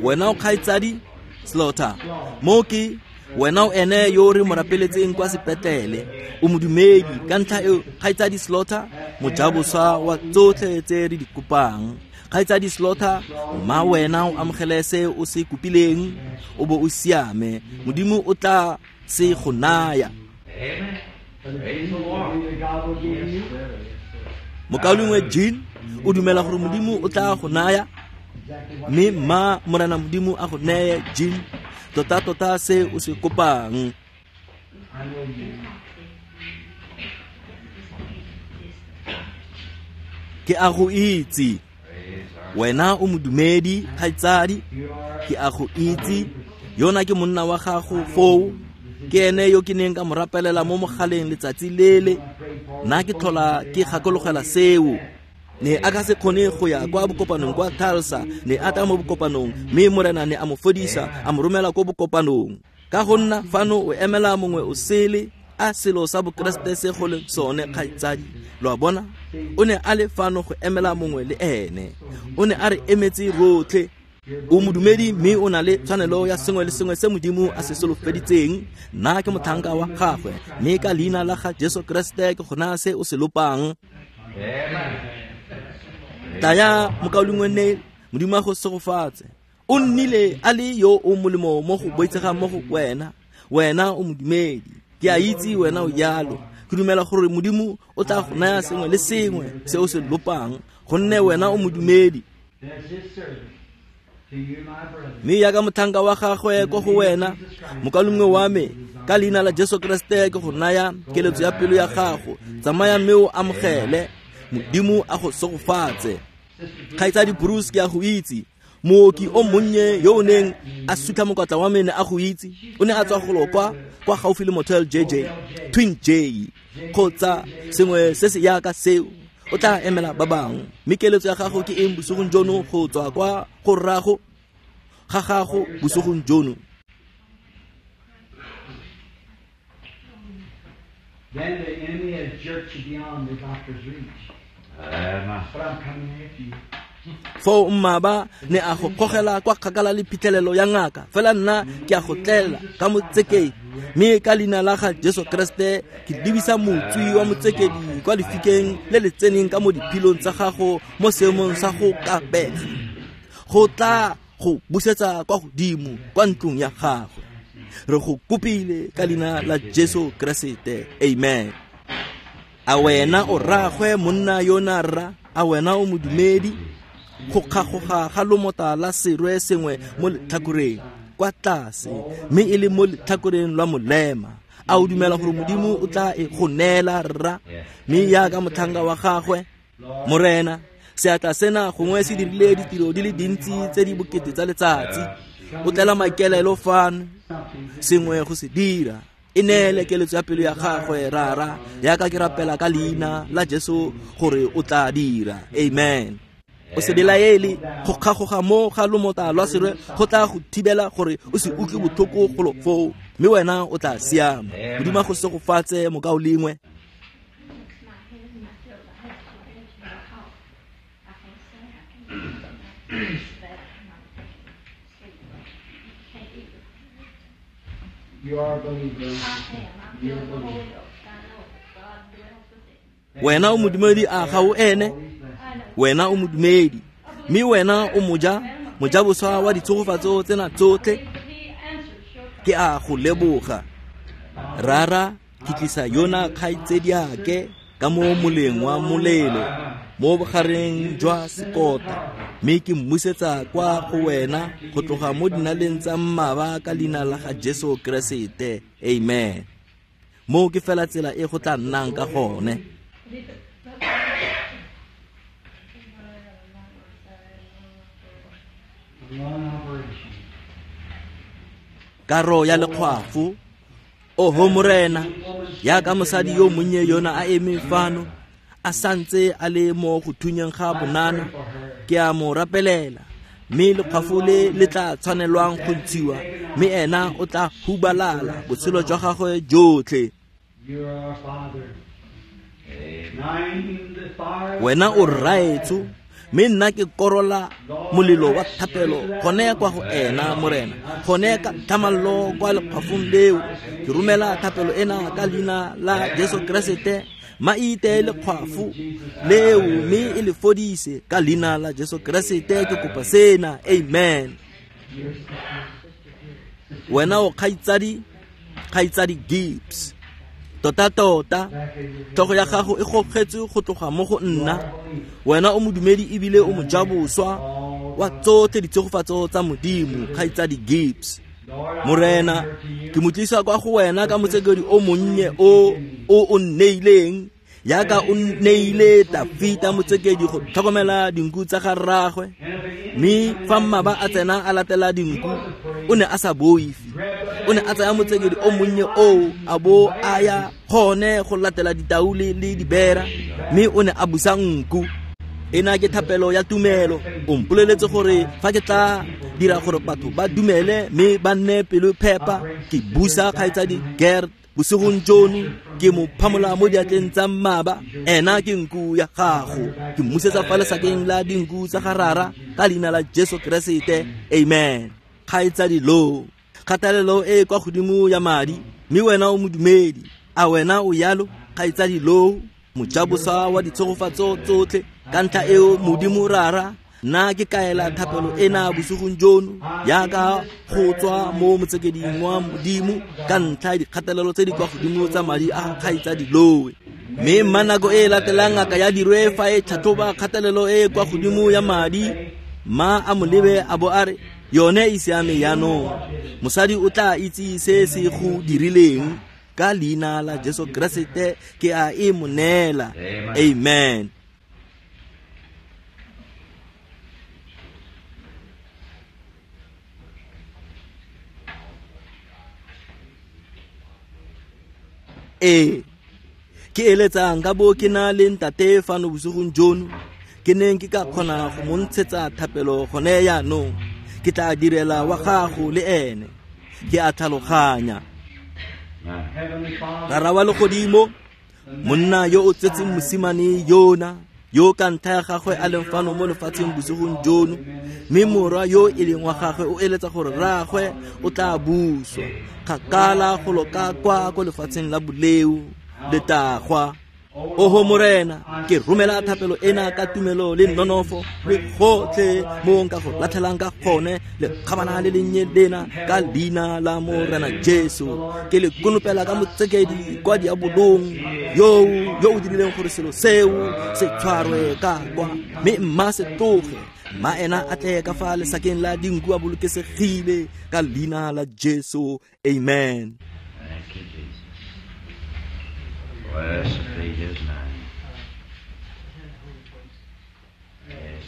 A: Wena o kgaitsadi Slaughter, mo ke wena o ene yo re mo rapeletseng kwa sepetlele, o modumedi. Ka ntlha eo kgaitsadi Slaughter, mojaboswa wa tsotlhe tse re di kopang. Kgaitsadi Slaughter, mma wena o amogele se o se kopileng, o bo o siame. Modimo o tla se go naya. Mokaulengwe Jean, o dumela gore Modimo o tla go naya? Mme mma Morena Modimo a go neye, Jean, tota tota se o se kopang. Ke a go itse. Wena o modumedi, kgaitsadi, ke a go itse. Yona ke monna wa gago foo. Ke ene yo ke neng ka mo rapelela mo mogaleng letsatsi lele. Nna ke tlhola ke gakologela seo. Ne a ka se kgone go ya kwa bokopanong kwa Tulsa, ne a tla mo bokopanong, mme Morena ne a mo fodisa, a mo romela ko bokopanong. Ka go nna fano o emela mongwe o sele, a selo sa Bokeresete se go le sone, kgaitsadi. Lo a bona? O ne a le fano go emela mongwe le ene. O ne a re emetse rotlhe. O modumedi mme o na le tshwanelo ya sengwe le sengwe se Modimo a se solofeditseng. Nna ke motlhanka wa gagwe, mme ka leina la ga Jesu Keresete ke go naya se o se lopang. Tlaya mokaulengwe Neil, Modimo a go segofatse. O nnile a le yo o molemo mo go boitshegang mo go wena. Wena o modumedi. Ke a itse wena o jalo. Ke dumela gore Modimo o tla go naya sengwe le sengwe se o se lopang, gonne wena o modumedi. Mme jaaka motlhanka wa gagwe ko go wena, mokaulengwe wa me, ka leina la Jesu Keresete ke go naya keletso ya pelo ya gago. Tsamaya mme o amogele. Modimo a go segofatse. Kgaitsadi Bruce, ke a go itse. Mooki o monnye yo o neng a sutlha mokotla wa me ne a go itse. O ne a tswa golo kwa kwa gaufi le Motel J J, Twin J, kgotsa sengwe se se yaka seo. O tla emela ba bangwe. Mme keletso ya gago ke eng bosigong jono go tswa kwa go rrago ga gago bosigong jono?
B: Then the enemy has jerked you beyond the doctor's reach. But I'm coming after you.
A: Foo mmaba ne a go gogela kwa kgakala le phitlhelelo ya ngaka, fela nna ke a go tlela ka motsekedi. Mme ka leina la ga Jesu Keresete ke lebisa motswi wa motsekedi kwa lefikeng le le tseneng ka mo diphilong tsa gago mo seemong sa go kapega, go tla go busetsa kwa godimo kwa ntlong ya gagwe. Re go kopile ka leina la Jesu Keresete, amen. A wena o rragwe monna yona rra? A wena o modumedi? Go kgagoga ga lomota la serwe sengwe mo letlhakoreng kwa tlase, mme e le mo letlhakoreng lwa molema. A o dumela gore Modimo o tla e go neela, rra? Mme jaaka motlhanka wa gagwe, Morena, seatla sena gongwe se dirile ditiro di le dintsi tse di bokete tsa letsatsi. O tlela maikaelelo fano, sengwe go se dira. E neele keletso ya pelo ya gagwe, rara, jaaka ke rapela ka leina la Jesu gore o tla dira. Amen. O se belaele, go kgagoga mo ga lomota lwa serwe go tla go thibela gore o se utlwe botlhoko golo foo, mme wena o tla siama. Modimo a go segofatse, mokaulengwe.
B: You are a believer. You are a believer.
A: Wena o modumedi, a ga o ene? Wena o modumedi, mme wena o moja mojaboswa wa ditshegofatso tsena tsotlhe. Ke a go leboga, Rara. Ke tlisa yona kgaitsediake ka mo moleng wa molelo mo bogareng jwa sekota, mme ke mmusetsa kwa go wena go tloga mo dinaleng tsa mmaba ka leina la ga Jesu Keresete, amen. Moo ke fela tsela e go tla nnang ka gone. Karo ya lekgwafo. Oho Morena, jaaka mosadi yo monnye yona a eme fano, a santse a le mo go thunyeng ga bonana, ke a mo rapelela. Mme lekgwafo le le tla tshwanelwang go ntshiwa, mme ena o tla hubalala botshelo jwa gagwe jotlhe. Wena o rraetsho, mme nna ke korola molelo wa thapelo gone kwa go ena, Morena, gone ka tlhamallo kwa lekgwafong leo. Ke romela thapelo ena ka leina la Jesu Keresete. Ma ite lekgwafo leo mme e le fodise ka leina la Jesu Keresete. Ke kopa sena, amen. Wena o kgaitsadi, kgaitsadi Gibbs, tota tota tlhogo ya gago e gogetswe go tloga mo go nna. Wena o modumedi ebile o mojaboswa wa tsotlhe ditshegofatso tsa Modimo, kgaitsadi Gibbs. Morena, ke mo tlisa kwa go wena ka motsekedi o monnye o o o nneileng, Yaka o neile Tafita motsekedi go tlhokomela dinku tsa ga rraagwe, mme fa mmaba a tsena a latela dinku o ne a sa boife. O ne a tsaya motsekedi o monnye oo a bo a ya gone go latela ditau le dibera, mme o ne a busa nku. Ena ke thapelo ya tumelo. O mpoleletse gore fa ke tla dira gore batho ba dumele mme ba nne pelo phepa, ke busa kgaitsadi Gert bosigong jono, ke mo phamola mo diatleng tsa mmaba. Ena ke nku ya gago, ke mmusetsa fa lesakeng la dinku tsa ga rara ka leina la Jesu Keresete, amen. Kgaitsadi Lo, kgatelelo e kwa godimo ya madi, mme wena o modumedi. A wena o yalo, kgaitsadi Lo, mojabosa wa ditshegofatso tsotlhe? Ka ntlha eo Modimo rara, nna ke kaela thapelo ena bosigong jono yaka go tswa mo motsekeding wa Modimo ka ntlha ya dikgatelelo tse di kwa godimo tsa madi a kgaitsadi Lowe. Mme mma nako e latelang ngaka ya dirwe fa e tlhatlhoba kgatelelo e kwa godimo ya madi, mma a mo lebe a bo a re yone e siame jaanong. Mosadi o tla itse se se go dirileng. Ka leina la Jesu Keresete ke a e mo neela, amen. Ee, ke eletsang ka bo ke na le ntate fano bosigong jono, ke neng ke ka kgona go mo ntshetsa thapelo gone jaanong. Ke tla direla wa gago le ene. Ke a tlhaloganya. Rara wa legodimo, monna yo o tsetseng mosimane yona, yo ka ntlha ya gagwe a leng fano mo lefatsheng bosigong jono, mme morwa yo e leng wa gagwe o eletsa gore rraagwe o tla buswa kgakala golo ka kwa ko lefatsheng la boleo letagwa. Oho Morena, ke romela thapelo ena ka tumelo le nonofo le gotlhe mo nka go latlhelang ka gone le kgabana le lennye lena ka leina la Morena Jesu. Ke le konopela ka motsekedi kwa diabolong yo yo o dirileng gore selo seo se tshwarwe ka kwa, mme mma se tloge, mma ena a tle ka fa lesakeng la dinku a bolokesegile ka leina la Jesu, amen.
B: Thank you, Jesus. Blessed be his name. Yes.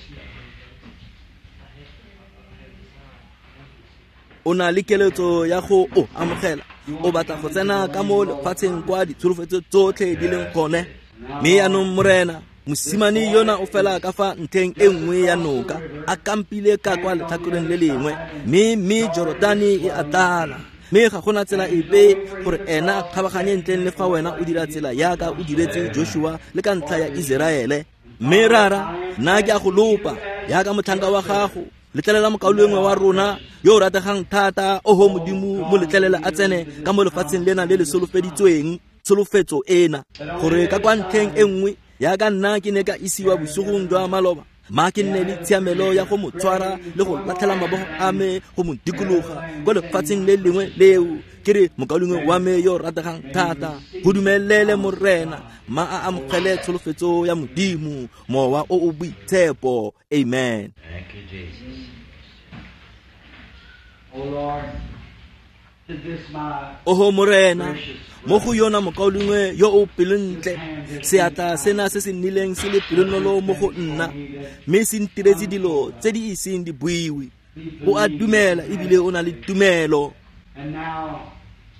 A: O na le keletso ya go o amogela, o batla go tsena ka mo lefatsheng kwa ditsholofetso tsotlhe di leng gone. Mme jaanong Morena, mosimane yona o fela ka fa ntlheng e nngwe ya noka, a kampile ka kwa letlhakoreng le lengwe, mme mme Jorodane e a tlala. Mme ga gona tsela epe gore ena a kgabaganye ntleng le fa wena o dira tsela yaka o diretse Joshua le ka ntlha ya Iseraele. Mme rara, nna ke a go lopa yaka motlhanka wa gago, letlelela mokaulengwe wa rona yo o rategang thata, oho Modimo, mo letlelela a tsene ka mo lefatsheng lena le le solofeditsweng, tsholofetso ena, gore ka kwa ntlheng e nngwe yaka nna ke ne ka isiwa bosigong jwa maloba, ma ke nne le tshiamelo ya go mo tshwara le go latlhela mabogo a me go mo dikologa kwa lefatsheng le lengwe leo. Ke re mokaulengwe wa me yo rategang thata, go dumelele Morena, ma a amogele tsholofetso ya Modimo, mowa o o boitshepo, amen.
B: Thank you, Jesus. Oh Lord, to this my
A: Oho Morena, mo go yona mokaulengwe yo o pelontle, seatla sena se se nnileng se le pelonolo mo go nna, mme se ntiretse dilo tse di iseng di buiwe. O a dumela ebile o na le tumelo.
B: And now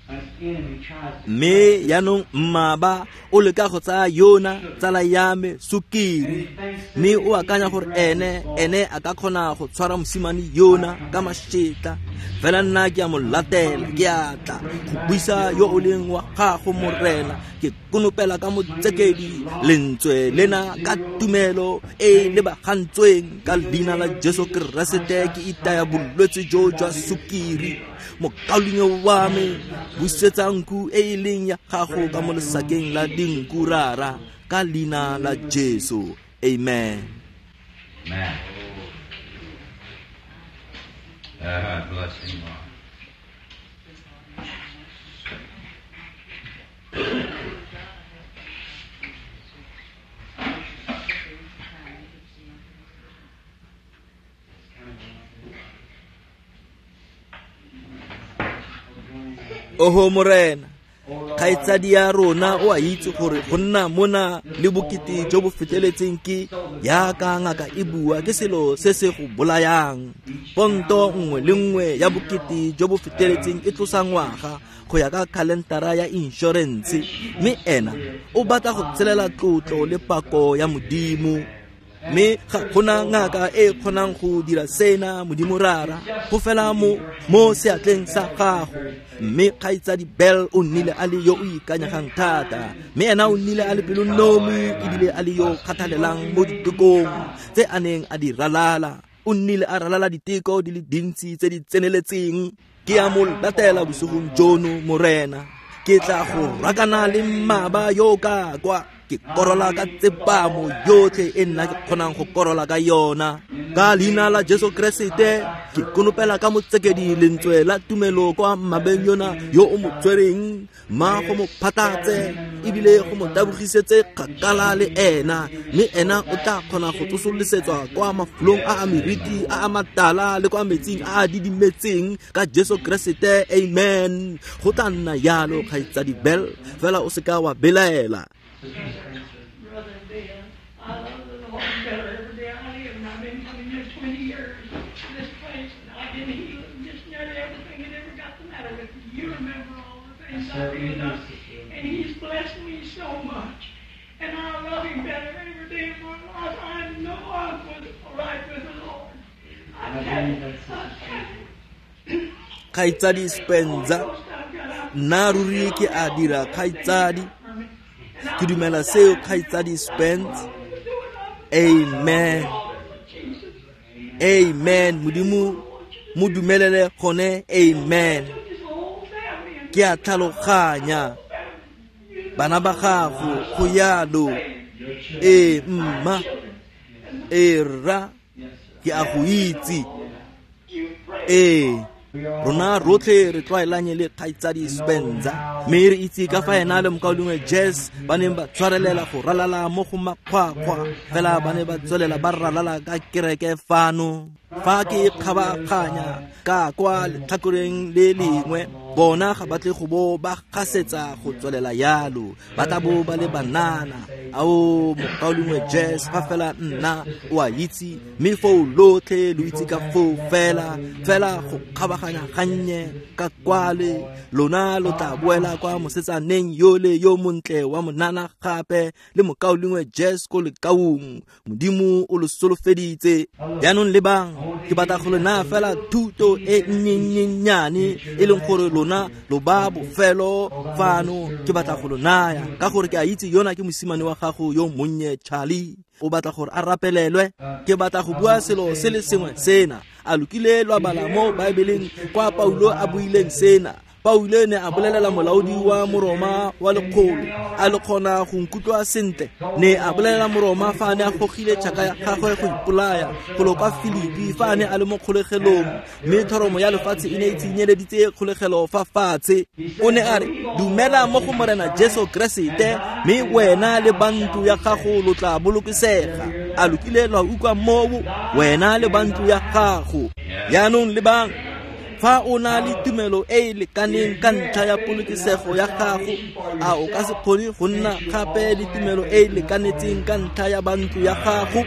B: an enemy tries to
A: Mme jaanong mmaba o leka go tsaya yona tsala ya me sukiri, mme o akanya gore ene ene a ka kgona go tshwara mosimane yona ka mašetla. Fela nna ke a mo latela, ke a tla go buisa yo o leng wa gago Morena, ke konopela ka motsekedi lentswe lena ka tumelo e lebagantsweng ka leina la Jesu Keresete. Ke itaya bolwetse jo jwa sukiri, mokaulengwe wa me, busetsa nku e e leng ya gago ka mo lesakeng la dinku rara, ka leina la Jesu, amen.
B: Amen. Uh, bless him, Lord.
A: Oho Morena, Kgaitsadi ya rona o a itse gore go nna mona le bokete jo bo feteletseng ke yaka ngaka e bua ke selo se se go bolayang. Ponto nngwe le nngwe ya bokete jo bo feteletseng e tlosa ngwaga go ya ka khalentara ya inšorense, mme ena o batla go tshelela tlotlo le pako ya Modimo. Mme ga gona ngaka e kgonang go dira sena, Modimo Rara, go fela mo mo seatleng sa gago. Mme kgaitsadi Bell o nnile a le yo o ikanyegang thata, mme ena o nnile a le pelonomi ebile a le yo kgathalelang mo ditekong tse a neng a di ralala. O nnile a ralala diteko di le dintsi tse di tseneletseng. Ke a mo latela bosigong jono, Morena. Ke tla go rakana le mmaba yo ka kwa, ke korola ka tsepamo yotlhe e nna ke kgonang go korola ka yona. Ka leina la Jesu Keresete ke konopela ka motsekedi lentswe la tumelo kwa mmabeng yona yo o mo tshwereng, mma go mo phatlatse ebile go mo tabogisetse kgakala le ena, mme ena o tla kgona go tsosolosetswa kwa mafolong a a meriti a a matala le kwa metsing a a didimetseng ka Jesu Keresete. Amen. Go tla nna yalo, kgaitsadi Bell, fela o seka wa belaela.
C: Brother Bill, I love the Lord better every day I live, and I've been coming here twenty years to this place, and I've been healed just nearly everything that ever got the matter with me. You remember all the things I've been done, and He's blessed me so much, and I love Him better every day of my life. I know I'm right with the Lord. I tell you, I tell you.
A: Kgaitsadi Spencer, nna ruri ke a dira kgaitsadi. Ke dumela seo, kgaitsadi Spence. Amen. Amen. Modimo mo dumelele gone. Amen. Ke a tlhaloganya bana ba gago go yalo. Ee mma, ee rra, ke a go itse. Ee, rona rotlhe re tlwaelanye le kgaitsadi Spencer, mme re itse ka fa ena le mokaulengwe Jess ba neng ba tshwarelela go ralala mo go makgwakgwa, fela ba ne ba tswelela ba ralala ka kereke fano. Fa ke kgabaganya ka kwa letlhakoreng le lengwe, bona ga ba tle go bo ba gasetsa go tswelela yalo, ba tla bo ba le banana. Ao mokaulengwe Jess, fa fela nna o a itse, mme foo lotlhe lo itse ka foo fela fela go kgabaganya gannye ka kwale, lona lo tla boela kwa mosetsaneng yole yo montle wa monana gape le mokaulengwe Jess ko lekaung. Modimo o lo solofeditse. Jaanong lebang, ke batla go le naya fela thuto e nnyennyane e leng gore lona lo ba bofelo fano. Ke batla go lo naya ka gore ke a itse yona ke mosimane wa gago yo monnye Charlie, o batla gore a rapelelwe. Ke batla go bua selo se le sengwe sena. A lokile lwa bala mo Baebeleng kwa Paulo a buileng sena. Paulo ne a bolelela molaodi wa Moroma wa lekgolo, a le kgona go nkutlwa sentle. Ne a bolelela Moroma fa a ne a gogile tšhaka ya gagwe go ipolaya golo kwa Filipi fa a ne a le mo kgolegelong, mme thoromo ya lefatshe e ne e tsinyeleditse kgolegelo fa fatshe. O ne a re, dumela mo go Morena Jesu Keresete, mme wena le bantlo ya gago lo tla bolokesega. A lokile lwa utlwa moo, wena le bantlo ya gago. Jaanong lebang, fa o na le tumelo e e lekaneng ka ntlha ya polokesego ya gago, a o ka se kgone go nna gape le tumelo e e lekanetseng ka ntlha ya bantlo ya gago?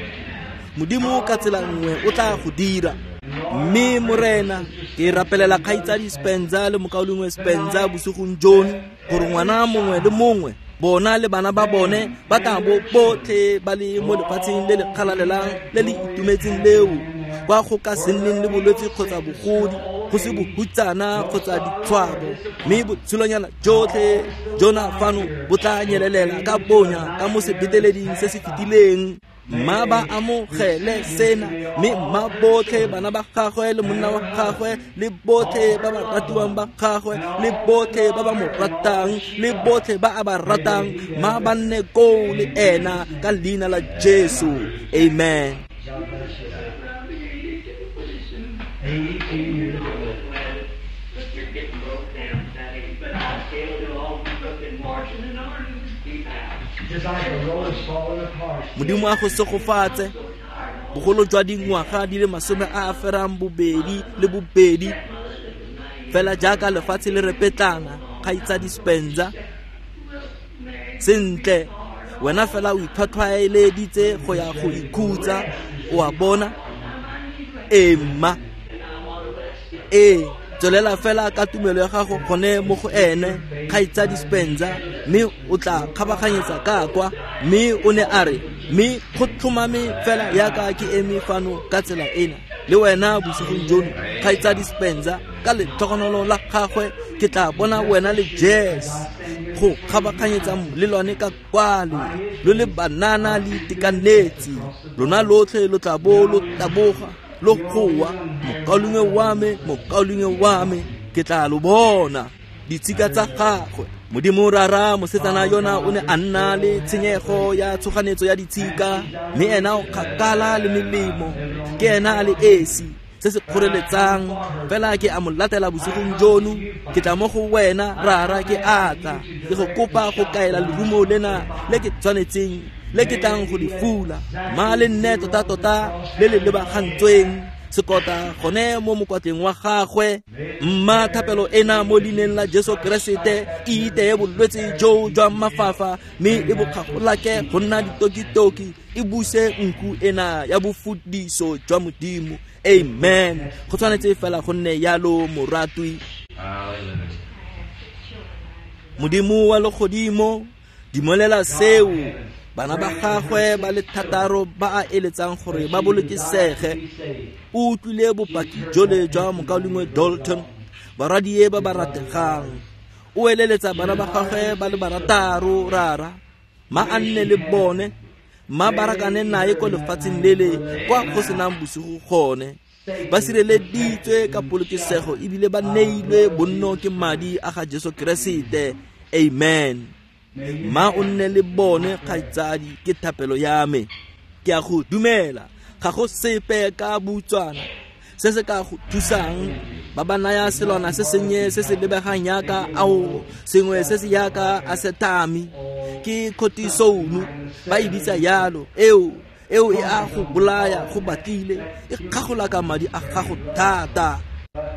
A: Modimo ka tsela nngwe o tla go dira. Mme Morena, ke rapelela kgaitsadi Spencer le mokaulengwe Spencer bosigong jono, gore ngwana mongwe le mongwe, bona le bana ba bone, ba tla bo botlhe ba le mo lefatsheng le le kgalalelang le le itumetseng leo, kwa go ka se nneng le bolwetse kgotsa bogodi, go se bohutsana kgotsa ditshwabo, mme botshelonyana jotlhe jona fano bo tla nyelelela ka bonya ka mo sebeteleding se se fetileng. Mma ba amogele sena, mme mma botlhe bana ba gagwe le monna wa gagwe le botlhe ba ba ratiwang ba gagwe le botlhe ba ba mo ratang le botlhe ba a ba ratang, mma ba nne koo le ena ka leina la Jesu. Amen. Modimo a go segofatse. Bogolo jwa dingwaga di le masome a a ferang bobedi le bobedi, fela jaaka lefatshe le repetlana, kgaitsadi Spencer, Sentle, wena fela o itlhwatlhwaeleditse go ya go ikhutsa, o a bona? Ee, mma. Ee, tswelela fela ka tumelo ya gago gone mo go ene, kgaitsadi Spencer, mme o tla kgabaganyetsa ka kwa. Mme o ne a re, mme go tlhomame fela yaka ke eme fano ka tsela ena le wena bosigong jono, kgaitsadi Spencer, ka letlhogonolo la gagwe ke tla bona wena le Jess go kgabaganyetsa molelwane ka kwale, lo le banana le itekanetse, lona lotlhe lo tla bo lo taboga lo goa, mokaulengwe wa me, mokaulengwe wa me, ke tla lo bona ditshika tsa gagwe. Modimo Rara, mosetsana yona o ne a nna le tshenyego ya tshoganetso ya ditshika, mme ena o kgakala le melemo, ke ena a le esi se se kgoreletsang. Fela ke a mo latela bosigong jono, ke tla mo go wena Rara, ke a tla ke go kopa go kaela lerumo lena le ke tshwanetseng le ke tlang go le fula, ma le nne tota-tota le le lebagantsweng sekota gone mo mokwatleng wa gagwe. Mma thapelo ena mo leineng la Jesu Keresete e iteye bolwetse jo jwa mafafa, mme e bo kgagolake go nna ditokitoki, e buse nku ena ya bofudiso jwa Modimo. Amen. Go tshwanetse fela go nne yalo, moratwi. Modimo wa legodimo, dumelela seo bana ba gagwe ba le thataro ba a eletsang gore ba bolokesege. O utlwile bopaki jole jwa mokaulengwe Dalton, barwadie ba ba rategang. O eleletsa bana ba gagwe ba le barataro, Rara, ma a nne le bone, ma ba rakane nae ko lefatsheng lele kwa go senang bosigo gone. Ba sireleditswe ka polokesego ebile ba neilwe bonno ke madi a ga Jesu Keresete. Amen. Ma o nne le bone, kgaitsadi, ke thapelo ya me. Ke a go dumela, ga go sepe ka butswana se se ka go thusang. Ba ba naya selwana se sennye se se lebegang yaka ao, sengwe se se yaka asetami, ke cortisone ba e bitsa yalo. Eo eo e a go bolaya go batlile, e kgagola ka madi a gago thata.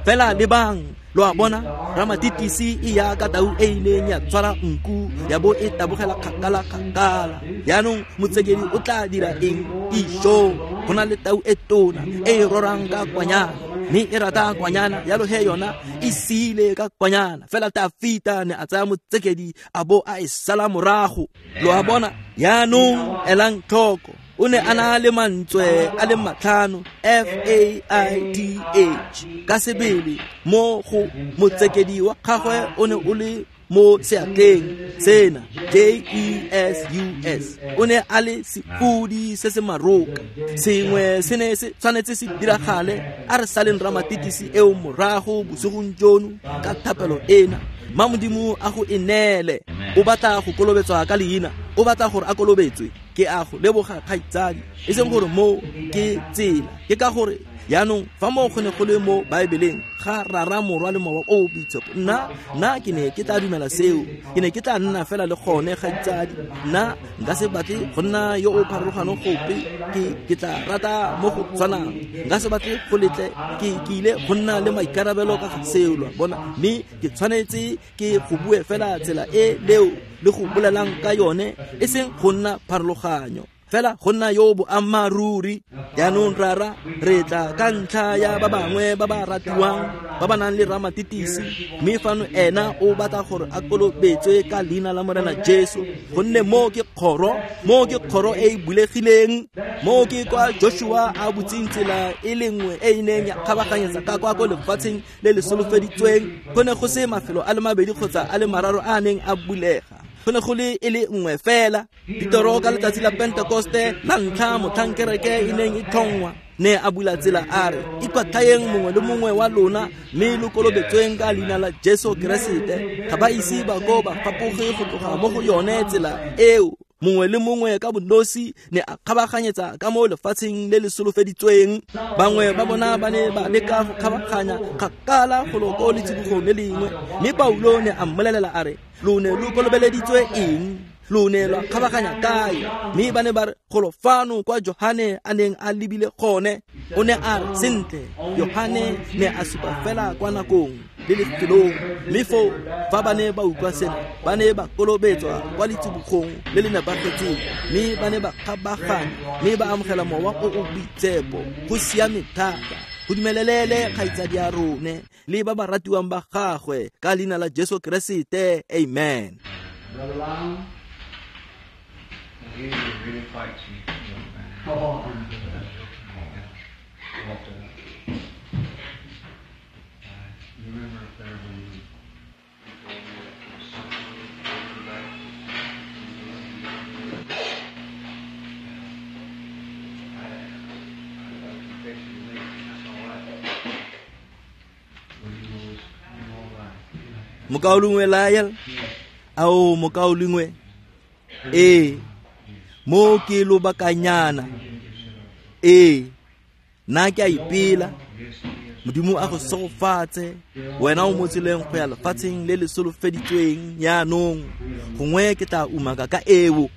A: Fela lebang, lo a bona, ramatitisi e yaka tau e ileng ya tshwara nku ya bo e tabogela kgakala kgakala. Yaanong motsekedi o tla dira eng? Ijo, go na le tau e tona e e rorang ka kwanyana, mme e rata kwanyana, yalo he yona e siile ka kwanyana. Fela Tafita ne a tsaya motsekedi a bo a e sala morago. Lo a bona? Yaanong elang tlhoko, o ne a na le mantswe a le matlhano, F A I T H, ka sebele mo go motsekedi wa gagwe o ne o le mo seatleng sena, J E S U S. O ne a le sefudi se se maroka, sengwe se ne se tshwanetse se diragale. A re saleng ramatitisi eo morago bosigong jono ka thapelo ena. Ma Modimo a go e neele. O batla go kolobetswa ka leina, o batla gore a kolobetswe. Ke a go leboga, kgaitsadi, e seng gore mo ke tsela, ke ka gore yaanong fa mo go ne go le mo Baebeleng ga Rara, Morwa le Mowa o Boitshepo, nna nna ke ne ke tla dumela seo, ke ne ke tla nna fela le gone, kgaitsadi. Nna nka se batle go nna yo o pharologano gope, ke ke tla rata mo go tshwanang, nka se batle go letle ke ke ile go nna le maikarabelo ka ga seo, lo a bona. Mme ke tshwanetse ke go bue fela tsela e leo le go bolelang ka yone, e seng go nna pharologanyo, fela go nna yo boammaaruri. Jaanong Rara, re tla ka ntlha ya ba bangwe ba ba ratiwang ba ba nang le ramatitisi, mme fano ena o batla gore a kolobetswe ka leina la Morena Jesu, gonne mo ke kgoro, mo ke kgoro e e bulegileng, mo ke kwa Joshua a butseng tsela e le nngwe e e neng ya kgabaganyetsa ka kwa ko lefatsheng le le solofeditsweng. Go ne go se mafelo a le mabedi kgotsa a le mararo a a neng a bulega, go ne go le e le nngwe fela. Petero ka letsatsi la Pentekoste la ntlha motlhang kereke e neng e tlhongwa, ne a bula tsela a re, ikwatlhayeng mongwe le mongwe wa lona mme lo kolobetsweng ka leina la Jesu Keresete. Ga ba ise ba ko ba fapoge go tloga mo go yone tsela eo. Mongwe le mongwe ka bonosi ne a kgabaganyetsa ka mo lefatsheng le le solofeditsweng. Bangwe ba bona ba ne ba leka go kgabaganya kgakala golo ko letsibogong le lengwe, mme Paulo ne a mmolelela a re, lo ne lo kolobeleditswe eng? Lo ne lwa kgabaganya kae? Mme ba ne ba re golo fano kwa Johane a neng a lebile gone. O ne a re sentle, Johane ne a supa fela kwa nakong le lefelong. Mme foo fa ba ne ba utlwa sena, ba ne ba kolobetswa kwa letsibogong le le nepagetseng, mme ba ne ba kgabaganya mme ba amogela mowa o o boitshepo. Go siame thata. Go dumelelele kgaitsadi ya rone le ba ba ratiwang ba gagwe ka leina la Jesu Keresete. Amen.
B: Brother Lyle?
D: He really fights you, young man.
B: Oh,
D: But, uh, I remember up there when you told me that there was something going back. I, I confess to me, that's all right. Well, you know, you're all right.
A: Mokaulengwe Lyle, ao mokaulengwe, ee, mo ke lobakanyana, ee, nna ke a ipela. Modimo a go segofatse, wena o mo tseleng go ya lefatsheng le le solofeditsweng jaanong. Gongwe ke tla umaka ka eo.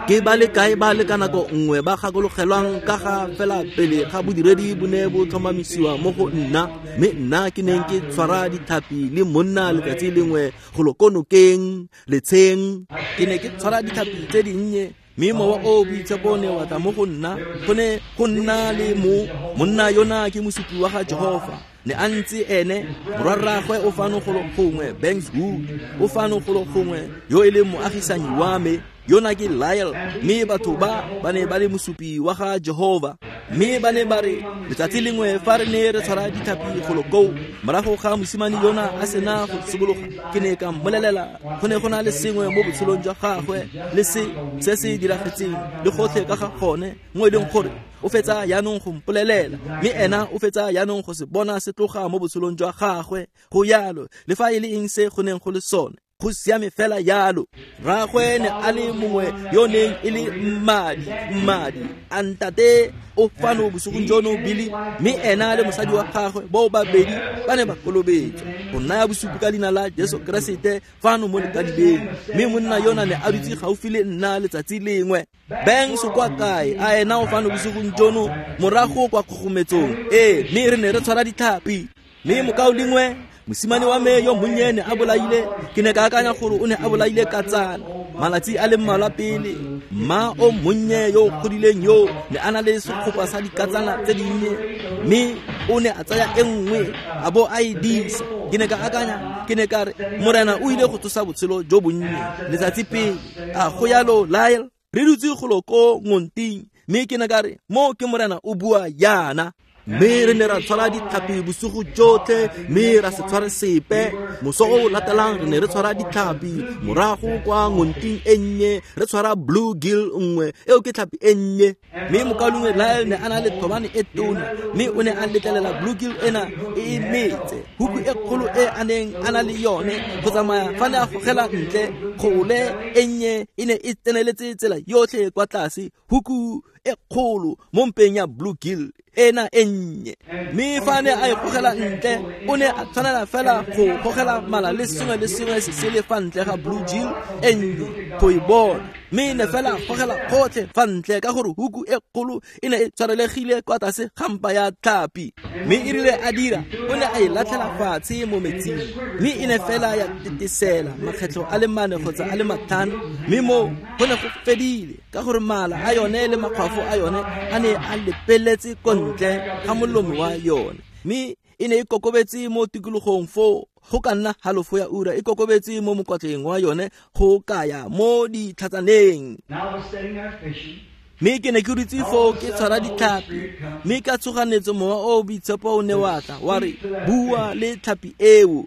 A: Ke ba le kae ba le ka nako nngwe ba gakologelwang ka ga fela pele ga bodiredi bo ne bo tlhomamisiwa mo go nna, mme nna ke neng ke tshwara ditlhapi le monna letsatsi lengwe golo ko nokeng letsheng. Ke ne ke tshwara ditlhapi tse dinnye, mme mowa o o boitshepo ne wa tla mo go nna. Go ne go nna le mo monna yona ke mosupi wa ga Jehofa. Ne a ntse ene, morwarraagwe o fano golo gongwe, Banks Wood o fano golo gongwe, yo e leng moagisanyi wa me. Yona ke Lyle, mme batho ba ba ne ba le mosupi wa ga Jehofa. Mme ba ne ba re letsatsi lengwe fa re ne re tshwara ditlhapi golo koo, morago ga mosimane yona a sena go tshobologa, ke ne ka mmolelela go ne go na le sengwe mo botshelong jwa gagwe le se se se diragetseng le gotlhe ka ga gone, mo e leng gore o fetsa jaanong go mpolelela, mme ena o fetsa jaanong go se bona se tloga mo botshelong jwa gagwe. Go yalo, le fa e le eng se go neng go le sone, go siame fela yalo. Rraagwe ne a le mongwe yo neng e le mmadi, mmadi a ntate o fano bosigong jono Billy, mme ena le mosadi wa gagwe bao babedi ba ne ba kolobetswa go naya bosupi ka leina la Jesu Keresete fano mo lekadibeng. Mme monna yona ne a dutse gaufi le nna letsatsi lengwe. Banks kwa kae? A ena o fano bosigong jono morago kwa kgogometsong. Ee, mme re ne re tshwara ditlhapi. Mme mokaulengwe, mosimane wa me yo monnye ne a bolaile, ke ne ka akanya gore o ne a bolaile katsana malatsi a le mmalwa pele. Mma o monnye yo o godileng yo ne a na le sekgopa sa dikatsana tse dinnye, mme o ne a tsaya e nngwe a bo a e disa. Ke ne ka akanya, ke ne ka re Morena o ile go tsosa botshelo jo bonnye letsatsi pele. A go yalo Lyle? Re dutse golo ko ngonting, mme ke ne ka re mo ke Morena o bua yana. Mme re ne ra tshwara ditlhapi bosigo jotlhe, mme ra se tshware sepe. Moso o latelang re ne re tshwara ditlhapi morago kwa ngonting e nnye, re tshwara blue gill nngwe, eo ke tlhapi e nnye. Mme mokaulengwe Lyle ne a na le thobane e tona, mme o ne a letlelela blue gill ena e e metse huku e kgolo e a neng a na le yone go tsamaya fa ne a gogela ntle. Kgole e nnye e ne e tseneletse tsela yotlhe kwa tlase, huku e kgolo mo mpeng ya blue gill ena e nnye. Mme fa ne a e gogela ntle, o ne a tshwanela fela go gogela mala le sengwe le sengwe se se le fa ntle ga blue gill e nnye go e bona. Mme ne fela gogela gotlhe fa ntle ka gore huku e kgolo e ne e tshwarelegile kwa tlase ga mpa ya tlhapi. Mme e rile a dira, o ne a e latlhela fatshe mo metsing, mme e ne fela ya tetesela makgetlho a le mane kgotsa a le matlhano, mme mo go ne go fedile ka gore mala a yone le makgwafo a yone a ne a lepeletse ko ntle ga molomo wa yone. Mme e ne e kokobetse mo tikologong foo go ka nna halofo ya ura, e kokobetse mo mokwatleng wa yone go kaya mo ditlhatsaneng. Mme ke ne ke dutse foo ke tshwara ditlhapi, mme ka tshoganetso mowa o o boitshepo o ne wa tla wa re bua le tlhapi eo.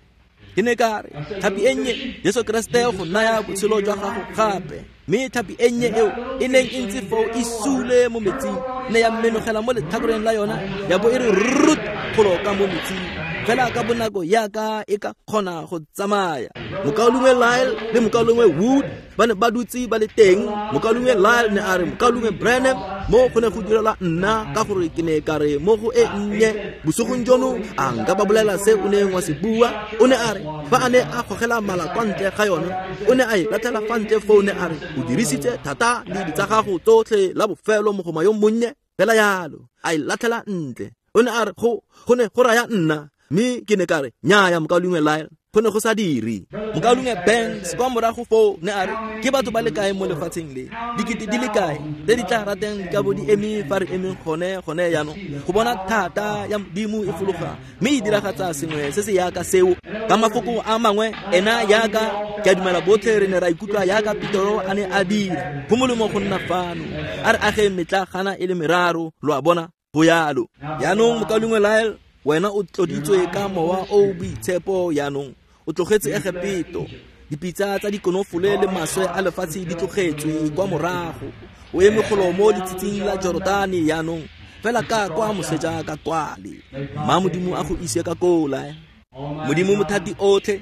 A: Ke ne ka re tlhapi e nnye, Jesu Keresete go naya botshelo jwa gago gape. Mme tlhapi e nnye eo e neng e ntse foo e sule mo metsing, ne ya menogela mo letlhakoreng la yona, ya bo e re rut golo ka mo metsing fela ka bonako yaka e ka kgona go tsamaya. Mokaulengwe Lyle le mokaulengwe Wood ba ne ba dutse ba le teng. Mokaulengwe Lyle ne a re mokaulengwe Branham, mo go ne go direla nna ka gore ke ne ka re mo go e nnye bosigong jono a nka ba bolela se o neng wa se bua. O ne a re fa a ne a gogela mala kwa ntle ga yone, o ne a e latlhela fa ntle foo, ne a re O dirisitse thata le ditsa gago tsotlhe la bofelo mogoma yo monnye fela yalo a e latlhela ntle. O ne a re go go ne go raya nna, mme ke ne ka re nnyaya mokaulengwe Lyle, go ne go sa dire. Mokaulengwe Banks kwa morago foo ne a re ke batho ba le kae mo lefatsheng le, dikete di le kae tse di tla rateng di ka bo di eme fa re emeng gone gone jaanong go bona thata ya Modimo e fologa mme e diragatsa sengwe se se yaka seo. Ka mafoko a mangwe, ena yaka ke a dumela botlhe re ne ra ikutlwa yaka Petero a ne a dira. Go molemo go nna fano, a re ageng metlagana e le meraro, lo a bona, go yalo. Jaanong mokaulengwe Lyle, wena o tloditswe ka mowa o boitshepo jaanong, o tlogetse Egepeto, dipitsa tsa dikonofole le maswe a lefatshe di tlogetswe kwa morago, o eme golo mo letshitshing la Jorodane jaanong, fela ka kwa moseja ka kwale. Mma Modimo a go ise ka koo, Lyle. Modimo mothati otlhe,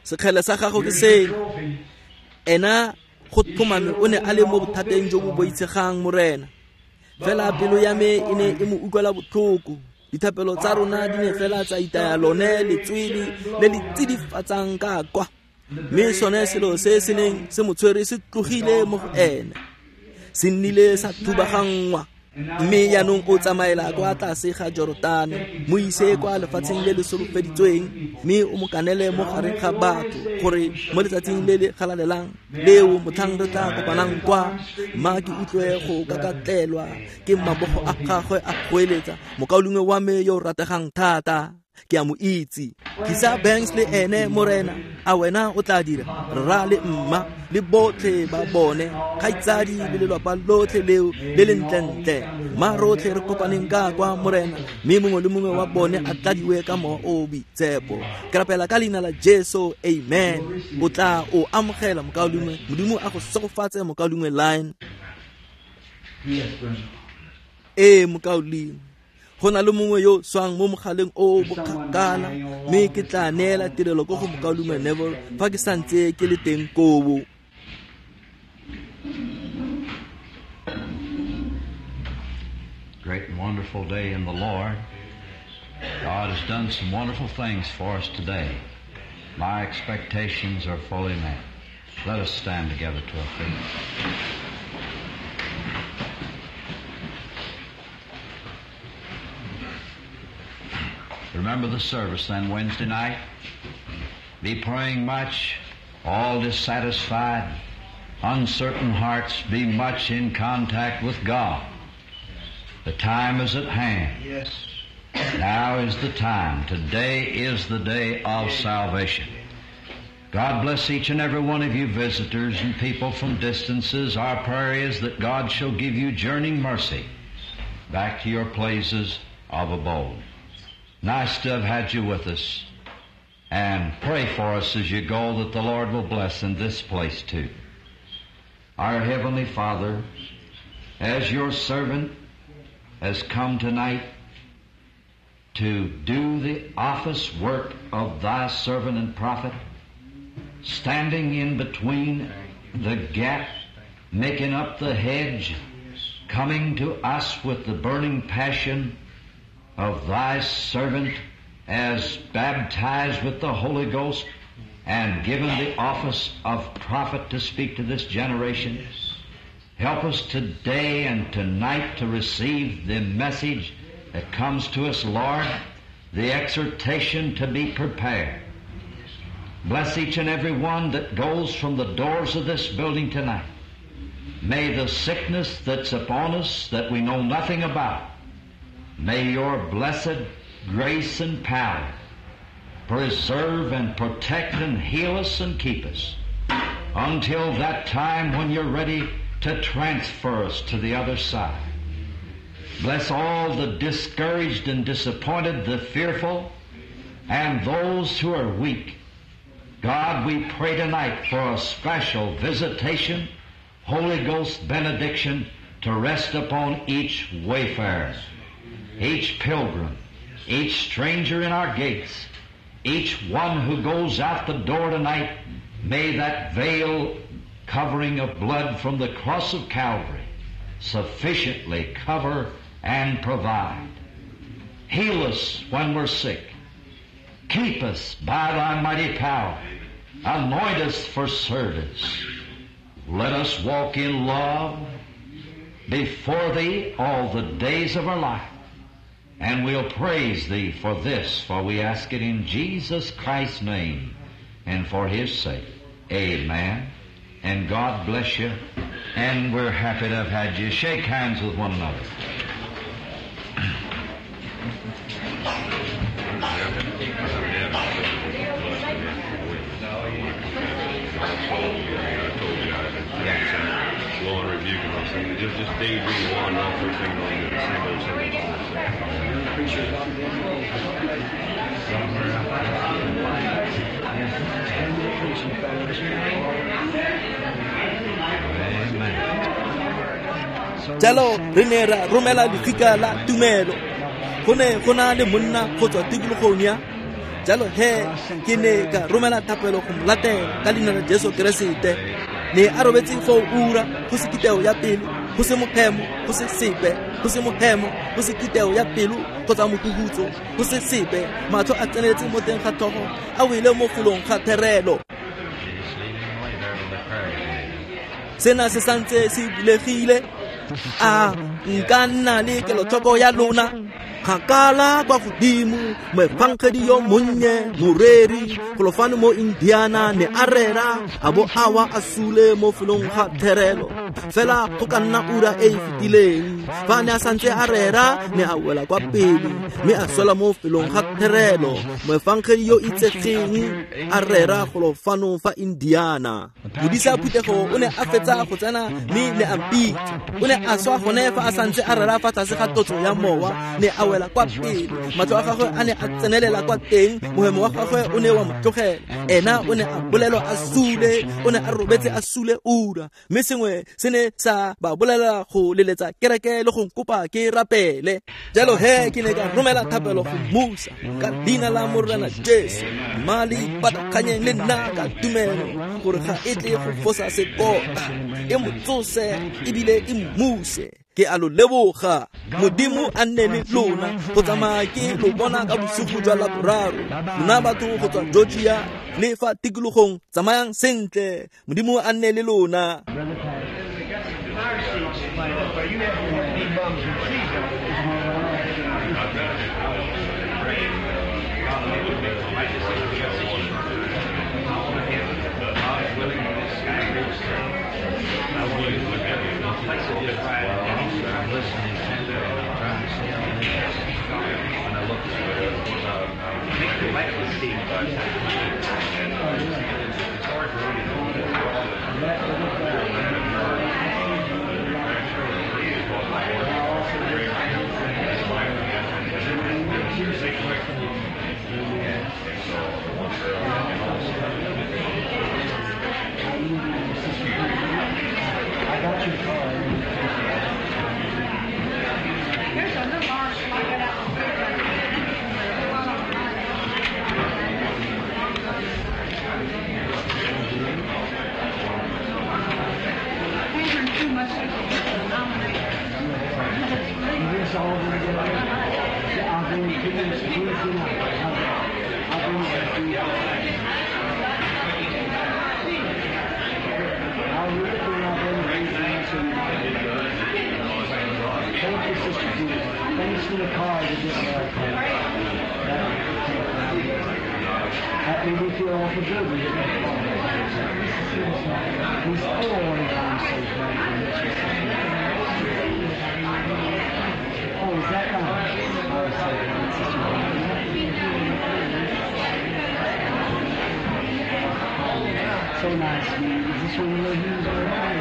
A: sekgele sa gago ke seno. Ena go tlhomame o ne a le mo bothateng jo bo boitshegang, Morena. Fela pelo ya me e ne e mo utlwela botlhoko. Dithapelo tsa rona di ne fela tsa itaya lone letswele le le tsidifatsang ka kwa, mme sone selo se se neng se mo tshwere se tlogile mo go ene, se nnile sa thubaganngwa. Mme jaanong o tsamaela kwa tlase ga Jorodane, mo ise kwa lefatsheng le le solofeditsweng, mme o mo kanele mo gare ga batho gore mo letsatsing le le galalelang leo motlhang re tla kopanang kwa, mma ke utlwe go kakatlelwa ke mabogo a gagwe a goeletsa, mokaulengwe wa me yo o rategang thata, ke a mo itse. Tlisa Banks le ene, Morena, a wena o tla dira, rra le mma le botlhe ba bone, kgaitsadi le lelapa lotlhe leo le le ntlentle. Mma rotlhe re kopaneng ka kwa, Morena, mme mongwe le mongwe wa bone a tladiwe ka mowa o boitshepo. Ke rapela ka leina la Jesu, amen. O tla o amogela mokaulengwe, Modimo a go segofatse mokaulengwe Line. Ee mokaulengwe, go na le mongwe yo swang mo mogaleng o bokgakala, mme ke tla neela tirelo ko go mokaulengwe Neville fa ke santse ke le teng koo.
B: Great and wonderful day in the Lord. God has done some wonderful things for us today. My expectations are fully met. Let us stand together to our feet. Remember the service then Wednesday night. Be praying much, all dissatisfied, uncertain hearts, be much in contact with God. The time is at hand.
D: Yes.
B: Now is the time. Today is the day of salvation. God bless each and every one of you visitors and people from distances. Our prayer is that God shall give you journeying mercy back to your places of abode. Nice to have had you with us. And pray for us as you go that the Lord will bless in this place too. Our Heavenly Father, as your servant has come tonight to do the office work of thy servant and prophet, standing in between the gap, making up the hedge, coming to us with the burning passion of thy servant as baptized with the Holy Ghost and given the office of prophet to speak to this generation. Help us today and tonight to receive the message that comes to us, Lord, the exhortation to be prepared. Bless each and every one that goes from the doors of this building tonight. May the sickness that's upon us that we know nothing about, may your blessed grace and power preserve and protect and heal us and keep us until that time when you're ready to transfer us to the other side. Bless all the discouraged and disappointed, the fearful, and those who are weak. God, we pray tonight for a special visitation, Holy Ghost benediction to rest upon each wayfarer, each pilgrim, each stranger in our gates, each one who goes out the door tonight. May that veil covering of blood from the cross of Calvary sufficiently cover and provide. Heal us when we're sick. Keep us by thy mighty power. Anoint us for service. Let us walk in love before Thee all the days of our life. And we'll praise Thee for this, for we ask it in Jesus Christ's name and for His sake. Amen. And God bless you. And we're happy to have had you. Shake hands with one another.
E: Just, just daydream one off first thing on the same old, same old.
A: Jalo re ne ra romela lefika la tumelo. Go ne go na le monna go tswa tikologong ya. Jalo he ke ne ka romela thapelo go mo latela ka leina la Jesu Keresete. Ne a robetse foo ura go se kiteo ya pelo, go se mophemo, go se sepe, go se mophemo, go se kiteo ya pelo kgotsa mokuhutso, go se sepe, matlho a tseneletse mo teng ga tlhogo, a wele mo golong ga therelo. Sena se santse se bulegile. A nka nna le kelotlhoko ya lona. Kgakala kwa godimo, moefangedi yo monnye, moreri, golofane mo Indiana ne a rera, a bo a wa a sule mo felong ga therelo. Fela go ka nna ura e e fetileng, fa ne a santse a rera, ne a wela kwa pele, mme a swela mo felong ga therelo. Moefangedi yo itsegeng a rera golofano fa Indiana. Modisa phuthego o ne a fetsa go tsena mme ne a mpitsa. O ne a swa gone fa a santse a rera fa tlase ga tlotso ya mowa, ne a wela kwa pele. Matlho a gagwe a ne a tsenelela kwa teng, mohemo wa gagwe o ne wa mo tlogela. Ena o ne a bolelwa a sule, o ne a robetse a sule ura. Mme sengwe se ne sa ba bolela go leletsa kereke le go nkopa ke rapele. Jalo he ke ne ka romela thapelo go mmusa ka leina la Morena Jesu. Mali patakganyeng le nna ka tumelo gore ga e tle go fosa sekota, e mo tsose ebile e mmuse. Ke a lo leboga. Modimo a nne le lona go tsamaya ke lo bona ka bosigo jwa Laboraro. Lona batho go tswa Georgia le fa tikologong, tsamayang sentle. Modimo a nne le lona.
D: So nice to meet you. Is this one of you?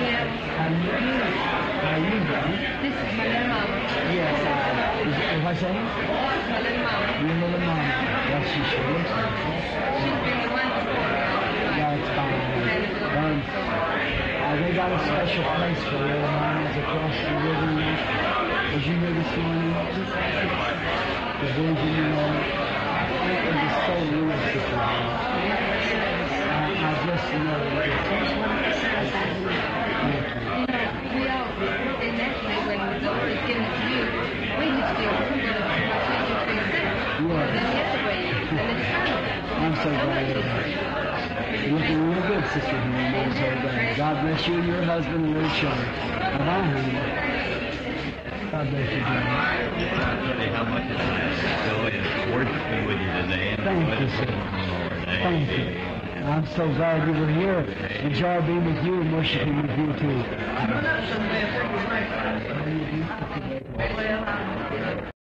F: Yeah.
D: How you doing? How you doing?
F: This is my little mama.
D: Yes. Uh, is, what's that?
F: My little mama.
D: Your little mama. Well, she sure looks like it.
F: She's been the one before.
D: Yeah, it's fine. Um, uh, they got a special place for little mamas across the river. Did you hear this morning? The Virgin, you know, it was so beautiful. I just know that.
F: You know, we all, and naturally when the Lord is giving it to you, we just feel we're going to
D: Yeah.
F: Then the other way, and it's kind of
D: I'm so glad. Looking real You're a good sister, honey. I'm so glad. God bless you and your husband and little children. Bye-bye, honey. God bless you, John.
G: I tell you how much I enjoyed worshiping with you today. And
D: Thank you, sir. Thank you. I'm so glad you were here. Enjoy being with you and worshiping with you, too.
C: Well,